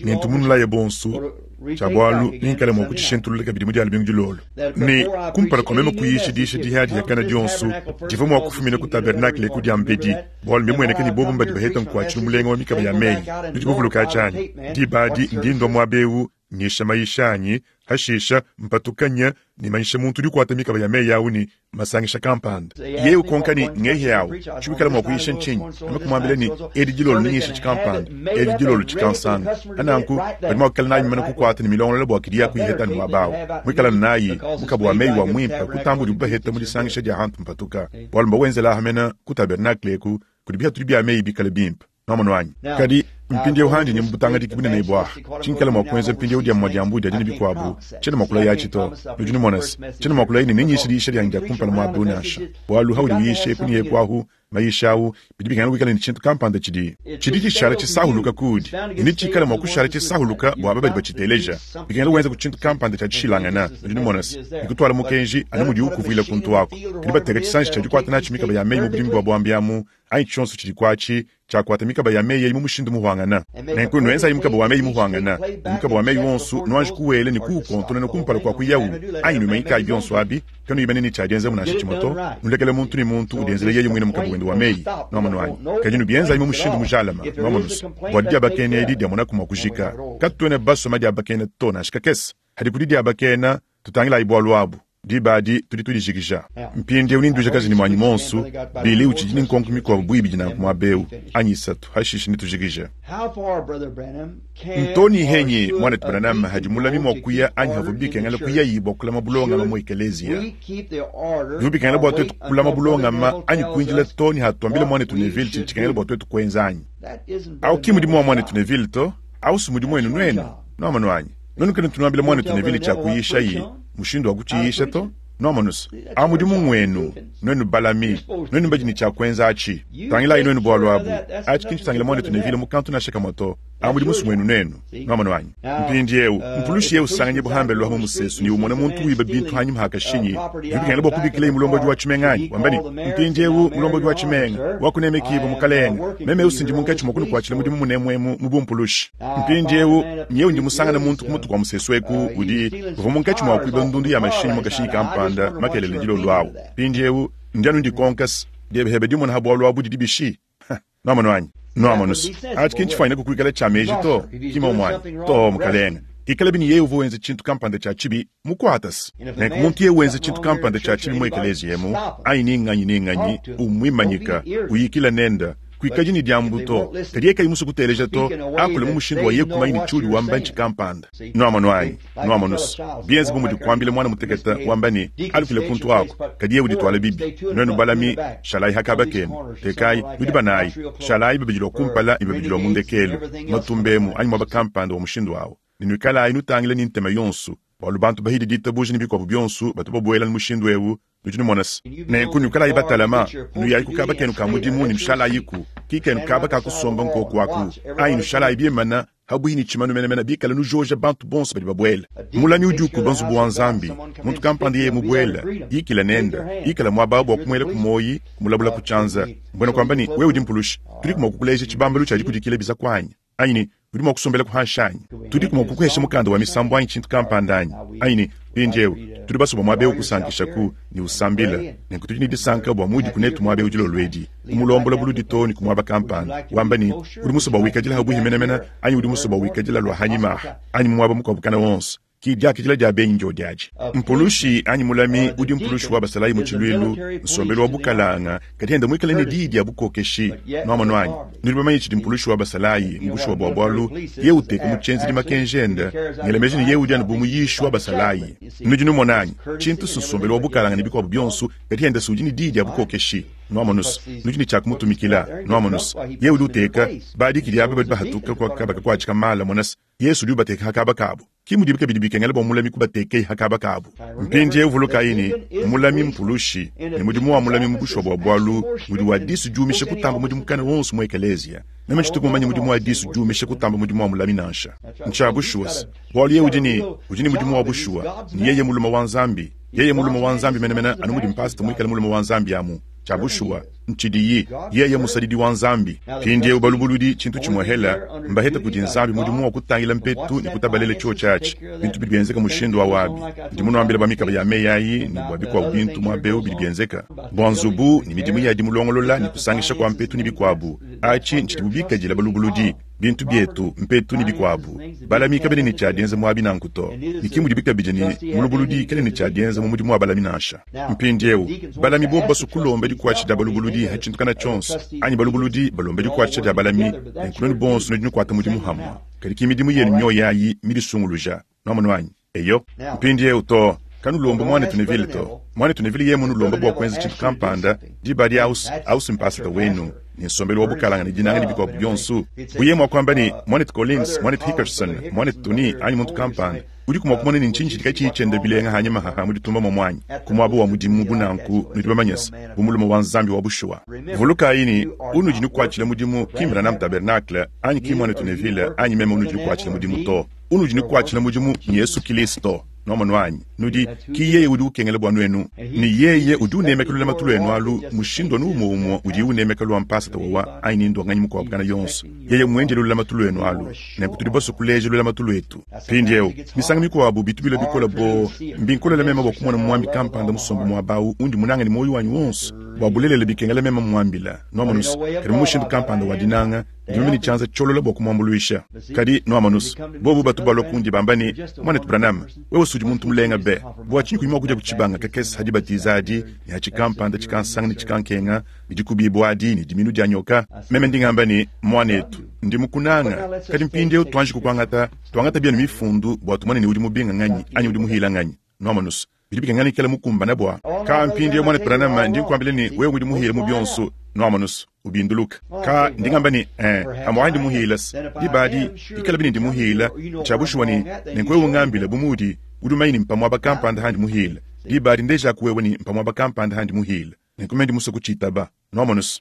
ne ntu munulaye bonso tshia bualu nengikale mua kutshishintulula kabidi mu dia lumingu dilolo. Ne kumpala kua meme kuyisha diyisha dihia-dihakana dionso divua mua kufumina ku tabernakle ku diambedi, bualu mbimueneke ne bobo mbadi baheta nkuatshilu mulenga wa mikaba ya meyi. Nudi bavuluka atshi anyi? Diba adi ndi ndua muaba eu nyisha mayisha anyi, hashisha mpatuka nya ne manyisha muntu udi ukuata mikaba ya meyi au ne masangisha kampanda. Yeye ukonka ne, Ngehe au, tshiwikala mua kuyisha ntshinyi? Meme kumuambila ne, Edi dilolo nenyishe tshikampanda, edi dilolo tshikansanga. Pananku badi mua kuikala nayi mimane kukuata ne milongolola bua kidi ya kuyiheta anu muaba au. Muikala nayi mukaba wa meyi wa muimpe kutamba udibu baheta mu disangisha dia hantu mpatuka, bualu mbawenzela aha mena ku tabernakle eku kudi bihatudi bia meyi bikale bimpe. Nwamonu anyi? Kadi mpindiewu handi ne mu butangadiki bunene ebu aha, tshinkala mua kuenza mpindiewu dia mua diambu dia dina bikuabu, tshiena mua kulaya atshi to. Nudi numona se, tshiena mua kulaya ne nenyishe diyisha dianyi dia kumpala muaba eu nansha. Bualu haudi uyisha eku ne eku ahu, mayisha au, bidi bikengela kuikala ne tshintu kampanda tshidi, tshidi tshishala tshisahuluka kuudi, ne netshikale mua kushala tshisahuluka bua aba badi batshiteleja. Bikengela wenza ku tshintu kampanda tshia dishilangana. Nudi numona se, bikutuala mukenji anu mudiwu kuvuila kuntu aku. Kadi bateka tshisanji tshia dikuata natshi mikaba ya meyi mu budimi bua buambi amu, anyi tshionso tshidi kuatshi. Tshiakuata mikaba ya meyi eyi mu mushindu muhuangana. Nenku nuenzayi mukaba wa meyi muhuangana, ne mukaba wa meyi wonso nuanji kuwela ne kuwukontonona kumpala kua kuyawu, anyi nuimanyikayi bionso abi, kanuyi mene ne tshia dienzamu nansha tshimue to, nulekele muntu ne muntu udienzela yeye muine mukaba wende wa meyi. Nuamonu anyi? Kadi nubienzayi mu mushindu mujalame, nuamonu's, bua didiabakena edi diamonaku mua kujika. Katuena basue madiabakena to, nansha kakese. Hadi kudi diabakena, tutangilayi bualu abu. Diba adi tudi tudijikija. Mpindieu nendujakaje ne muanyi muonso. Billy utshidi ne nkonko mikuabu bu ibidi nanku muaba eu, anyi isatu, hashishe netujikije. Ntoni henyi, Muanetu Branham, hadi mulami mua kuya anyi havua bikengela kuyayi bua kulama bulongama mu ekeleziya? Bivua bikengela bua tuetu kulama bulongama anyi kuindila too ne hatuambila Muanetu Neville tshidi tshikengela bua tuetu kuenza anyi? Au ki mudimu wa Muanetu Neville to, au si mudimu wenu nuenu. Nuamonu anyi? Nuenu kanutu nuambila Muanetu Neville tshia kuyishayi, mushindu wa kutshiyisha to. Nuamonu's, awu mudimu ngwenu, nuenu balami, nuenu badi ne tshia kuenza atshi. Tangilayi nuenu bualu abu. Atshi ki ntshitangila Muanetu Neville mu kantu nansha kamue to. Awu mudimu si ngwenu nuenu. Nuamonu anyi? Mpindiewu, mpulushi yeye usanganyibua hambelu amu musesu ne umona muntu wiba bintu hanyima ha kashinyi, bidi bikengela bua kubikilaye mulombodi wa tshimenga anyi? Wamba ne, Mpindiewu, mulombodi wa tshimenga, wa kunemekibua, mukalenge, meme eu si ndi munkatshi mua kunukuatshila mudimu munemu emu mu bumpulushi. Mpindiewu, nyewu ndi musangane muntu ku mutu kua musesu eku udi, uvua munkatshi mua kuiba ndundu ya mashinyi mu kashinyi kampanda makelela dilolo awu. Mpindiewu, ndi anu ndikonka se, diebe hebe dimona ha bualu abu didi bishi? Nuamonu anyi? Nuamonu's, atshi ki ntshifuanyine kuikala tshia meji to, ki mmuomu anyi? Too, mukalenge. Ikalabi ne yeye uvua wenza tshintu kampanda tshia tshibi, mukuata's. Nenku muntu yeye wenza tshintu kampanda tshia tshibi mu ekeleziya emu, anyi ni nnganyi ni nnganyi, umuimanyika, uyikila nende, kuikadi ne diambu to. Kadi yeye kayi musue kuteleja to, akule mu mushindu wa yeye kumanya ne tshiudi wamba ntshikampanda. Nuamonu anyi? Nuamonu's, bienze bu mudi kuambila muana mutekete, wamba ne, Alukile kuntu aku, kadi yeye udituala bibi. Nuenu balami, shalayi ha kaba kenu, tekayi, nudi banayi, shalayi babidi lua kumpala ne babidi lua mu ndekelu, matumba emu anyi muaba kampanda wa mushindu au, ne nuikalayi nutangila ne ntema yonso, bualu bantu bahidi ditabuja ne bikuabu bionso batu babuela mu mushindu eu. Nudi numona se, nenku nuikalayi batalama, nuyayi ku kaba kenu ka mudimu ne nushalayiku, ki kenu kaba ka kusomba nkoku aku, anyi nushalayi bimana habuihi ne tshimanu menemene, bikale nujoja bantu bonso badi babuela. Mulami udi ukuba nzubu wa Nzambi. Muntu kampanda yeye mubuele, yikila nende, ikala muaba awu bua kumuela ku muoyi, kumulabula ku tshianza. Mbuena kuamba ne, wewe udi mpulushi, tudiku mua kukuleja tshibambalu tshia dikudikila bizaku anyi? Anyi ne, udi mua kusombelaku hanshi anyi? Tudiku mua kukuhesha mukanda wa misambu anyi tshintu kampanda anyi? Anyi ne, mpindieu tudi basue bua muaba eu kusankishaku ne usambila, nenku tudi ne disanka bua mudiku netu muaba eu dilolo edi, kumulombola buludi too ne ku muaba kampanda, wamba ne, udi musue bua wikadila habuihi menemene anyi udi musue bua wikadila lua hanyima aha anyi mu muaba mukuabu kana wonso. Ki diakidila dia benyi ndiodi adi. Mpulushi anyi mulami udi mpulushi wa basalayi mu tshiluilu, nsombelu wa bukalanga, kadi enda muikale ne diyi dia bukokeshi. Nuamonu anyi? Nudi bamanye tshidi mpulushi wa basalayi mu bushuwa bua bualu, yeye uteka mu tshienzedi makenji ende, ngela meji ne yeye udi anu bu muyishi wa basalayi. Nudi numona anyi? Tshintu si nsombelu wa bukalanga ne bikuabu bionso, kadi enda si udi ne diyi dia bukokeshi. Nuamonu's, nudi ne tshia kumutumikila. Nuamonu's, yeye udi uteka badikidi aba badi bahatuka kua kaba kakuatshika mala, mona's, Yesu udi ubateka ha kaba kabu. Ki mudibi kabidi bikengela bua mulami kubatekeye ha kaba kabu. Mpindieu vulukayi ne, mulami mpulushi, ne mudimu wa mulami mu bushuwa bua bualu ngudi wa disu diumisha kutamba mudimu kana wonso mu ekeleziya. Meme tshituku mumanye mudimu wa disu diumisha kutamba mudimu wa mulami nansha. Ntshia bushuwa se, bualu yeye udi ne udi ne mudimu wa bushuwa, ne yeye mulume wa Nzambi. Yeye mulume wa Nzambi menemene anu mudi mpasata muikale mulume wa Nzambi amu. Tshia bushuwa ntshidiyi, yeye musadidi wa Nzambi. Mpindieu balubuludi tshintu tshimuehela, mbahete kudi Nzambi mudimu wa kutangila mpetu ne kutabalela tshiotshi atshi. Bintu bidi bienzeka mushindu au abi. Ndi munuambila bua mikaba ya meyi ayi ne bua bikuabu bintu muaba eu bidi bienzeka, bua nzubu ne midimu ya dimulongolola ne kusangisha kua mpetu ne bikuabu. Atshi ntshidibu bikadila balubuludi. Bintu bietu, mpetu ne bikuabu. Balami kabena ne tshia dienza muabi nanku to, ne ki mudibi kabidi ne mulubuludi kena ne tshia dienza mu mudimu wa balami nansha. Mpindieu, balami bobu basue kulomba dikuatshisha dia balubuludi ha tshintu kana tshionso, anyi balubuludi balombe dikuatshisha dia balami, nenku nuenu bonso nudi nukuata mudimu hamue. Kadi ki midimu yenu mioyo ayi midisunguluja. Nuamonu anyi? Eyo. Mpindieu, to, kanulombi Muanetu Neville to. Muanetu Neville yeye munulomba bua kuenza tshintu kampanda, diba adi aus, aus mpasata wenu, ne nsombelu wa bukalanga ne dinanga ne bikuabu bionso, bu yeye mua kuamba ne, Muanetu Collins, Muanetu Hickerson, Muanetu Tony, anyi muntu kampanda, udiku mua kumona ne ntshinyi tshidi katshiyi tshienda bilenga hanyima haha mu ditumba momu anyi? Ku muaba wa mudimu bu nanku, nudi bamanye se, bu mulume wa Nzambi wa bushuwa. Vulukayi ne, unudi nukuatshila mudimu ki m'Branham Tabernacle, anyi ki Muanetu Neville, anyi meme unudi nukuatshila mudimu to. Unudi nukuatshila mudimu n'Yesu Kilisto. Nwamonu anyi? Nudi, ki yeye udi ukengela bua nuenu. Ne yeye udi unemeka lulamatu luenu alu mushindu anu umue-umue udiye unemeka lua mpasata wawa anyi ni ndua nganyi mukuabu kana yonso. Yeye mmuendele lulamatu luenu alu. Nenku tudi basue kuleja lulamatu luetu. Mpindieu, misangu mikuabu bitu bilua bikole boo, mbinkolele meme bua kumona muambi kampanda musombe muaba au undi munange ne muoyo wanyi wonso. Bua bulelela bikengela meme mmuambila, nwamonu's, kadi mu mushindu kampanda wa dinanga, ndi meme ne tshianza tshiolola bua kumuambuluisha. Kadi, nwamonu's, bobu batu balua kundi bamba ne, Muanetu Branham, wewe s'udi muntu mulenga be. Bua tshinyi kuyi mua kudia ku tshibanga kakese ha dibatiza adi, ne ha tshikampanda tshikansanga ne tshikankenga, ne dikubibua adi, ne diminu dia nyoka? Meme ndi ngamba ne, Muanetu, ndi mukunanga. Kadi mpindieu tuanji kukuangata, tuangata bienu Mifundu bua tumone ne udi mubinga nganyi anyi udi muhila nganyi. Nwamonu's, bidi bikengela ikala mukumbana bua ka mpindieu muanetu Branham, ndi nkuambila ne wewe udi muhila mu bionso. Nwamonu's, ubinduluka. Ka ndi ngamba ne, eh, amu ndi muhila diba adi, ikalabi ne ndi muhila, ntshia bushuwa ne, nenku wewe ungambila bu muudi udi umanye ne mpa muaba kampanda handi muhila, diba adi ndejaku wewe ne mpa muaba kampanda handi muhila, nenku meme ndi musue kutshitaba. Nwamonu's?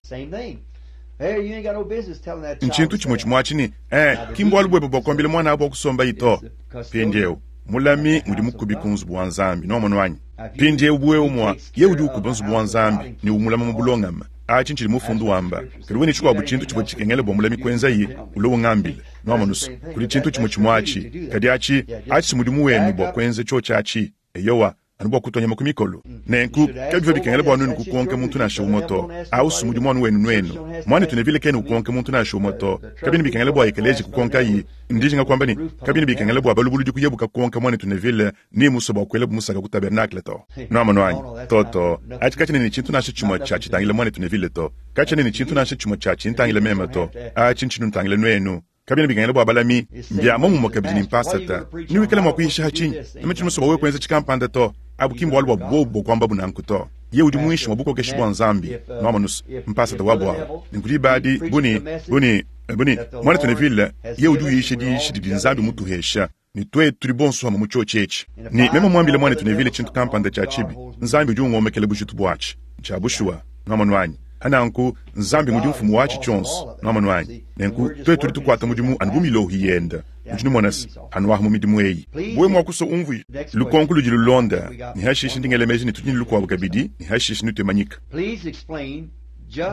Ntshintu tshimue tshimue atshi ne, eh, ki mbualu buebe bua kuambila muana abu wa kusombayi to. Mpindieu, mulami ngudi mukubi ku nzubu wa Nzambi. Nwamonu anyi? Mpindieu bu wewe mua, yeye udi ukuba nzubu wa Nzambi ne umulama mu bulongame. Atshi ntshidi mufundu wamba. Kadi wewe ne tshikuabu tshintu tshivua tshikengela bua mulami kuenzaye, ulue ungambile. Nwamonu's? Kudi tshintu tshimue tshimue atshi. Kadi atshi, atshi si mudimu wenu bua kuenza tshiotshi atshi. Eyowa, anu bua kutua nyama ku mikolo. Nenku, kabivua bikengela bua nuenu kukonka muntu nansha umue to. Au si mudimu anu wenu nuenu. Muanetu Neville kena ukonka muntu nansha umue to. Kabiena bikengela bua ekeleziya kukonkayi. Ndi njinga kuamba ne, kabiena bikengela bua balubuludi kuyabu kakonka muanetu Neville ni mmusue bua kuelabu musaka ku tabernakle to. Nuamonu anyi? To, to. Atshi katshiena ne tshintu nansha tshimue tshia tshitangila muanetu Neville to. Katshiena ne tshintu nansha tshimue tshia tshintangila meme to. Atshi ntshinutangila nuenu. Kabiena bikengela bua balami, mbia muomumue kabidi ne mpasata. Newikale mua kuyisha ha tshinyi? Meme tshiena musue bua wewe kuenza tshikampanda to. Abu ki mbualu bua bobu bua kuambabu nanku to. Yeye udi muinshi mua bukokeshi bua Nzambi, nwamonu's, mpasata wabu awu. Nenku diba adi, bu ne, bu ne, bu ne, Muanetu Neville, yeye udi uyisha diyisha didi Nzambi mutuhesha, ne tuetu tudi bonso pamue mu tshiotshi etshi. Ne meme muambile Muanetu Neville tshintu kampanda tshia tshibi, Nzambi udi ungomekela bujitu buatshi. Ntshia bushuwa. Nwamonu anyi? Pa nanku, Nzambi ngudi mfumu watshi tshionso. Nwamonu anyi? Nenku, tuetu tudi tukuata mudimu anu bu milohi yenda. Nudi numona se, anu aha mu midimu eyi. Wewe mua kusua umvuija lukonko ludi lulonda, ne hashishe ndi ngela meji ne tudi ne lukuabu kabidi, ne hashishe nutue manyika.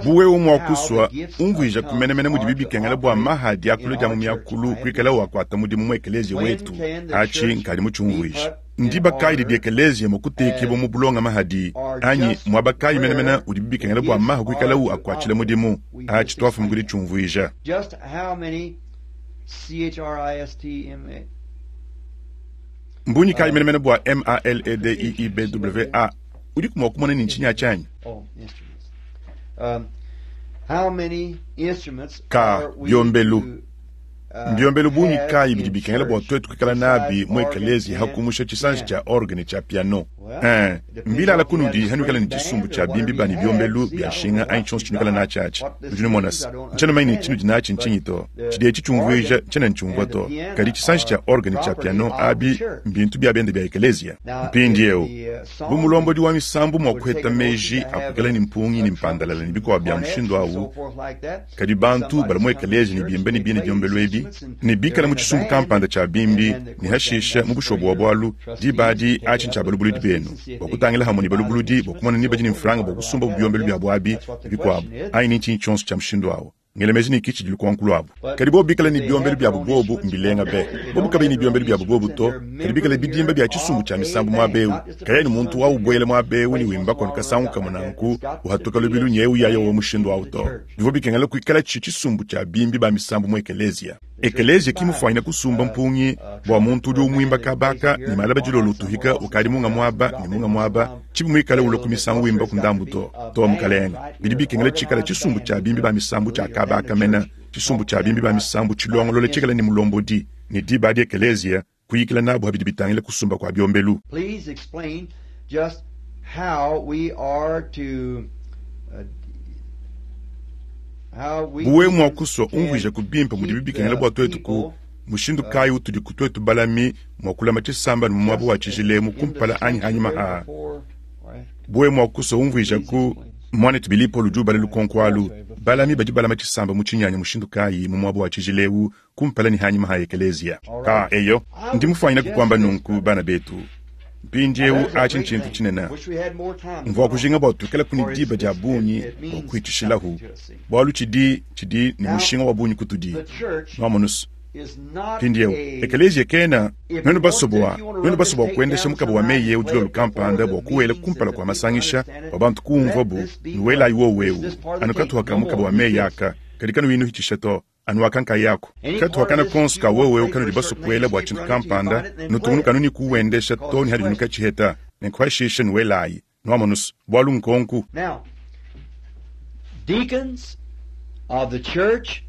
Bu wewe mua kusua, umvuijaku menemene mudibi bikengela bua maha a diakula dia mu miakulu kuikalawu akuata mudimu mu ekeleziya wetu. Atshi nkadi mutshiumvuije. Ndiba kayi didi ekeleziya mua kutekibua mu bulongame hadi, anyi muaba kayi menemene udibi bikengela bua maha kuikalawu akuatshila mudimu? Atshi tuafuma ku ditshiumvuija. Mbungi kayi menemene bua MALEDIIBWA? Udiku mua kumona ne ntshinyi atshi anyi? Ka, biombelu. Mbiombelu bungi kayi bidi bikengela bua tuetu kuikala nabi mu ekeleziya ha kumusha tshisanji tshia orgue ne tshia piano? Ee, mbilala kunudi hanuikala ne tshisumbu tshia bimbi ba ne biombelu bia nshinga anyi tshionso tshinuikala natshi atshi. Nudi numona se, ntshiena mumanye ne tshinudi natshi ntshinyi to. Tshidi etshi tshiumvuija ntshiena ntshiumvua to. Kadi tshisanji tshia orgue ne tshia piano abi mbintu bia bende bia ekeleziya. Mpindieu, bu mulombodi wa misambu mua kuheta meji a kuikala ne mpungi ne mpandalala ne bikuabu bia mushindu au, Kadi bantu bala mu ekeleziya ne bimba ne bine biombelu ebi, ne bikala mu tshisumbu kampanda tshia bimbi, ne hashisha mu bushuwa bua bualu, diba adi atshi ntshia balubuludi benu bua kutangila hamue ne balubuludi bua kumona ne badi ne mfranga bua kusumbabu biombelu biabu abi ne bikuabu, anyi ne ntshinyi tshionso tshia mushindu au. Ngela meji ne ki tshidi lukonko luabu. Kadi bobu bikale ne biombelu biabu bobu, mbilenga be. Bobu kabayi ne biombelu biabu bobu to, kadi bikale bidimba bia tshisumbu tshia misambu muaba eu, kayayi ne muntu wa ubuela muaba eu ne wimbaku anu kasangu kamue nanku, uhatuka lubilu nyewu yaya wa mushindu au to. Bivua bikengela kuikala tshi tshisumbu tshia bimbi ba misambu mu ekeleziya. Ekeleziya ki mufuanyine kusumba mpungi bua muntu udi umuimba kaba aka ne malaba dilolo utuhika ukadi munga muaba ne munga muaba, tshibi muikale ulua ku misangu wimba ku ndambu to. To, mukalenge. Bidi bikengela tshikale tshisumbu tshia bimbi ba misambu tshia kaba aka mene, tshisumbu tshia bimbi ba misambu tshilongolola tshikale ne mulombodi, ne diba adi ekeleziya kuyikila nabu pa bidi bitangila kusumba kua biombelu. Please explain just how we are to how we Bu wewe mua kusua, umvuijaku bimpe mudibi bikengela bua tuetu ku mushindu kayi utudi ku tuetu balami mua kulama tshisamba ne mu muaba wa tshijila emu kumpala anyi hanyima ha. Bu wewe mua kusua, umvuijaku Muanetu Billy Paul udi ubala lukonko alu, Balami badi balama tshisamba mu tshinyanya mushindu kayi mu muaba wa tshijila eu kumpala ne hanyima ha ekeleziya? Ka, eyo, ndi mufuanyine kukuamba nunku, bana betu. Mpindieu atshi ntshintu tshinene. Mvua kujinga bua tuikalaku ne diba dia bungi bua kuhitshishilahu, bualu tshidi tshidi ne mushinga wa bungi kutudi. Nuamonus? Mpindieu, ekeleziya kena nuenu basue bua nuenu basue bua kuendesha mukaba wa meyi eu dilolo kampanda bua kuwela kumpala kua masangisha bua bantu kumvuabu, nuwelayi wowu eu anu katuha ka mukaba wa meyi aka, kadi kanuyi nuhitshisha to anu aka nkayaku. Katuha kana konso ka wowu eu kanudi basue kuela bua tshintu kampanda, nutungunuka anu ne kuwendesha to ne hadi nukatshiheta, nenku hashishe nuwelayi. Nuamonus? Bualu nkonku. Now, deacons of the church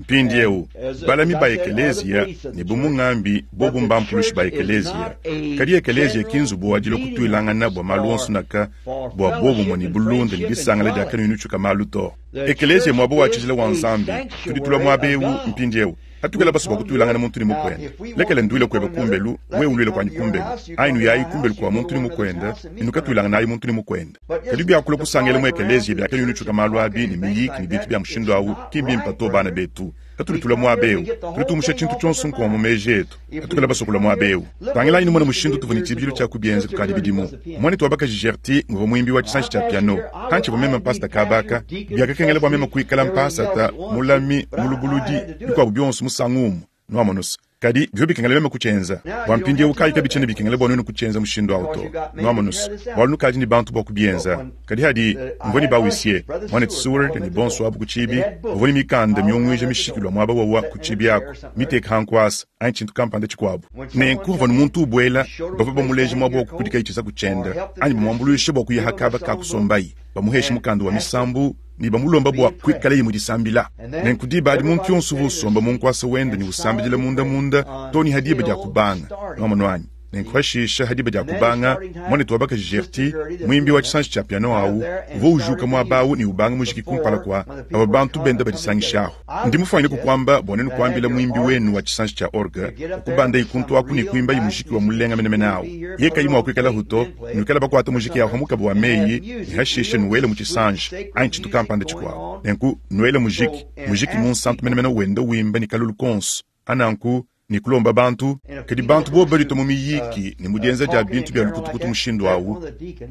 Mpindieu, balami ba ekeleziya ne bu mungambi bobu mbampulushi ba ekeleziya. Kadi ekeleziya ki nzubu wa dilua kutuilangana bua malu onso naka bua bobumue ne bulunda ne disangala dia kanuyi nutshiuka malu to. Ekeleziya muaba wa tshijila wa Nzambi. Tudi tulua muaba eu mpindieu. Katukela basue bua kutuilangana muntu ne mukuende. Lekela nduile kuebe kumbelu, wewe uluile kuanyi kumbelu, anyi nuyayi kumbelu kua muntu ne mukuende ne nukatuilanganayi muntu ne mukuende. Kadi biakulua kusangila mu ekeleziya biakanuyi nutshiuka malu abi ne miyiki ne bintu bia mushindu au, ki mbimpe to bana betu. Katudi tulua muaba eu, tudi tumusha tshintu tshionso nkuwa mu meji etu. Katukela basue kulua muaba eu. Tangilayi numone mushindu tuvua ne tshibidilu tshia kubienza kukadi bidimu. Muanetu wa bakaji Gertie nguvua muimbi wa tshisanji tshia piano. Pantshivua meme mpasata kaba aka, biakakengela bua meme kuikala mpasata, mulami, mulubuludi, bikuabu bionso musangu umue. Nuamonus? Kadi bivua bikengela meme kutshienza. Bua mpindieu kayi kabitshiena bikengela bua nuenu kutshienza mushindu au to. Nuamonus? Bualu nukadi ne bantu bua kubienza. Kadi hadi mvua ne ba-huissier, muanetu Seward ne bonso abu ku tshiibi, bavua ne mikanda miunguija mishikilu muaba wawa ku tshiibi aku, miteka ha nkuasa anyi tshintu kampanda tshikuabu. Nenku pavua muntu ubuela, bavua bamuleja muaba wa kukudikaye tshizaku tshiende anyi bamuambuluisha bua kuya ha kaba ka kusombaye, bamuhesha mukanda wa misambu ne bamulomba bua kuikalaye mu disambila. Nenku diba adi muntu yonso uvua usomba mu nkuasa wende ne usambidila munda munda too ne ha diba dia kubanga. Nuamonu anyi? Nenku pashishe ha diba dia kubanga, muanetu wa bakaji Gertie, muimbi wa tshisanji tshia piano au, uvua ujuka muaba au ne ubanga mujiki kumpala kua aba bantu benda badisangishahu. Ndi mufuanyine kukuamba bua nuenu kuambila muimbi wenu wa tshisanji tshia orgue bua kubandayi kuntu aku ne kuimbayi mujiki wa mulenga menemene au. Yeye kayi mua kuikalahu to, nuikale bakuata mujiki au ha mukaba wa meyi ne hashishe nuwele mu tshisanji anyi tshintu kampanda tshikuabu. Nenku nuele mujiki, mujiki munsantu menemene wenda wimba ne kalulu konso. Ananku ne kulomba bantu, kadi bantu bobu baditua mu miyiki ne mu dienza dia bintu bia lukutukutu mushindu au,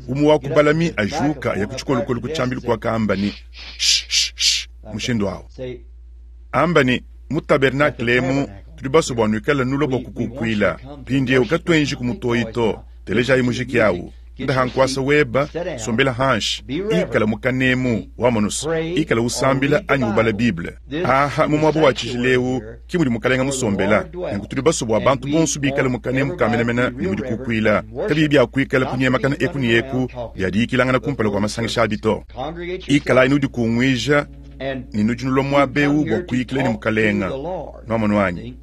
umue wa ku balami ajuka aya ku tshikolokolo ku tshiambilu kuakamba ne, Shh, shh, shh, mushindu au. Amba ne, Mu tabernakle emu tudi basue bua nuikale nulua bua kukukuila. Mpindieu katuenji ku mutoyi to, telejayi mujiki au. Nda nkuasa weba, sombela hanshi, ikala mu kanemu, wamonus, ikala usambila anyi ubala Bible. Aha mu muaba wa tshijila eu ki mudi Mukalenga musombela. Nenku tudi basue bua bantu bonso bikale mu kanemu ka menemene ne mu dikukuila, kabiyi bia kuikala kunyemakana eku ne eku bia diyikilangana kumpala kua masangisha abi to. Ikalayi nudikunguija ne nudi nulua muaba eu bua kuyikila ne Mukalenga. Nuamonu anyi?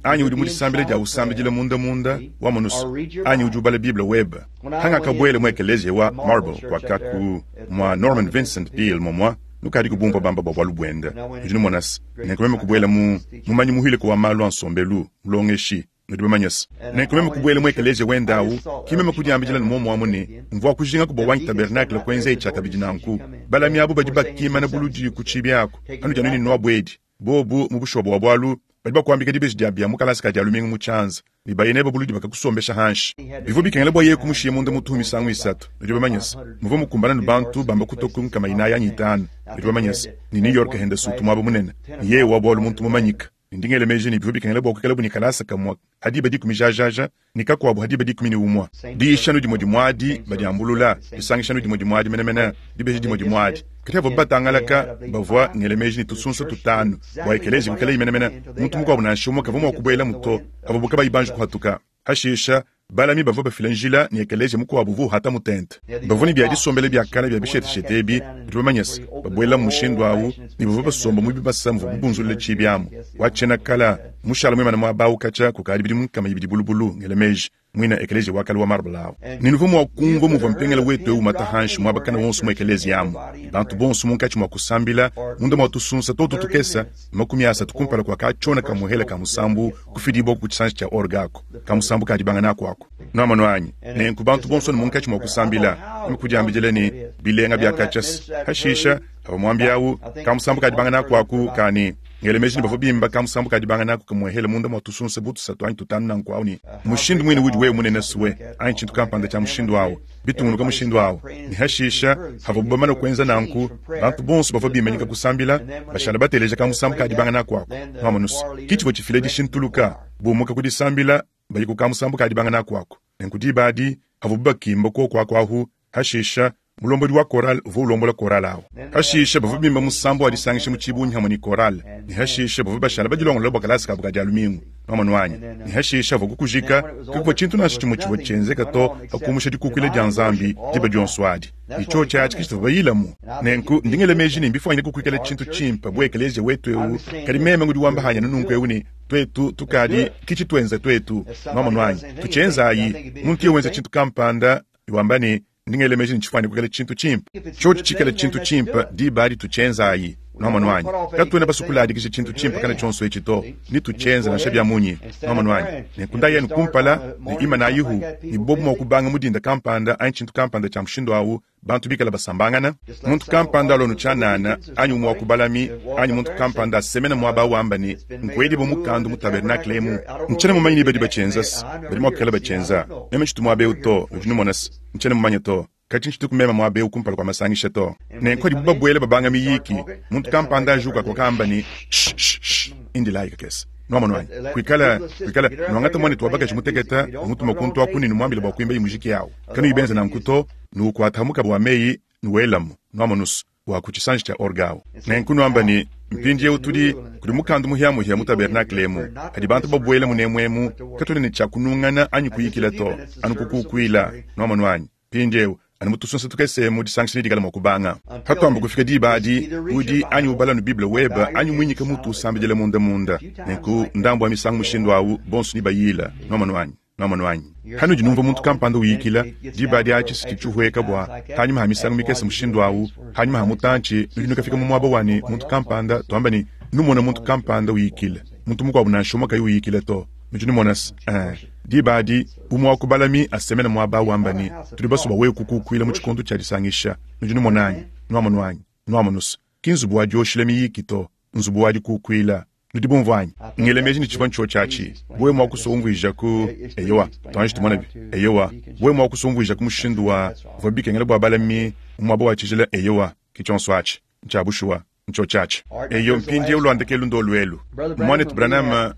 Anyi udi mu disambila dia usambidila munda munda, wamonus, anyi udi ubala Bible webe. Hangakabuela mu ekeleziya wa Marble kuakaku mua Norman Vincent Peale momua nukadi kubumvua bamba bua bualu buende. Nudi numonase, nenku meme kubuela mu mumanyi muhileko wa malu a nsombelu, mulongeshi, nudi bamanyase. Nenku meme kubuela mu ekeleziya wende au, ki meme kudiambidila ne muomuamu ne, mvua kujinga kubua wanyi tabernakle kuenza tshiakabidi nanku. Balami abu badi bakimana buludi ku tshibi aku, anudi anu ne nuabuedi. Bobu mu bushuwa bua bualu, badi bakuambika dibeji dia bia mu kalasa ka dia lumingu mu tshianza ne baye nebe buludi bakakusombesha hanshi. Bivua bikengela bua yeye kumushiya munda mutuhu misangu isatu. Nudi bamanye se, muvua mukumbana ne bantu bamba kutua ku nkama inayi anyi itanu. Nudi bamanye se, ne New York henda sutu muaba munene, ne yeye wa bualu muntu mumanyika. Ne ndi ngela meji ne bivua bikengela bua kuikalabu ne kalasa kamue ha diba dikumi jajaja ne kakuabu ha diba 11. Diyisha anu dimue dimue adi, badiambulula, disangisha anu dimue dimue adi menemene, dibeji dimue dimue adi. Kadi havuabu batangalaka, bavua ngela meji ne tusunsa tutanu bua ekeleziya kuikalayi menemene, muntu mukuabu nansha umue kavua mua kubuelamu to, havuabu kabayi banji kuhatuka. Hashisha, balami bavua bafila njila ne ekeleziya mukuabu uvua uhata mu tente. Bavua ne bia disombela bia kale bia bisheteshete ebi, nudi bamanye se, babuelamu mushindu au, ne bavua basomba mu bibasa muvuabu bunzulule tshiibi amu. Wa tshiena kala, mushala muimane muaba au katshia kukadi bidimu 200 bulubulu, ngela meji, muina ekeleziya wa kale wa marble au. Ne nuvua mua kumvua muvua mpengele wetu eu umata hanshi muaba kana wonso mu ekeleziya amu, ne bantu bonso munkatshi mua kusambila munda mua tusunsa totu tukese 30 kumpala kua katshiona ka muhele ka musambu kufidibua ku tshisanji tshia orgue aku, ka musambu ka dibanga naku aku. Nuamonu anyi? Nenku bantu bonso ne munkatshi mua kusambila, meme kudiambidila ne, Bilenga bia katshia. Hashisha, havua muambi au, ka musambu ka dibanga naku aku ka ne. Ngela meji ne bavua bimba kamusambu ka dibanga naku kamuehela munda mua tusunsa bu tusatu anyi tutanu nanku awu ne mushindu muine udi wewe munene sue anyi tshintu kampanda tshia mushindu awu bitungunuka mushindu awu. Ne hashisha havuabu bamane kuenza nanku, bantu bonso bavua bimanyika kusambila, bashala bateleja kamusambu ka dibanga naku aku. Nuamonus, ki tshivua tshifila dishintuluka, bumuka ku disambila baye ku kamusambu ka dibanga naku aku. Nenku diba adi havuabu bakimba kuoku aku ahu, hashisha mulombodi wa korale uvua ulombola korale awu. Hashishe bavua bimba musambu wa disangisha mu tshibungi hamue ne korale, ne hashishe bavua bashala badilongolola bua kalasa kabu ka Dia lumingu. Nuamonu anyi? Ne hashishe havua kukujika, kakuvua tshintu nansha tshimue tshivua tshienzeka to pa kumusha dikukuila dia Nzambi diba dionso adi. Ne tshiotshi atshi ke tshituvua bayilamu. Nenku ndi ngela meji ne mbifuanyine kukuikala tshintu tshimpe bu ekeleziya wetu eu, kadi meme ngudi wamba hanyi anu nunku eu ne, tuetu tukadi ki tshituenza tuetu. Nuamonu anyi? Tutshienzayi. Muntu yeye wenza tshintu kampanda ne wamba ne, Ndi ngela meji ne tshifuane kuikala tshintu tshimpe. Tshiotshi tshikale tshintu tshimpe, diba adi tutshienzayi. Nwamonu anyi? Katuena basue kuladikija tshintu tshimpe kana tshionso etshi to. Netutshienze nansha bia munyi. Nwamonu anyi? Nenku ndayi anu kumpala ne imanayihu, ne bobu mua kubanga mu dinda kampanda anyi tshintu kampanda tshia mushindu awu, bantu bikale basambangana. Muntu kampanda alua anu tshianana, anyi umue wa ku balami, anyi muntu kampanda asemena muaba awu wamba ne, Nkuedibue mukandu mu tabernakle emu. Ntshiena mumanye ni badi batshienza's. Badi mua kuikala batshienza. Meme tshitu muaba eu to, nudi numona's. Ntshiena mumanye to. Katshi ntshituku meme muaba eu kumpala kua masangisha to. Nenku padibu babuela babanga miyiki, muntu kampanda ajuka wakamba ne, Shh, shh, shh, indilayi kakese. Nuamonu anyi? Kuikala, kuikala, nuangata muanetu wa bakaji mutekete, numutuma kuntu aku ne numuambile bua kuimbaye mujiki au. Kanuyi benze nanku to, nuukuata mukaba wa meyi, nuwelamu. Nuamonu's, wa ku tshisanji tshia orgue au. Nenku nuamba ne, Mpindieu tudi kudi mukandu muhiamuhia mu tabernakle emu. Padi bantu babuela munemu emu, katuena ne tshia kunungana anyi kuyikila to, anu kukukuila. Nuamonu anyi? Mpindieu, anu mu tusunsa tukese emu disangisha nedikale mua kubanga. Patuamba kufika diba adi, udi anyi ubala anu Bible webe anyi muinyike mutu usambidila munda munda. Nenku ndambu wa misangu mushindu au, bonso nebayila. Nuamonu anyi? Nwamonu anyi? Hanudi numvua muntu kampanda uyikila, diba adi atshi siti tshihueka bua hanyima ha misangu mikese mushindu awu, hanyima ha mutantshi nudi nukafika mu muaba wa ne muntu kampanda, tuamba ne numona muntu kampanda uyikila, muntu mukuabu nansha umue kayi uyikila to. Nudi numona's? Ee, diba adi umue wa ku balami asemena muaba awu wamba ne, Tudi basue bua wewe kukukuila mu tshikondo tshia disangisha. Nudi numona anyi? Nwamonu anyi? Nwamonu's? Ki nzubu wa dioshila miyiki to, nzubu wa dikukuila. Nudi bumvua anyi? Ngela meji ne tshivua ntshiotshi atshi. Wewe mua kusua umvuija ku, eyowa, tuanji tumonabi. Eyowa, wewe mua kusua umvuija ku mushindu wa bivua bikengela bua balami mu muaba wa tshijila, eyowa, ke tshionso atshi. Ntshia bushuwa, ntshiotshi atshi. Eyo, mpindieu lua ndekelu ndolu elu. Muanetu Branham,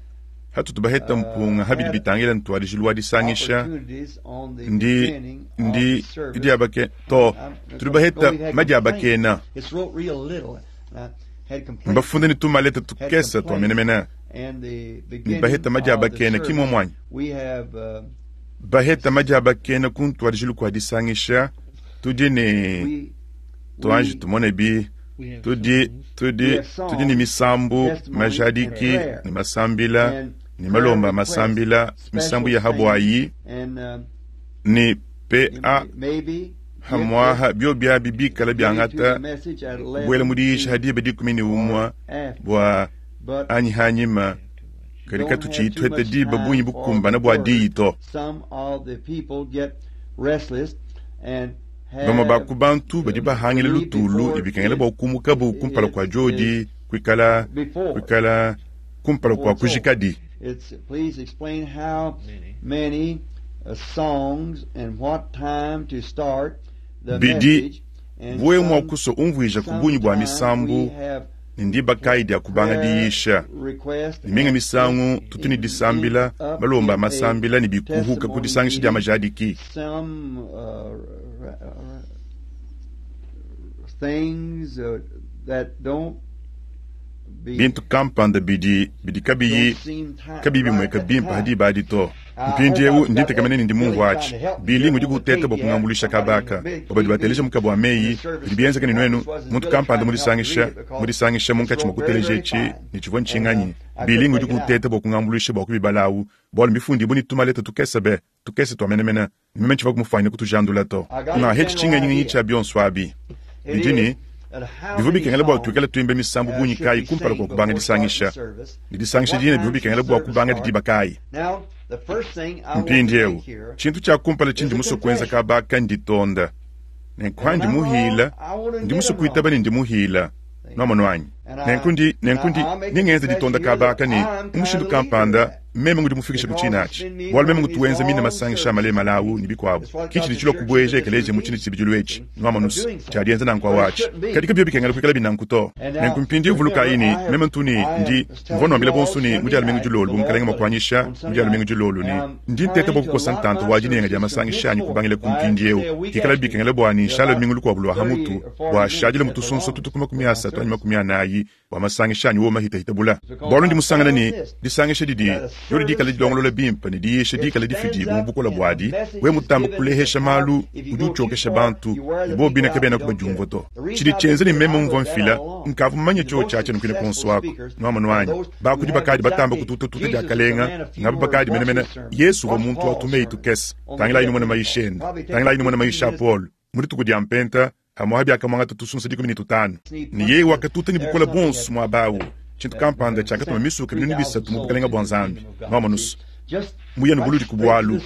hatutu baheta mpunga ha bidi bitangila ntuadijilu wa disangisha, ndi, ndi, diabake, to, tudi baheta madiabakena. Mbafunde ne tumaleta tukese tua menemene ne baheta madiabakena, ki muomu anyi? Baheta madiabakena ku ntuadijilu kua disangisha, tudi ne tuanji tumone bi tudi tudi tudi ne misambu, majadiki ne masambila ne malomba a masambila, misambu ya habuayi ne PA Pamu'apa biobi abi bikala biangata kubuela mu diyisha ha diba 11 bua anyi hanyima, kadi katutshiyi tuheta diba bungi bukumbana bua diyi to. Bamue ba ku bantu badi bahangila lutulu ne bikengela bua kumukabu kumpala kua diodi kuikala kuikala kumpala kua kujikadi. Bidi bu wewe mua kusua umvuija ku bungi bua misambu ne ndiba kayi dia kubanga diyisha. Ne minga misangu tutu ne disambila, malomba a masambila ne bikuhuka ku disangisha dia majadiki. Bintu kampanda bidi bidi kabiyi kabiyi bimueka bimpe ha diba adi to. Mpindieu ndi ntekemena ne ndi mumvua atshi. Billy ngudi kuteta bua kungambuluisha kaba aka. Bua badi bateleja mukaba wa meyi, bidi bienzeka ne nuenu, muntu kampanda mu disangisha, mu disangisha munkatshi mua kuteleja etshi ne tshivua ntshinganyi. Billy ngudi kuteta bua kungambuluisha bua kubibala awu, bualu mbifundibue ne tumaleta tukese be, tukese tua menemene, ne meme ntshivua mufuanyine kutujandula to. Ngahetshi tshingenyingenyi tshia bionso abi. Bidi ne, bivua bikengela bua tuikale tuimba misambu bungi kayi kumpala kua kubanga disangisha, ne disangisha dine bivua bikengela bua kubanga diba kayi? Mpindieu, tshintu tshia kumpala tshindi musue kuenza kaba aka nditonda. Nenku andi muhila, ndi musue kuitaba ne ndi muhila. Nuamonu anyi? Nenku ndi, nenku ndi, ndi ngenza ditonda kaba aka ne, mu mushindu kampanda, meme ngudi mufikishe ku tshine atshi, bualu meme ngutu wenza mine masangisha a malemale awu ne bikuabu. Ki tshidi tshilua kubueja ekeleziya mu tshine tshibidilu etshi, nwamonu's, tshia dienza nanku awu atshi. Kadi kabivua bikengela kuikalabi nanku to. Nenku mpindieu vulukayi ne, meme ntu ne, ndi, mvua nnuambila bonso ne, mu Dia lumingu dilolo, bu Mukalenge mua kuanyisha, mu Dia lumingu dilolo ne, ndi nteta bua kukosa ntanta wa dinenga dia masangisha anyi kubangila ku mpindieu, pikalabi bikengela bua ne nshale lumingu lukuabu lua ha mutu, bua ashadile mu tusunsa tutu ku 30 anyi 40 bua masangisha anyi wowo mahitahita bula. Bualu ndi musangane ne, disangisha didi, diodi dikale dilongolola bimpe ne diyisha dikale difidibue mu bukole buadi, wewe mutambe kulehesha malu, udi utshiokesha bantu, ne bobo bine kabenaku badiumvua to. Tshidi tshienza ne meme mvua mfila, nkavua mumanye tshiotshi atshi anu kuine kuonso aku. Nuamonu anyi? Bakudi bakadi batamba kututatuta diakalenga, ngaba bakadi menemene. Yesu uvua muntu wa tumeyi tukese. Tangilayi numone mayisha ende. Tangilayi numone mayisha a Paulo. Mu dituku dia Mpenta, Pamuapa biakamuangata tusunsa 15. Ne yeye wakatuta ne bukole buonso muaba au. Tshintu kampanda tshiakatuma misuka 3000 mu Bukalenge bua Nzambi. Nwamonu's? Muye anu buludi ku bualu.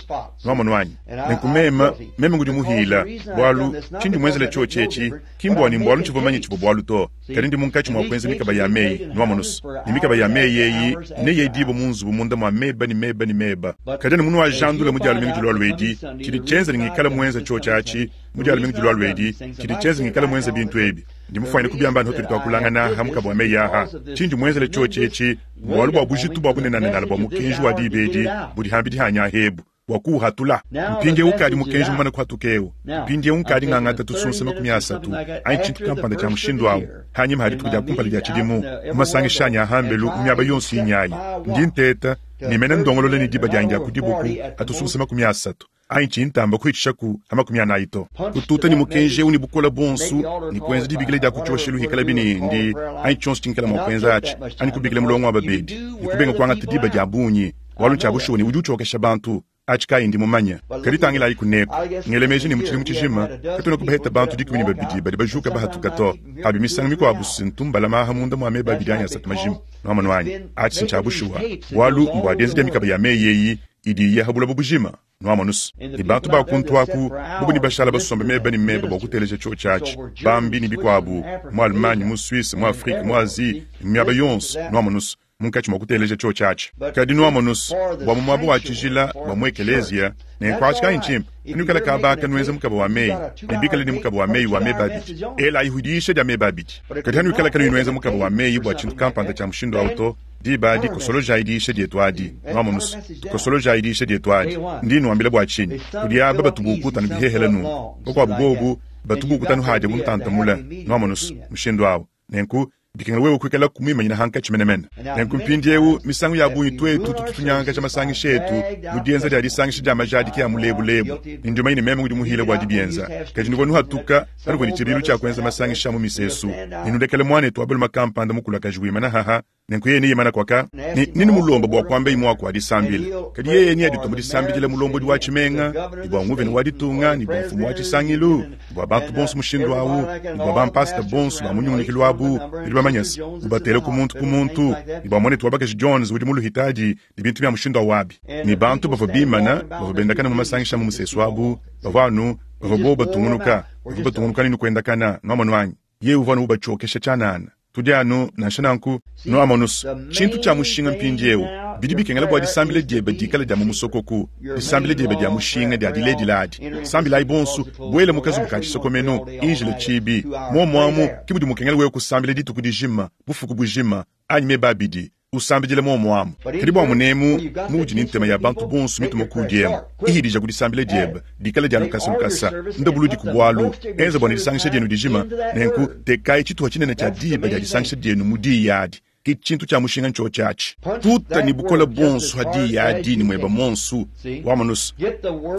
Nwamonu anyi? Nenku meme, meme ngudi muhiila, bualu, tshindi muenzele tshiotshi etshi, ki mbua ne mbualu ntshivua mumanye tshivua bualu to, kadi ndi munkatshi mua kuenza mikaba ya meyi. Nwamonu's? Ne mikaba ya meyi eyi neyedibue mu nzubu munda mua meba ne meba ne meba. Kadi anu munuajandula mu Dia lumingu dilualua edi, tshidi tshienza ne ngikala muenza tshiotshi atshi, Mu Dia lumingu dilualua edi, tshidi tshienza ngikale muenze bintu ebi, ndi mufuanyine kubiamba anu hatudi tuakulangana aha mukaba wa meyi aha. Tshindi muenzele tshiotshi etshi mbualu bua bujitu bua bunenanenala bua mukenji wa diba edi budi hambidi hanyi aha ebu, bua kuuhatula. Mpindieu ukadi mukenji mumane kuhatuka eu. Mpindieu nkadi ngangata tusunsa 30 anyi tshintu kampanda tshia mushindu au hanyima ha dituku dia kumpala dia tshidimu mu masangisha anyi a hambelu mu miaba yonso inyayi. Ndi nteta ne mene ndongolola ne diba dianyi dia ku dibuku ha tusunsa 30. Anyi tshiyi ntamba kuhitshishaku ha 40 to. Kututa ne mukenji eu ne bukole buonso ne kuenza dibikila dia ku tshioshelu hikalabi ne ndi anyi tshionso tshingikala mua kuenza atshi, anyi kubikila mulongo wa babedi ne kubenga kuangata diba dia bungi, bualu ntshia bushuwa ne udi utshiokesha bantu. Atshi kayi ndi mumanye. Kadi tangilayi kuneku, ngele meji ne mu tshidimu tshijima katuena kubaheta bantu 12 badi bajuka bahatuka to. Abi misangu mikuabu si ntu mbalama aha munda mua meba abidi anyi asatu majima. Nuamonu anyi? Atshi si ntshia bushuwa, bualu mbua dienza dia mikaba ya meyi eyi idi iya ha buloba bujima. Nuamonu's, ne bantu ba kuntu aku bobo nebashala basombe meba ne meba bua kuteleja tshiotshi atshi, bambi ne bikuabu, mu Allemagne, mu Suisse, mu Afrike, mu Asie, ne mu miaba yonso, nuamonu's, munkatshi mua kuteleja tshiotshi atshi. Kadi nuamonu's, bua mu muaba wa tshijila, bua mu ekeleziya, nenku atshi kayi ntshimpe, panuikala kaba aka nuenza mukaba wa meyi, ne bikale ne mukaba wa meyi wa meba abidi, elayi diyisha dia meba abidi. Kadi hanuikala kanuyi nuenza mukaba wa meyi bua tshintu kampanda tshia mushindu au to, Diba adi kosolojayi diyisha dietu adi. Nwamonu's, tukosolojayi diyisha dietu adi. Ndi nnuambila bua tshinyi. Kudi aba batu buukuta anu bihehele nunku. Bakuabu bobu batu buukuta anu hadia bu ntanta mule. Nwamonu's, mushindu awu. Nenku, bikengela wewe kuikalaku muimanyine hankatshi menemene. Nenku mpindiewu, misangu ya bungi tuetu tutu tunyangakaja masangisha etu mu dienza dia disangisha dia majadiki a mulebulebu. Ne ndi mumanye ne meme ngudi muhile bua dibienza. Kadi nuvua nuhatuka panuvua ne tshibidilu tshia kuenza masangisha a mu misesu, ne nulekele muanetu wa balume kampanda mukulakaji wimana haha, nenku yeye neimana kuaka, ne nenumulomba bua kuambaye muaku wa disambila. Kadi yeye neaditua mu disambidila mulombodi wa tshimenga, ne bua nguvena wa ditunga, ne bua mfumu wa tshisangilu, ne bua bantu bonso mushindu au, ne bua bampasita bonso ba mu nyungulukilu abu, nudi bamanye se, ubatele ku muntu ku muntu, ne bua muanetu wa bakaji Jones udi mu luhitadi, ne bintu bia mushindu au abi. Ne bantu bavua bimana, bavua bendakana mu masangisha mu musesu abu, bavua anu, bavua bobu batungunuka, bavua batungunuka ne kuendakana, nuamonu anyi? Yeye uvua anu ubatshiokesha tshianana. Tudi anu, nansha nanku, nuamonu's, tshintu tshia mushinga mpindieu. Bidi bikengela bua disambila diebe dikale dia mu musokoku, disambila diebe dia mushinga dia diledila adi. Sambilayi bonso, buela mu kazubu ka tshisokomenu, injila tshibi. Muomu amu ke mudi mukengela wewe kusambila dituku dijima, bufuku bujima, anyi meba abidi. Usambidile muomu amu. Kadi bua munemu muudi ne ntema ya bantu bonso mituma kuudi emu, ihidija ku disambila diebe, dikale dia lukasa lukasa, ndabuludi ku bualu, enza bua ne disangisha dienu dijima. Nenku tekayi tshituha tshinene tshia diba dia disangisha dienu mu diyi adi. Ke tshintu tshia mushinga ntshiotshi atshi. Tuta ne bukole buonso ha diyi adi ne mueba muonso. Wamonu's,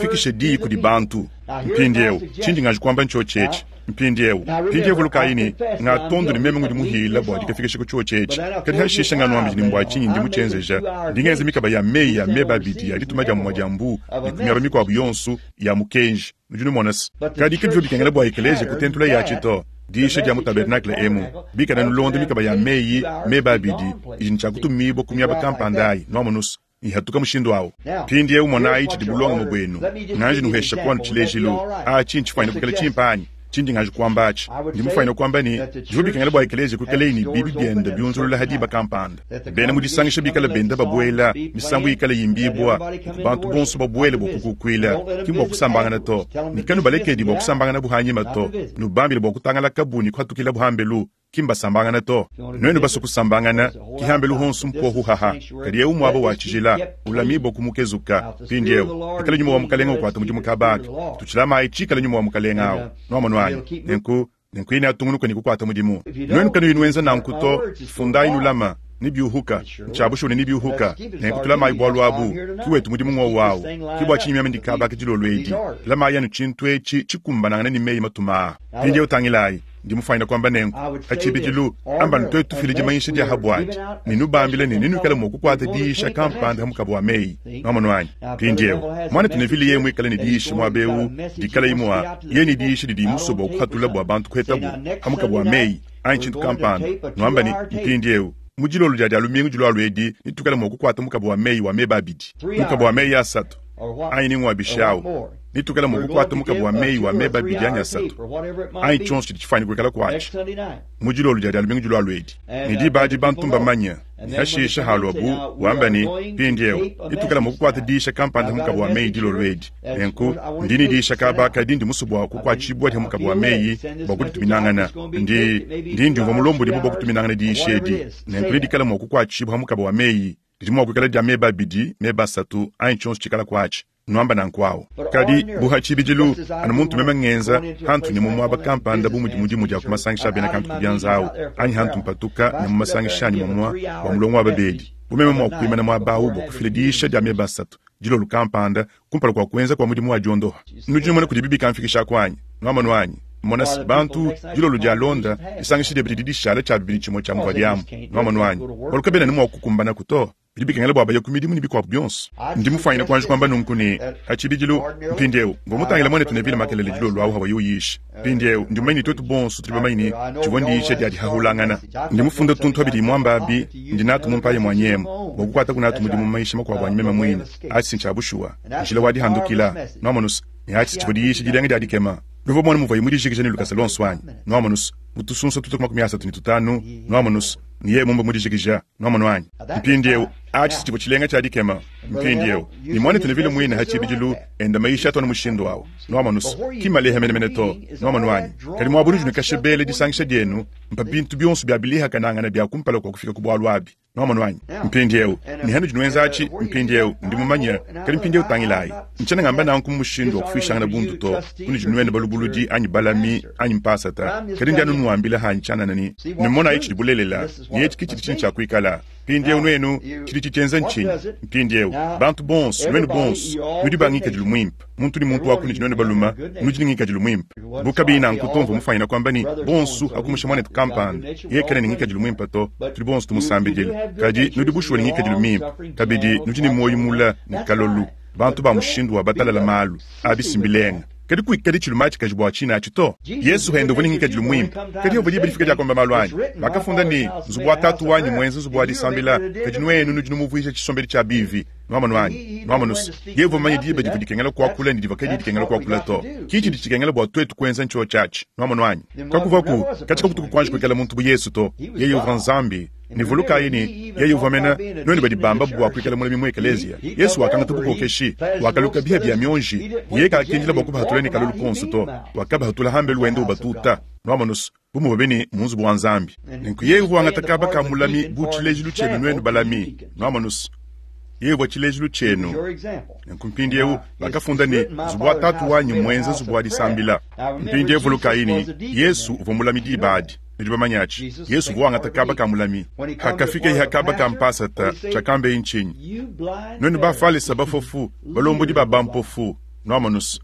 fikisha diyi kudi bantu. Mpindieu, tshindi nganji kuamba ntshiotshi etshi. Mpindieu, mpindieu vulukayi ne, ngatondo ne meme ngudi muhila bua dikafikisha ku tshiotshi etshi. Kadi hashisha nganuambidi ne mbua tshinyi ndi mutshienzeja. Ndi ngenza mikaba ya meyi ya meba abidi ya dituma dia mumue dia mbu ne ku miaba mikuabu yonso ya mukenji. Nudi numona se, kadi kabivua bikengela bua ekeleziya kutentula yatshi to. Diyisha dia mu tabernakle emu, bikala nulonda mikaba ya meyi meba abidi idi ne tshia kutumibua ku miaba kampanda ayi, nuamonu's, ihatuka mushindu awu. Mpindiewu monayi tshidi bulongame buenu. Nganji nuhesha kuanu tshilejilu. Atshi ntshifuanyine kuikala tshimpe anyi? Tshindi nganji kuamba atshi, ndi mufwanyine kuamba ne, bivwa bikengela bwa ekeleeziya kwikalayi ne biibi byende byunzulula ha diba kampanda. Beena mu disangisha bikale benda babwela, misambu yikale yimbibwa, nunku bantu bonso babwele bwa kukukwila, ki mbwa kusambangana to. Ne kanubalekedi bwa kusambanganabu hanyima to. Nubambile bwa kutangalakabu ne kuhatukilabu hambelu. Ki mbasambangana to. Nuenu basue kusambangana, ki hambelu honso mpuohu haha, kadi eu muaba wa tshijila, ulamibue ku mukezuka. Mpindieu, pikala Nyuma wa Mukalenga ukuata mudimu kaba aka, tutshilamayi tshikala Nyuma wa Mukalenga au. Nuamonu anyi? Nenku, nenku yeye neatungunuke ne kukuata mudimu. Nuenu kanuyi nuenza nanku to, fundayi nulama, nebiuhuka. Ntshia bushuwa ne nebiuhuka. Nenku tulamayi bualu abu. Ki wetu mudimu ng'wowu au. Ki bua tshinyi meme ndi kaba aka dilolo edi. Lamayi anu tshintu etshi tshikumbanangane ne meyi matuma aa. Mpindieu tangilayi. Ndi mufwanyine kwamba nenku, pa tshibidilu, amba ne twetu tufile dimanyisha dya ha bwadi, ne nubambile ne nenuikale mwa kukwata diyisha kampanda ha mukaba wa meyi. Nwamonu anyi? Mpindyewu, Mwanetu Neville yeye mwikale ne diyisha mwaba ewu, dikalayi mwa, yeye ne diyisha didiyi musue bwa kuhatula bwa bantu kuhetabu ha mukaba wa meyi, anyi tshintu kampanda, nwamba ne, Mpindyewu, mu dilolo dya Dyalumingu dilwalwa edi, netuikale mwa kukwata mukaba wa meyi wa meba abidi, mukaba wa meyi asatu, anyi ni ngwa bishi awu. Netuikale mua kukuata mukaba wa meyi wa meba abidi anyi asatu, anyi tshionso tshidi tshifuane kuikala kuatshi, mu dilolo dia Dia lumingu dilualua edi. Ne diba adi bantu mbamanye, ne hashisha haluabu, wamba ne, Mpindieu, netuikale mua kukuata diyisha kampanda ha mukaba wa meyi dilolo edi. Nenku, ndi ne diyisha kaba kadi ndi musue bua kukuatshibua dia mukaba wa meyi bua kudituminangana. Ndi, ndi ndiumvua mulombodibue bua kutuminangana diyisha edi. Nenku nedikale mua kukuatshibua ha mukaba wa meyi. Didi mua kuikala dia meba abidi, meba asatu, anyi tshionso tshikala kuatshi. Nuamba nanku awu. Kadi, bu ha tshibidilu, anu muntu meme ngenza, hantu nya mu muaba kampanda bu mudi mudimu dia ku masangisha a bena kantu ku bianza awu, anyi hantu mpatuka nya mu masangisha anyi mwamua bua mulongo wa babedi, bu meme mua kuimana muaba awu bua kufila diyisha dia meba asatu, dilolo kampanda, kumpala kua kuenza kua mudimu wa diondoha. Nudi numona kudibi bikamfikishaku anyi? Nuamonu anyi? Mona se, bantu, dilolo dialonda, disangisha diebe didi dishala tshia bibidi tshimue tshia muvua diamu. Nuamonu anyi? Bualu kabena ne mua kukumbanaku to. Bidi bikengela bua baye ku midimu ne bikuabu bionso. Ndi mufwanyine kuanji kuamba nunku ne, pa tshibidilu, mpindieu, mvua mutangile muanetu Neville makelela dilolo awu hawaye uyisha. Mpindieu, ndi mumanye ne tuetu bonso tudi bamanye ne, tshivua ndiyisha dia dihahulangana. Ndi mufunde tuntu abidi muamba abi, ndi natu mu mpaye muanyi emu, bua kukuataku natu mudimu mu mayisha makuabu anyi meme muine. Atshi ntshia bushuwa, njila wa dihandukila. Nuamonu's? Ne atshi tshivua diyisha dilenga dia dikema. Nuvua bamone muvuaye mudijikije ne lukasa luonso anyi? Nuamonu's? Mu tusunsa tutue ku 35, nuamonu's, ne yeye mumbe mudijikija. Nwamonu anyi? Mpindiewu, aci si civwa cilenga cya dikema. Mpindiewu, ne mwanetu Neville mwine ha ciibidilu enda mayisha atu anu mushindu awu. Nwamonu's, ki mmaleha menemene to. Nwamonu anyi? Kadi mwaba unudi nukasha beela disangisha dyenu, mpa bintu byonso bya bilihakanangana bya kumpala kwa kufika ku bwalu abi. Nwamonu anyi? Mpindiewu, ne hanudi nwenza aci, mpindiewu, ndi mumanye, kadi mpindiewu tangilayi, ncyena ngamba nanku mu mushindu wa kufwishangana bundu to, kunudi nwenu balubuludi anyi balami anyi mpasata, kadi ndi anu nwambila hanyi cyanana ne, numonayi cidi bulelela. Ne etshi ke tshidi tshine tshia kuikala. Mpindieu nuenu, tshidi tshitshienza ntshinyi? Mpindieu, bantu bonso, nuenu bonso, nudi ba ngikadilu muimpe. Muntu ne muntu wa kunudi nuenu balume, nudi ne ngikadilu muimpe. Bu kabiyi nanku to, mvua mufuanyine kuamba ne, bonso, pa kumusha muanetu kampanda, yeye kena ne ngikadilu muimpe to, tudi bonso tumusambidila. Kadi nudi bushuwa ne ngikadilu mimpe. Kabidi, nudi ne muoyo mule ne kalolu, bantu ba mushindu wa batalala malu. Abi si mbilenga. Kadi kuikadi tshilumatshikaji bua tshine atshi to. Yezu pende uvua ne ngikadilu muimpe. Kadi pavua diba difika dia kuamba malu anyi, bakafunda ne, Nzubu wa Tatu wanyi mmuenza nzubu wa disambila, kadi nuenu nudi numuvuija tshisombedi tshia bivi. Nuamonu anyi? Nuamonu se, yeye uvua mumanye diba divua dikengela kuakula ne divua kadiyi dikengela kuakula to. Ki tshidi tshikengela bua tuetu kuenza ntshiotshi atshi. Nuamonu anyi? Kakuvuaku, katshia kakutuku kuanji kuikala muntu bu Yezu to. Yeye uvua Nzambi. Ne vulukayi ne, yeye uvua mene, nuenu badi bamba bua kuikala mulami mu ekeleziya. Yesu wakangata bukokeshi, wakaluka biha bia mionji, yeye kakindila bua kubahatula ne kalolu konso to, wakabahatula hambelu wenda ubatuta. Nuamonu's, bu muvua bene mu nzubu wa Nzambi. Nenku yeye uvua wangata kaba ka mulami bu tshilejilu tshienu nuenu balami. Nuamonu's, yeye uvua tshilejilu tshienu. Nenku mpindieu bakafunda ne, Nzubu wa Tatu wanyi mmuenza nzubu wa disambila. Mpindieu vulukayi ne, Yesu uvua mulami diba adi. Nudi bamanye atshi? Yesu uvua wangata kaba ka mulami. Hakafikeye ha kaba ka mpasata, tshiakambeye ntshinyi? Nuenu Bafalesa bafofu, balombodi ba bampofu, nuamonu's.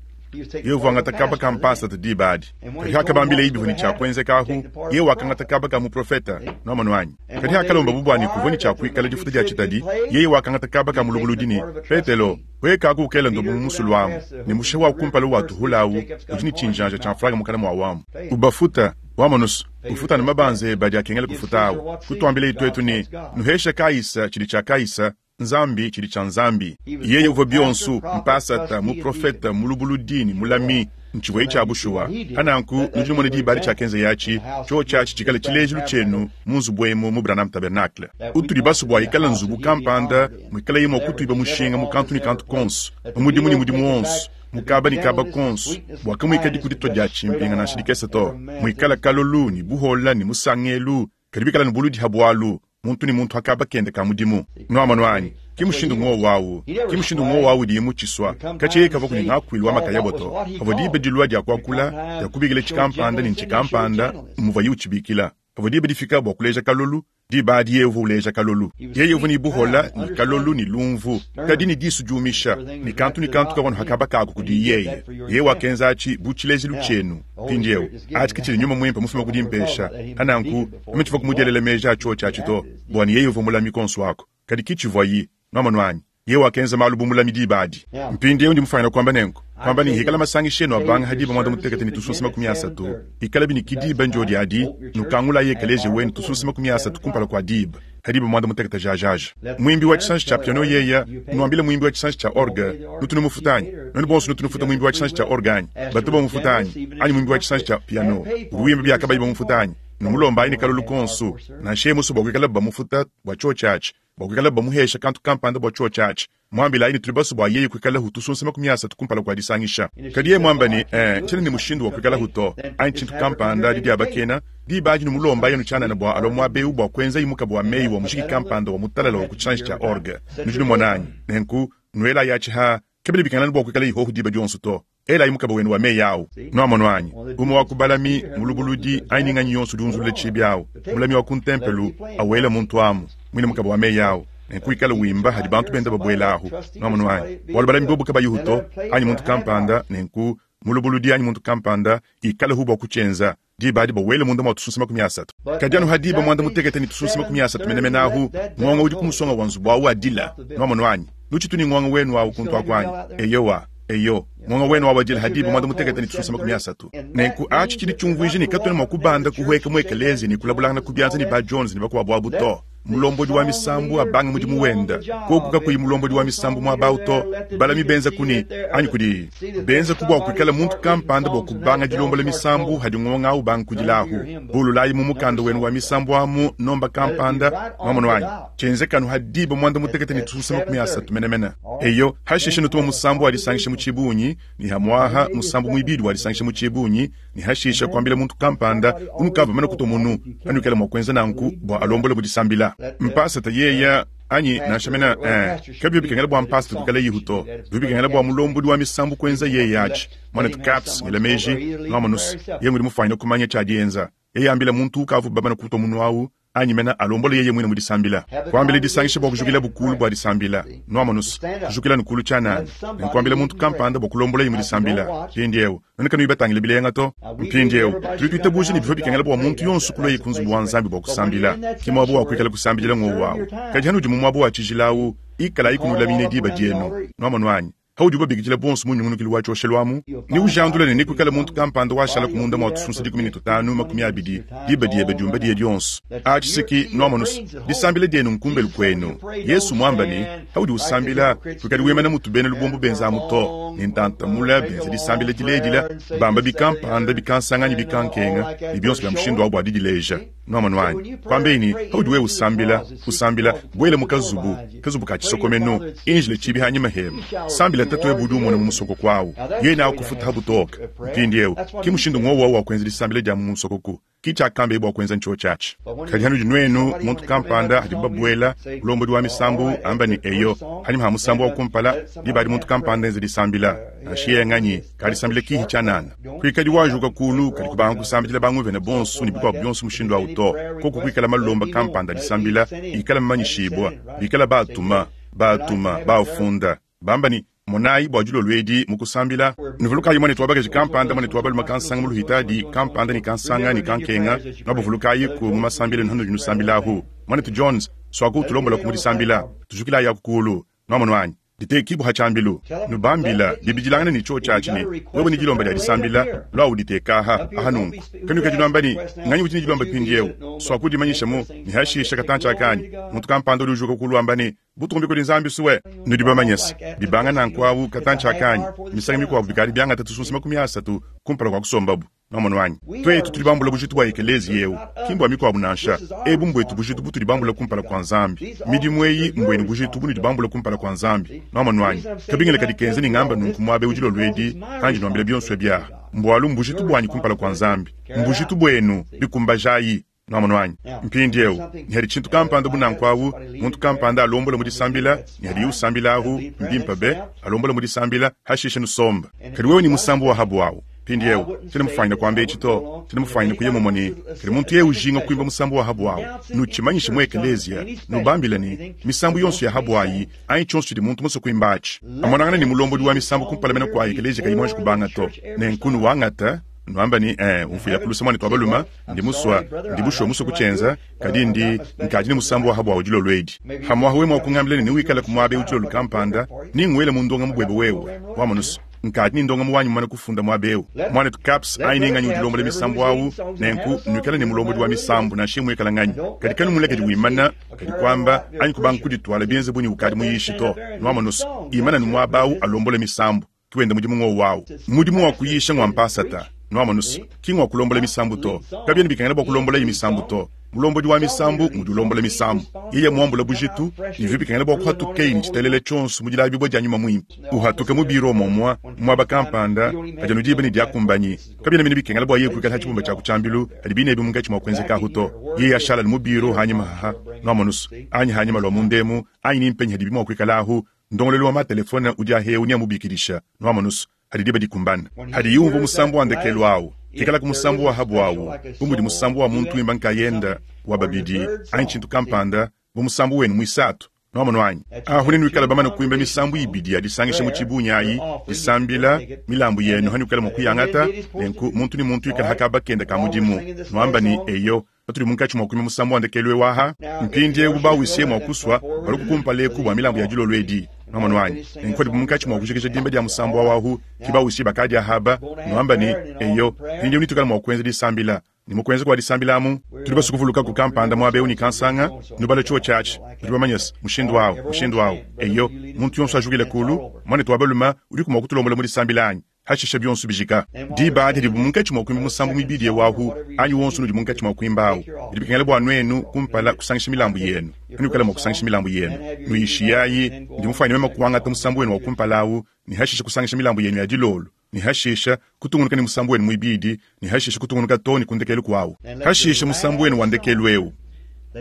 Yeye uvua wangata kaba ka mpasata diba adi. Kadi hakabambileye bivua ne tshia kuenzeka ahu, yeye wakangata kaba ka muprofeta. Nuamonu anyi? Kadi hakalombabu bua ne kuvua ne tshia kuikala difuta dia tshitadi, yeye wakangata kaba ka mulubuludi ne, Petelo, huekaku ukela ndobo mu musulu amu, ne musha wa kumpala watuhula awu udi ne tshinjanja tshia mfranga mukana mua wamu. Ubafuta. Wamonu's, ufuta anu mabanza ebe adi akengela kufuta awu. Kutuambilaye tuetu ne, Nuheshe Kaisa tshidi tshia Kaisa, Nzambi tshidi tshia Nzambi. Yeye uvua bionso, mpasata, muprofete, mulubuludi ne mulami. Ntshivua tshia bushuwa. Pa nanku, nudi numona diba adi tshiakenza atshi, tshiotshi atshi tshikale tshilejilu tshienu mu nzubu emu mu Branham Tabernacle. Utudi basue bua ikale nzubu kampanda muikalaye mua kutuiba mushinga mu kantu ne kantu konso, mu mudimu ne mudimu wonso, mu kaba ne kaba konso, bua kamuikadi kuditua dia tshimpinga nansha dikese to, muikale kalolu ne buhola ne musangelu, kadi bikala ne buludi ha bualu, muntu ne muntu ha kaba kende ka mudimu. Nuamonu anyi? Ki mushindu ngowu awu. Ki mushindu ngowu awu udiye mutshisua. Katshia yeye kavua kudi ngakuilu wa makayabo to. Pavua diba dilua dia kuakula, dia kubikila tshikampanda ne ntshikampanda, mmuvuaye utshibikila. Pavua diba difika bua kuleja kalolu, diba adi yeye uvua uleja kalolu. Yeye uvua ne buhola, ne kalolu, ne lumvu, kadi ne disu diumisha, ne kantu ne kantu kavua anu ha kaba kaku kudiye yeye. Yeye wakenza atshi bu tshilejilu tshienu. Mpindieu, atshi ke tshidi Nyuma Muimpe mufume ku dimpesha. Pa nanku, meme tshivua kumudielela meji a tshiotshi atshi to, bua ne yeye uvua mulami konso aku. Kadi ki tshivuayi. Nwamonu anyi? Yeye wakenza malu bu mulami diba adi. Mpindieu ndi mufwanyine kuamba nenku, kuamba ne hikala masangisha enu abanga ha diba 38 ne tusunsa 30, hikalabi ne ki diba ndiodi adi, nukangulayi ekeleziya wenu tusunsa 30 kumpala kua diba, ha diba 16 jajaja. Muimbi wa tshisanji tshia piano yeya, nuambile muimbi wa tshisanji tshia orgue, nutu numufuta anyi? Nuenu bonso nutu nufuta muimbi wa tshisanji tshia orgue anyi? Batu bamufuta anyi? Anyi muimbi wa tshisanji tshia piano udi wimba bia kabayi bamufuta anyi? Numulombayi ne kalolu konso, nansha yeye musue bua kuikalabu bamufuta bua tshiotshi atshi, bua kuikalabu bamuhesha kantu kampanda bua tshiotshi atshi. Muambilayi ne tudi basue bua yeye kuikalahu tusunsa 30 kumpala kua disangisha. Kadi yeye muamba ne, Ee, tshiena ne mushindu wa kuikalahu to, anyi tshintu kampanda, didiabakena, diba adi numulombayi anu tshianana bua alua muaba eu bua kuenzayi mukaba wa meyi wa mujiki kampanda wa mutalala wa ku tshisanji tshia orgue. Nudi numona anyi? Nenku, nuelayi atshi ha, kabiena bikengela anu bua kuikala ihohu diba dionso to. Elayi mukaba wenu wa meyi awu. Nuamonu anyi? Umue wa ku balami, mulubuludi, anyi ni nganyi yonso udi unzulula tshiibi awu, mulami wa ku ntempelu, awele muntu amu muine mukaba wa meyi awu, nenku wikale wimba hadi bantu benda babuela ahu. Nuamonu anyi? Bualu balami bobu kabayihu to, anyi muntu kampanda, nenku mulubuludi anyi muntu kampanda ikalehu bua kutshienza. Diba adi bawele munda mua tusunsa 30. Kadi anu ha diba 18 ne tusunsa 30 menemene ahu, ngonga udi ku musonga wa nzubu awu adila. Nuamonu anyi? Nutshitu ne ngonga wenu awu kuntu aku anyi? Eyowa. Eyo, ngonga wenu awu adila ha diba 18 ne tusunsa 30. Nenku atshi tshidi tshiumvuija ne katuena mua kubanda kuhueka mu ekeleziya ne kulabulangana ku bianza ne ba Jones ne bakuabu abu to. Mulombodi wa misambu abange mudimu wenda. Koku kakuyi mulombodi wa misambu muaba au to, balami benza kuni anyi kudi benza ku bua kuikala muntu kampanda bua kubanga dilombola misambu hadi ngonga au banga kudilahu. Bululayi mu mukanda wenu wa misambu amu nomba kampanda, nwamonu anyi? Tshienzeka anu ha diba 18 ne tususa 30 menemene. Eyo, hashishe nutuma musambu wa disangisha mu tshibungi, ne hamuaha musambu muibidi wa disangisha mu tshibungi, ne hashisha kuambila muntu kampanda unukavua bamane kutua munu, anuikale mua kuenza nanku bua alombole mu disambila. Mpasata yeya anyi nansha mena eh, kabivua bikengela bua mpasata kuikala yihu to, bivua bikengela bua mulombodi wa misambu kuenza yeye atshi. Muanetu Capps, ngela meji, nuamonus, yeye ngudi mufuanyine kumanya tshia dienza. Yeye ambila muntu ukavua bamane kutua munu au anyi mena alombole yeye muine mu disambila. Kuambila disangisha bua kujukilabu kulu bua disambila. Nuamonus, kujukila anu kulu tshianana, ne nkuambila muntu kampanda bua kulombolaye mu disambila. Mpindieu, nuenu kanuyi batangile bilenga to. Mpindieu, tudi tuitabuja ne bivua bikengela bua muntu yonso kuluaye ku nzubu wa Nzambi bua kusambila. Ke muaba wa kuikala kusambidila ng'wowu awu. Kadi hanudi mu muaba wa tshijila awu, ikalayi kunulamine diba dienu. Nuamonu anyi? Paudi ubabikidila bonso mu nyungunukilu wa tshioshelu amu, neujandule ne nekuikale muntu kampanda washala ku munda mua tusunsa 15, 20, diba diebe diumba diye dionso. Atshi se ki nuamonus, disambila dienu nkumbelu kuenu. Yesu muamba ne, paudi usambila, kuikadi wimana mutu bena lubombo benza amu to, ne ntanta mule benza disambila diledila, bamba bikampanda, bikansanga anyi bikankenga, ne bionso bia mushindu awu bua didileja. Nuamonu anyi? Kuambeyi ne, paudi wewe usambila, usambila, buela mu kazubu, kazubu ka tshisokomenu, injila tshibi hanyima hebe, sambila Tatuebe udi umona mu musokoko awu, yeye neakufuta ha butoke. Mpindieu, ki mushindu ng'wowu awu wa kuenza disambila dia mu musokoku, ki tshiakambeye bua kuenza ntshiotshi atshi. Kadi hanudi nuenu, muntu kampanda, hadibu babuela, mulombodi wa misambu amba ne, Eyo, hanyima ha musambu wa kumpala, diba adi muntu kampanda enza disambila, nansha yeye nganyi, Kadisambila kihi tshianana. Kuikadi wajuka kulu kadi kubanga kusambidila banguvena bonso ne bikuabu bionso mushindu au to. Koku kuikala malomba kampanda disambila ikala mamanyishibua, bikala baatuma, baatuma, baafunda, bamba ne, Monayi bua dilolo edi mu kusambila, nuvulukayi muanetu wa bakaji kampanda, muanetu wa balume kansanga mu luhitadi kampanda ne kansanga ne kankenga, nuabavulukayiku mu masambila enu hanudi nusambilahu. Muanetu Jones, suaku utulombolaku mu disambila. Tujukilayi aku kulu. Nuamonu anyi? Ditekibua ha tshiambilu. Nubambila, bibidilangana ne tshiotshi atshi ne, Wewe ne dilomba dia disambila, lua uditeka aha, aha nunku. Kanuikadi nuamba ne, Nganyi udi ne dilomba mpindieu? Suaku udimanyishamu, ne hashisha katantshi aka anyi muntu kampanda udi ujuka kulu wamba ne, Butumbi kudi Nzambi sue. Nudi bamanye se, bibanga nanku awu katantshi aka anyi misangu mikuabu bikadi biangata tusunsa 30 kumpala kua kusombabu. Nwamonu anyi? Twetu tudi bambula bujitu bwa ekeleeziya ewu, ki mbwa mikwabo nansha. Ebu mbwetu bujitu butudi bambula kumpala kwa Nzambi. Midimu eyi mbwenu bujitu bunudi bambula kumpala kwa Nzambi. Nwamonu anyi? Kabingila kadi kenza ne ngamba nunku mwaba ewu dilolo edi, pandi nwambila byonso ebi aha, mbwalu mbujitu bwanyi kumpala kwa Nzambi. Mbujitu bwenu. Bikumbajayi. Nwamonu anyi? Mpindyewu, ne hadi tshintu kampanda bu nanku awu, muntu kampanda alombola mu disambila, ne hadiye usambila ahu, mbimpe be, alombola mu disambila, hashishe nusomba. Kadi wewe ne musambu wa habu awu. Mpindyewu, tshiena mufwanyine kwamba eci to, tshiena mufwanyine kuya mumwe ne, kadi muntu yeye ujinga kwimba musambu wa habu awu, nutshimanyishe mu ekeleeziya, nubambile ne, misambu yonso ya habu ayi, anyi tshionso tshidi muntu musue kwimba aci, amonangane ne mulombodi wa misambu kumpala mene kwa ekeleeziya kayi mwanji kubanga to. Nenku nuwangata, nuamba ne, Ee, umfwila ku luse mwanetu wa balume, Ndi musua, ndi bushuwa musue kutshienza, kadi ndi, nkadi ne musambu wa ha buawu dilolo edi. Hamuaha wewe mua kungambila ne newikale ku muaba eu dilolo kampanda, nenguele mu ndongamu buebe wewe. Wamonu's, nkadi ne ndongamu wanyi mumana kufunda muaba eu. Muanetu Capps anyi ne nganyi udi ulombola misambu au, nenku nuikale ne mulombodi wa misambu nansha muikala nganyi. Kadi kanumulekedi wimana, kadi kuamba anyi kubanga kudituala bienze bu ne ukadi muyishi to. Nwamonu's, imana nu muaba au alombole misambu. Ki wenda mudimu ngowu awu. Mudimu wa kuyisha ngua mpasata, nwamonu's, ki ngua kulombola misambu to. Kabiena bikengela bua kulombolaye misambu to. Mulombodi wa misambu ngudi ulombola misambu. Yeye muambula bujitu, ne bivua bikengela bua kuhatukeyi ne tshitelele tshionso mu dilabibua dia Nyuma Muimpe. Uhatuke mu biro momua, muaba kampanda, padi anu diba ne diakumbanyi. Kabiena mene bikengela bua yeye kuikala ha tshibumba tshia ku tshiambilu hadi bine ebi munkatshi mua kuenzekahu to. Yeye ashala anu mu biro hanyima haha, nwamonu's, anyi hanyima lua mundemu, anyi ni mpenyi hadibi mua kuikalahu, Ndongoluelu wa ma-telefone udi ahewu neamubikidisha, nwamonu's, hadi diba dikumbana. Hadiye umvua musambu wa ndekelu awu, kikalaku musambu wa habu awu, bu mudi musambu wa muntu wimba nkayenda, wa babidi, anyi tshintu kampanda, bu musambu wenu muisatu. Nwamonu anyi? Ahu nenuikale bamane kuimba misambu ibidi ya disangisha mu tshibungi ayi, disambila, milambu yenu hanuikale mua kuyangata, nenku muntu ne muntu ikale ha kaba kende ka mudimu, nuamba ne, Eyo, Patudi munkatshi mua kuimba musambu wa ndekelu eu aha, mpindieu bawisie mua kusua baluku kumpala eku bua milambu ya dilolo edi. Nwamonu anyi? Nenku padibu munkatshi mua kujikija dimba dia musambu awu ahu, ki bawisie bakadi ahaba, nuamba ne, Eyo, mpindieu netuikale mua kuenza disambila. Ne mu kuenza kua disambila amu, tudi basue kuvulukaku kampanda muaba eu ne kansanga, nubale tshiotshi atshi. Nudi bamanye-se, mushindu awu, mushindu awu. Eyo, muntu yonso ajukile kulu. Muanetu wa balume, udiku mua kutulombola mu disambila anyi? Hashisha bionso bijika. Diba adi hadibu munkatshi mua kuimba musambu muibidi eu ahu, anyi wonso unudi munkatshi mua kuimba ahu, bidi bikengela bua nuenu kumpala kusangisha milambu yenu. Hanuikala mua kusangisha milambu yenu, nuyishiyayi. Ndi mufuanyine meme kuangata musambu wenu wa kumpala ahu, ne hashisha kusangisha milambu yenu ya dilolo, ne hashisha kutungunuka ne musambu wenu muibidi, ne hashisha kutungunuka too ne ku ndekelu kuawu. Hashisha musambu wenu wa ndekelu eu,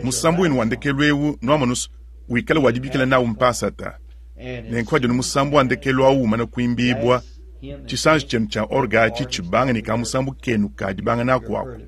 musambu wenu wa ndekelu eu, nuamonu's, wikale wa dibikila nawu mpasata. Nenku hadi anu musambu wa ndekelu au umana kuimbibua, tshisanji tshienu tshia orgue atshi tshibanga ne kamusambu kenu ka dibanga naku aku,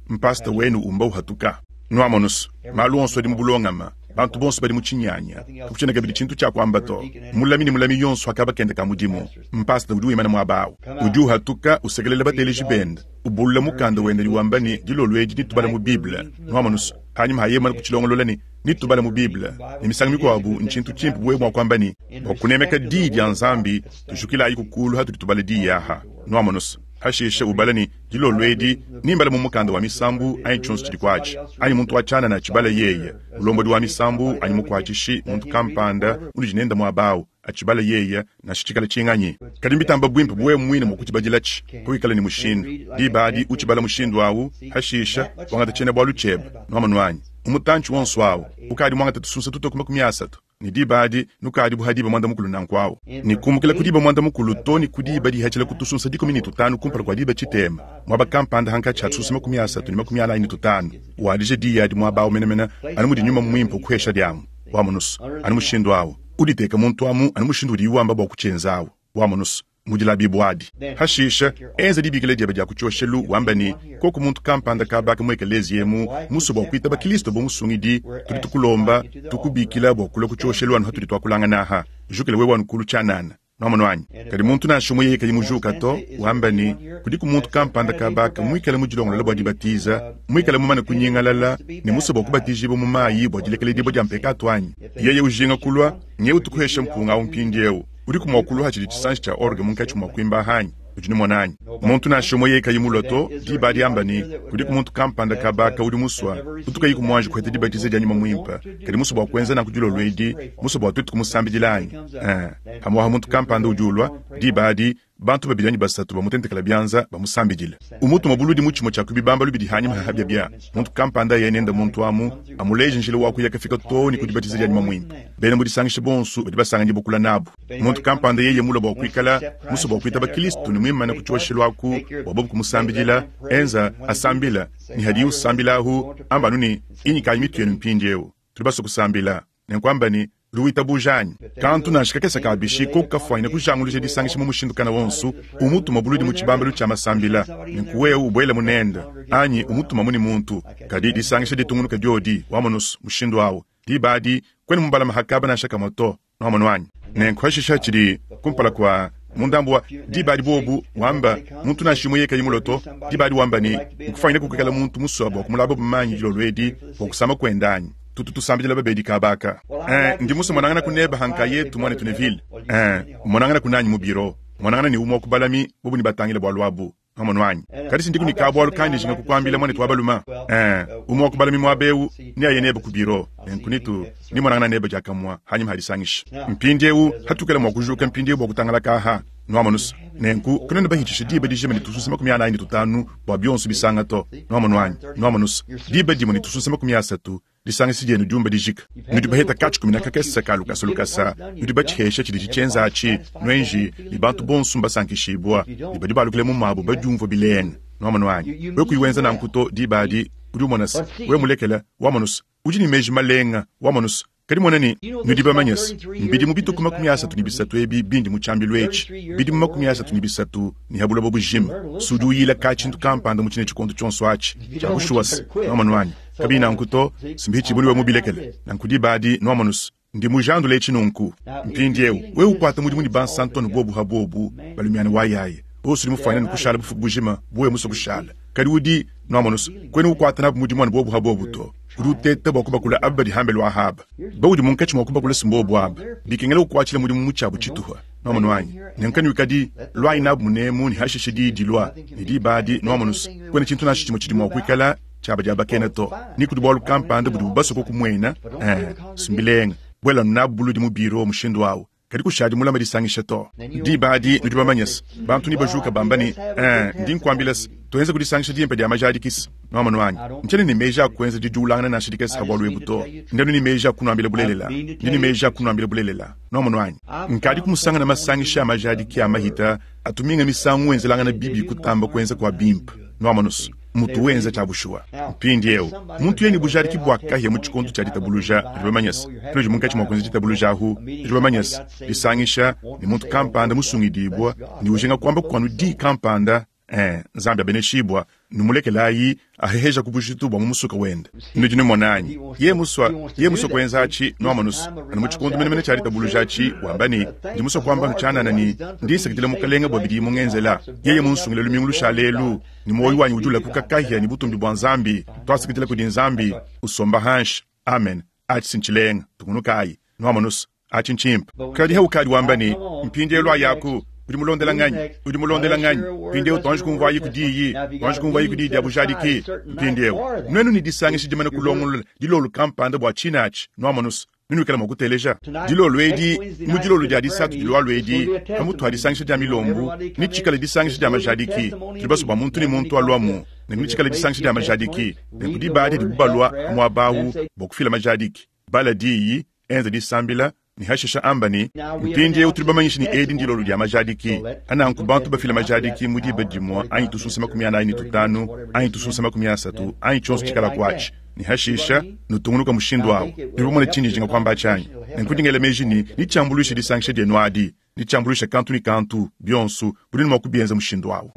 mpasata wenu umba uhatuka. Nuamonu's, malu onso adi mu bulongama, bantu bonso badi mu tshinyanya, kakutshiena kabidi tshintu tshia kuamba to. Mulami ne mulami yonso wa kaba kende ka mudimu, mpasata udi wimana muaba au, udi uhatuka usekelela bateleji bende, ubulula mukanda wende ne wamba ne, Dilolo edi netubale mu Bible. Nuamonu's, panyima ha yeye mumane kutshilongolola ne, Netubale mu Bible, ne misangu mikuabu ntshintu tshimpe bu wewe mua kuamba ne, Bua kunemeka Diyi dia Nzambi, tujukilayiku kulu hatudi tubala Diyi aha. Nuamonu's, hashishe ubale ne, Dilolo edi nimbale mu mukanda wa Misambu anyi tshionso tshidi kuatshi, anyi muntu wa tshianana atshibale yeye, mulombodi wa misambu anyi mukuatshishi, muntu kampanda unudi nende muaba au atshibale yeye, nansha tshikale tshinganyi. Kadi mbitamba buimpe bu wewe muine mua kutshibadilatshi pawikala ne mushindu. Diba adi utshibala mushindu au, hashishe wangata tshiena-bualu tshiebe. Nuamonu anyi? Mu mutantshi wonso au, ukadi muangate tusunsa tutue ku 30, ne diba adi nukadi bu ha diba muanda mukulu nanku au, ne kumukila ku diba muanda mukulu to ne ku diba dihatshila ku tusunsa 15 kumpala kua diba tshitema, muaba kampanda hankatshi ha tusunsa 30 ne 45, wadije diyi adi muaba au menemene anu mudi Nyuma Muimpe ukuhesha diamu. Wamonu's, anu mushindu au, uditeke muntu amu anu mushindu udiyi wamba bua kutshienza au. Wamonu's, mu dilabibua adi. Hashishe, enza dibikila diebe dia ku tshioshelu, wambe ne, Koku muntu kampanda kabaka mu ekeleziya emu musue bua kuitaba Kilisto bu Musungidi, tudi tukulomba, tukubikila bua kulua ku tshioshelu anu hatudi tuakulangana aha. Jukila wewe anu kulu tshianana. Nwamonu anyi? Kadi muntu nansha umue yeye kayi mujuka to, wamba ne, Kudiku muntu kampanda kaba aka muikale mudilongolole bua dibatiza, muikale mumane kunyingalala ne musue bua kubatijibua mu mayi bua dilekeledibua dia mpekatu anyi? Yeye ujinga kulua, nyewu tukuheshe mpunga au mpindieu. Udiku mua kulua hatshidi tshisanji tshia orgue munkatshi mua kuimba anyi? Udi numona anyi? Muntu nansha umue yeye kayi mulua to, diba adi amba ne, Kudiku muntu kampanda kaba aka udi musua, utu kayiku muanji kuheta dibatiza dia Nyuma Muimpe, kadi musue bua kuenza nanku dilolo edi, musue bua tuetu kumusambidila anyi? Ee, pamuapa muntu kampanda udi ulua, diba adi, bantu babidi anyi basatu bamutentekela bianza, bamusambidila. Umutuma buludi mu tshimue tshia ku bibambalu bidi hanyima ha habia bia muntu kampanda aye nende muntu amu, amuleje njila wa kuya kafika too ne ku dibatiza dia Nyuma Muimpe. Bena mu disangisha bonso badi basanganyibua kula nabu. Muntu kampanda yeye mulue bua kuikala musue bua kuitaba Kristo ne muimane ku tshioshelu aku bua bobu kumusambidila, enza asambila, ne hadiye usambila ahu, amba anu ne, Inyikayi mitu yenu mpindieu, tudi basue kusambila. Nenku amba ne, Udi witabuja anyi? Kantu nansha kakese ka bishi koku kafuanyine kujanguluja disangisha mu mushindu kana wonso, umutuma buludi mu tshibambalu tshia masambila, nenku wewe ubuelamu nende, anyi umutumamu ne muntu. Kadi disangisha ditungunuke diodi, wamonus, mushindu awu. Diba adi, kuena mubalame ha kaba nansha kamue to. Nwamonu anyi? Nenku hashisha tshidi kumpala kua mu ndambu wa diba adi bobu wamba muntu nansha umue yeye kayi mulue to, diba adi wamba ne, Nkufuanyine kuikala muntu musue bua kumulaba manyi dilolo edi bua kusama kuende anyi? Tutu tusambidila babedi kaba aka. Eh, ndi musue monanganaku nebe ha nkayetu, muanetu Neville. Eh, umonanganaku nanyi mu biro. Monangana ne umue wa ku balami, bobu nebatangile bualu abu. Nwamonu anyi? Kadi sindiku ne kabualu kandi njinga kukuambila, muanetu wa balume. Eh, umue wa ku balami muaba eu neaye nebe ku biro, nenku nitu nimonangana nebe diakamue hanyima ha disangisha. Mpindieu hatukela mua kujuka mpindieu bua kutangalaka aha, nwamonu's. Nenku kanuena bahitshisha diba dijima ne tusunsa 45 bua bionso bisanga to. Nwamonu anyi? Nwamonu's, diba dimue ne tusunsa 30 Disangisha dienu diumba dijika. Nudi baheta katshikumina kakese ka lukasa lukasa, nudi batshihesha tshidi tshienza atshi, nuenji, ne bantu bonso mbasankishibua, ne badi balukila mu mabu badiumvua bilenga. Nwamonu anyi? Wewe kuyi wenza nanku to, diba adi udi umona se, wewe mulekela, wamonu se, udi ne meji malenga, wamonu se, kadi mona ne, nudi bamanye se, mbidimu bitue ku 33 ebi bindi mu tshiambilu etshi, bidimu 33 ne ha buloba bujima, se udi uyila ka tshintu kampanda mu tshine tshikondo tshionso atshi, tshia bushuwa se, nwamonu anyi? Kabiyi nanku to, simbihichibue ne wewe mubilekele. Nanku diba adi, nwamonus, ndi mujandule etshi nunku. Mpindiewu, wewe ukwata mudimu ne bansantu anu bobu ha bobu, balumiana wa yaya. Bonso udi mufuanyine ne kushala bufuku bujima bu wewe musue kushala. Kadi udi, nwamonus, kuena ukwata nabu mudimu anu bobu ha bobu to. Udi uteta bua kubakula aba badi hambelu aha aba. Baudi munkatshi mua kubakula si mbobu aba. Bikengela ukwatshila mudimu mu tshiabu tshituha. Nwamonu anyi? Nenku kanuikadi, luayi nabu munemu ne hashishe diyi dilua, ne diba adi, nwamonus, kuena tshintu nansha tshimue tshidi mua kuikala tshiaba diabakena to, ni kudi bualu kampanda budibu basue kukumuena, eh, mbilenga, buela nabu buludi mu biro mushindu awu, kadi kushadi mulama disangisha to. Diba adi nudi bamanye se, bantu nebajuka bamba ne, eh, ndi nkuambila se, tuenze kudisangisha dimpe dia majadiki se, nwamonu anyi, ntshiena ne meji a kuenza didiulangana nansha dikese ha bualu ebu to, ndi anu ne meji a kunuambila bulelela, ndi ne meji a kunuambila bulelela, nwamonu anyi. Nkadi kumusangana masangisha a majadiki a mahita atu minga misangu enzelangana bibi kutamba kuenza kua bimpe, nwamonu se, mutu wenza tshia bushuwa. Mpindieu, muntu yeye ne bujadiki bua kahia mu tshikondo tshia ditabuluja, nudi bamanye se, panudi munkatshi mua kuenza ditabuluja ahu, nudi bamanye se, disangisha ne muntu kampanda musungidibua ne ujinga kuamba kuanu diyi kampanda, eh, Nzambi abeneshibua, numulekelayi aheheja ku bujitu bua mu musuka wende. Nudi numona anyi? Yeye musua, yeye musua kuenza atshi, nuamonus, anu mu tshikondo menemene tshia ditabuluja atshi, wamba ne, ndi musua kuamba anu tshianana ne, ndi nsakidila Mukelenge bua bidiye mungenzela. Yeye munsungile lumingu lushale elu, ne muoyo wanyi udi ulakuka kahia ne butumbi bua Nzambi. Tuasakidila kudi Nzambi. Usomba hanshi. Amen. Atshi si ntshilenga. Tungunukayi. Nuamonus, atshi ntshimpe. Kadi haukadi wamba ne, Mpindielu ayaku, udi mulondela nganyi? Udi mulondela nganyi? Mpindieu tuanji kumvuayiku diyi, tuanji kumvuayiku diyi dia bujadiki. Mpindieu, nuenu ne disangisha dimane kulongolola dilolo kampanda bua tshine atshi, nuamonus, Nenuikale mua kuteleja dilolo edi mu dilolo dia disatu dilualua edi, pamutu ha disangisha dia milombu, netshikale disangisha dia majadiki. Tudi basue bua muntu ne muntu aluamu, nenku netshikale disangisha dia majadiki. Nenku diba adi dibu balua ha muaba awu bua kufila majadiki, bala diyi, enza disambila, ne hashisha amba ne, Mpindieu tudi bamanyishe ne edi ndilolo dia majadiki. Hananku bantu bafila majadiki mu diba dimue anyi tusunsa 45 anyi tusunsa 30 anyi tshionso tshikalaku atshi. Ne hashisha nutungunuka mushindu awu. Nudi bamone tshindi njinga kuamba atshi anyi? Nenku ndi ngela meji ne, netshiambuluishe disangisha dienu adi, netshiambuluishe kantu ne kantu, bionso, budi mua kubienza mushindu awu.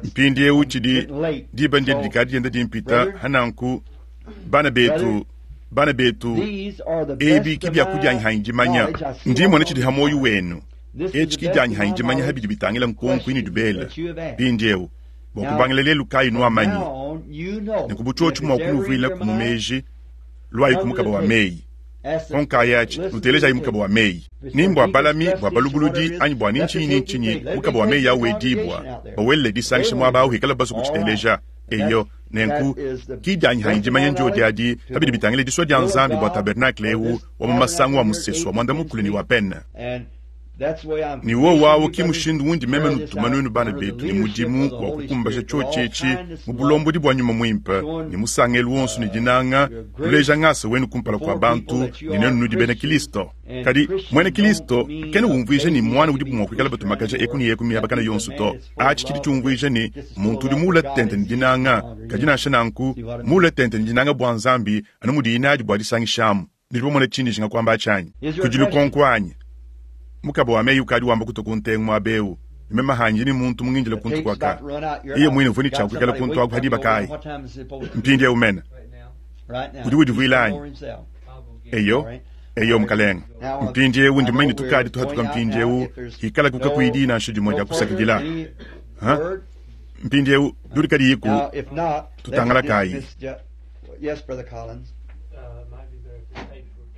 Mpindieu tshidi diba ndiedi dikadi dienda dimpita. Hananku, bana betu, Bana betu, ebi ki biakudia hanyi dimanya. Ndi mmona tshidi ha muoyo wenu. Etshi ki dianyi hanyi dimanya ha bidi bitangila nkonko inudi bela. Mpindieu, bua kubangila lelu kayi nuamanyi, nenku bu tshiotshi mua kunuvuilaku mu meji, luayi ku mukaba wa meyi. Konkayi atshi, nutelejayi mukaba wa meyi. Ni mbua balami, bua balubuludi, anyi bua ni ntshinyi ni ntshinyi, mukaba wa meyi au wedibua, bawelele disangisha muaba au hikala basue kutshiteleja. Eyo, nenku, ki dianyi hanyi dimanya ndiodi adi pa bidi bitangila disua dia Nzambi bua tabernakle eu wa mu masangu wa musesu wa muanda-mukulu ne wa pene. Ne wowu au ki mushindu undi meme nutuma nuenu bana betu ne mudimu wa kukumbaja tshiotshi etshi mu bulombodi bua Nyuma Muimpe ne musangelu wonso ne dinanga, nuleja ngasa wenu kumpala kua bantu ne nuenu nudi bena Kilisto. Kadi muena Kilisto kena umvuija ne muana udibu mua kuikala batumakaja eku ne eku miabakana yonso to. Atshi tshidi tshiumvuija ne muntu udi muule tente ne dinanga, kadi nansha nanku muule tente ne dinanga bua Nzambi anu mudiyi nadi bua disangishamu. Nudi bamone tshindi njinga kuamba atshi anyi? Kudi lukonko anyi? Mukaba wa meyi ukadi wamba kutua ku ntengu muaba eu, ne meme hanyi ne muntu mungindile kuntu kuaka. Yeye muine uvua ne tshia kuikala kuntu aku ha diba kayi? Mpindieu mene. Udi udivuila anyi? Eyo, eyo, mukalenge. Mpindieu ndi mumanye ne tukadi tuhatuka mpindieu, hikalaku kakuyi diyi nansha dimue dia kusakidila. Ha? Mpindieu dudi kadiyiku, tutangalakayi.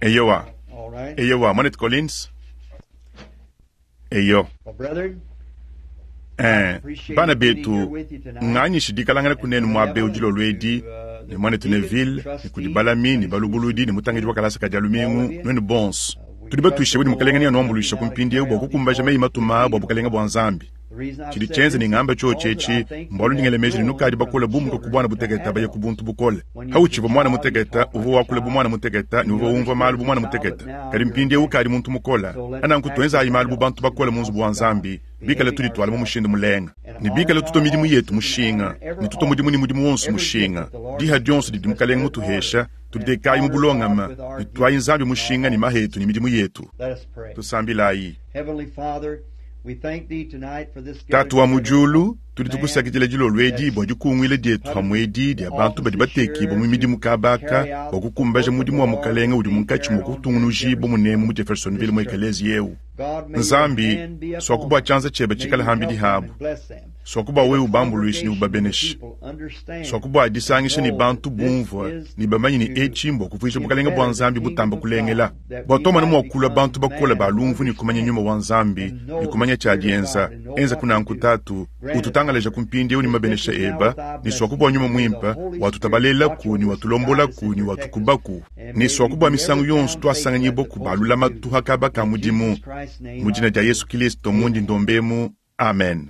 Eyowa, eyowa, Mwanetu Collins. Eyo. Eh, bana betu, nganyishi dikalangana kunenu muaba eu dilolo edi ne muanetu Neville ne kudi balami ne balubuludi ne mutangidi wa kalasa ka dia lumingu, nuenu bonso. Tudi batuishibue ne Mukalenge neanuambuluishe ku mpindieu bua kukumbaja meyi matuma bua Bukalenge bua Nzambi. Tshidi tshienza ne ngamba tshiotshi etshi mbualu ndi ngela meji ne nukadi bakole bumuka ku buana butekete baya ku buntu bukole. Pautshivua muana mutekete, uvua wakula bu muana mutekete ne uvua umvua malu bu muana mutekete. Kadi mpindieu ukadi muntu mukole. Nanku tuenzayi malu bu bantu bakole mu nzubu wa Nzambi, bikale tudituala mu mushindu mulenga ne bikale tutua midimu yetu mushinga ne tutua mudimu ne mudimu wonso mushinga. Diha dionso didi Mukalenge mutuhesha, tuditekayi mu bulongame ne tuayi Nzambi mushinga ne maha etu ne midimu yetu. Tusambilayi. Tatu wa mu diulu, tudi tukusakidila dilolo edi bua dikunguila dietu pamue edi dia bantu badi batekibue mu midimu kaba aka bua kukumbaja mudimu wa Mukalenge udi munkatshi mua kutungunujibua munemu mu Jeffersonville mu ekeleziya eu. Nzambi, suaku bua tshianza tshiebe tshikale pambidi habu. Suaku bua wewe ubambuluishe ne ubabeneshe. Suaku bua disangisha ne bantu bumvue ne bamanye ne etshi mbua kuvuija Bukalenge bua Nzambi butamba kulengela, bua tuamona mua kulua bantu bakole ba lumvu ne kumanya Nyuma wa Nzambi ne kumanya tshia dienza. Enzaku nanku, Tatu. Ututangalaja ku mpindieu ne mabenesha eba, ne suaku bua Nyuma Muimpe watutabalelaku ne watulombolaku ne watukubaku, ne suaku bua misangu yonso tuasanganyibua ku ba lulamatu ha kaba ka mudimu. Mu dina dia Yesu Kilisto mundi ndomba emu. Amen.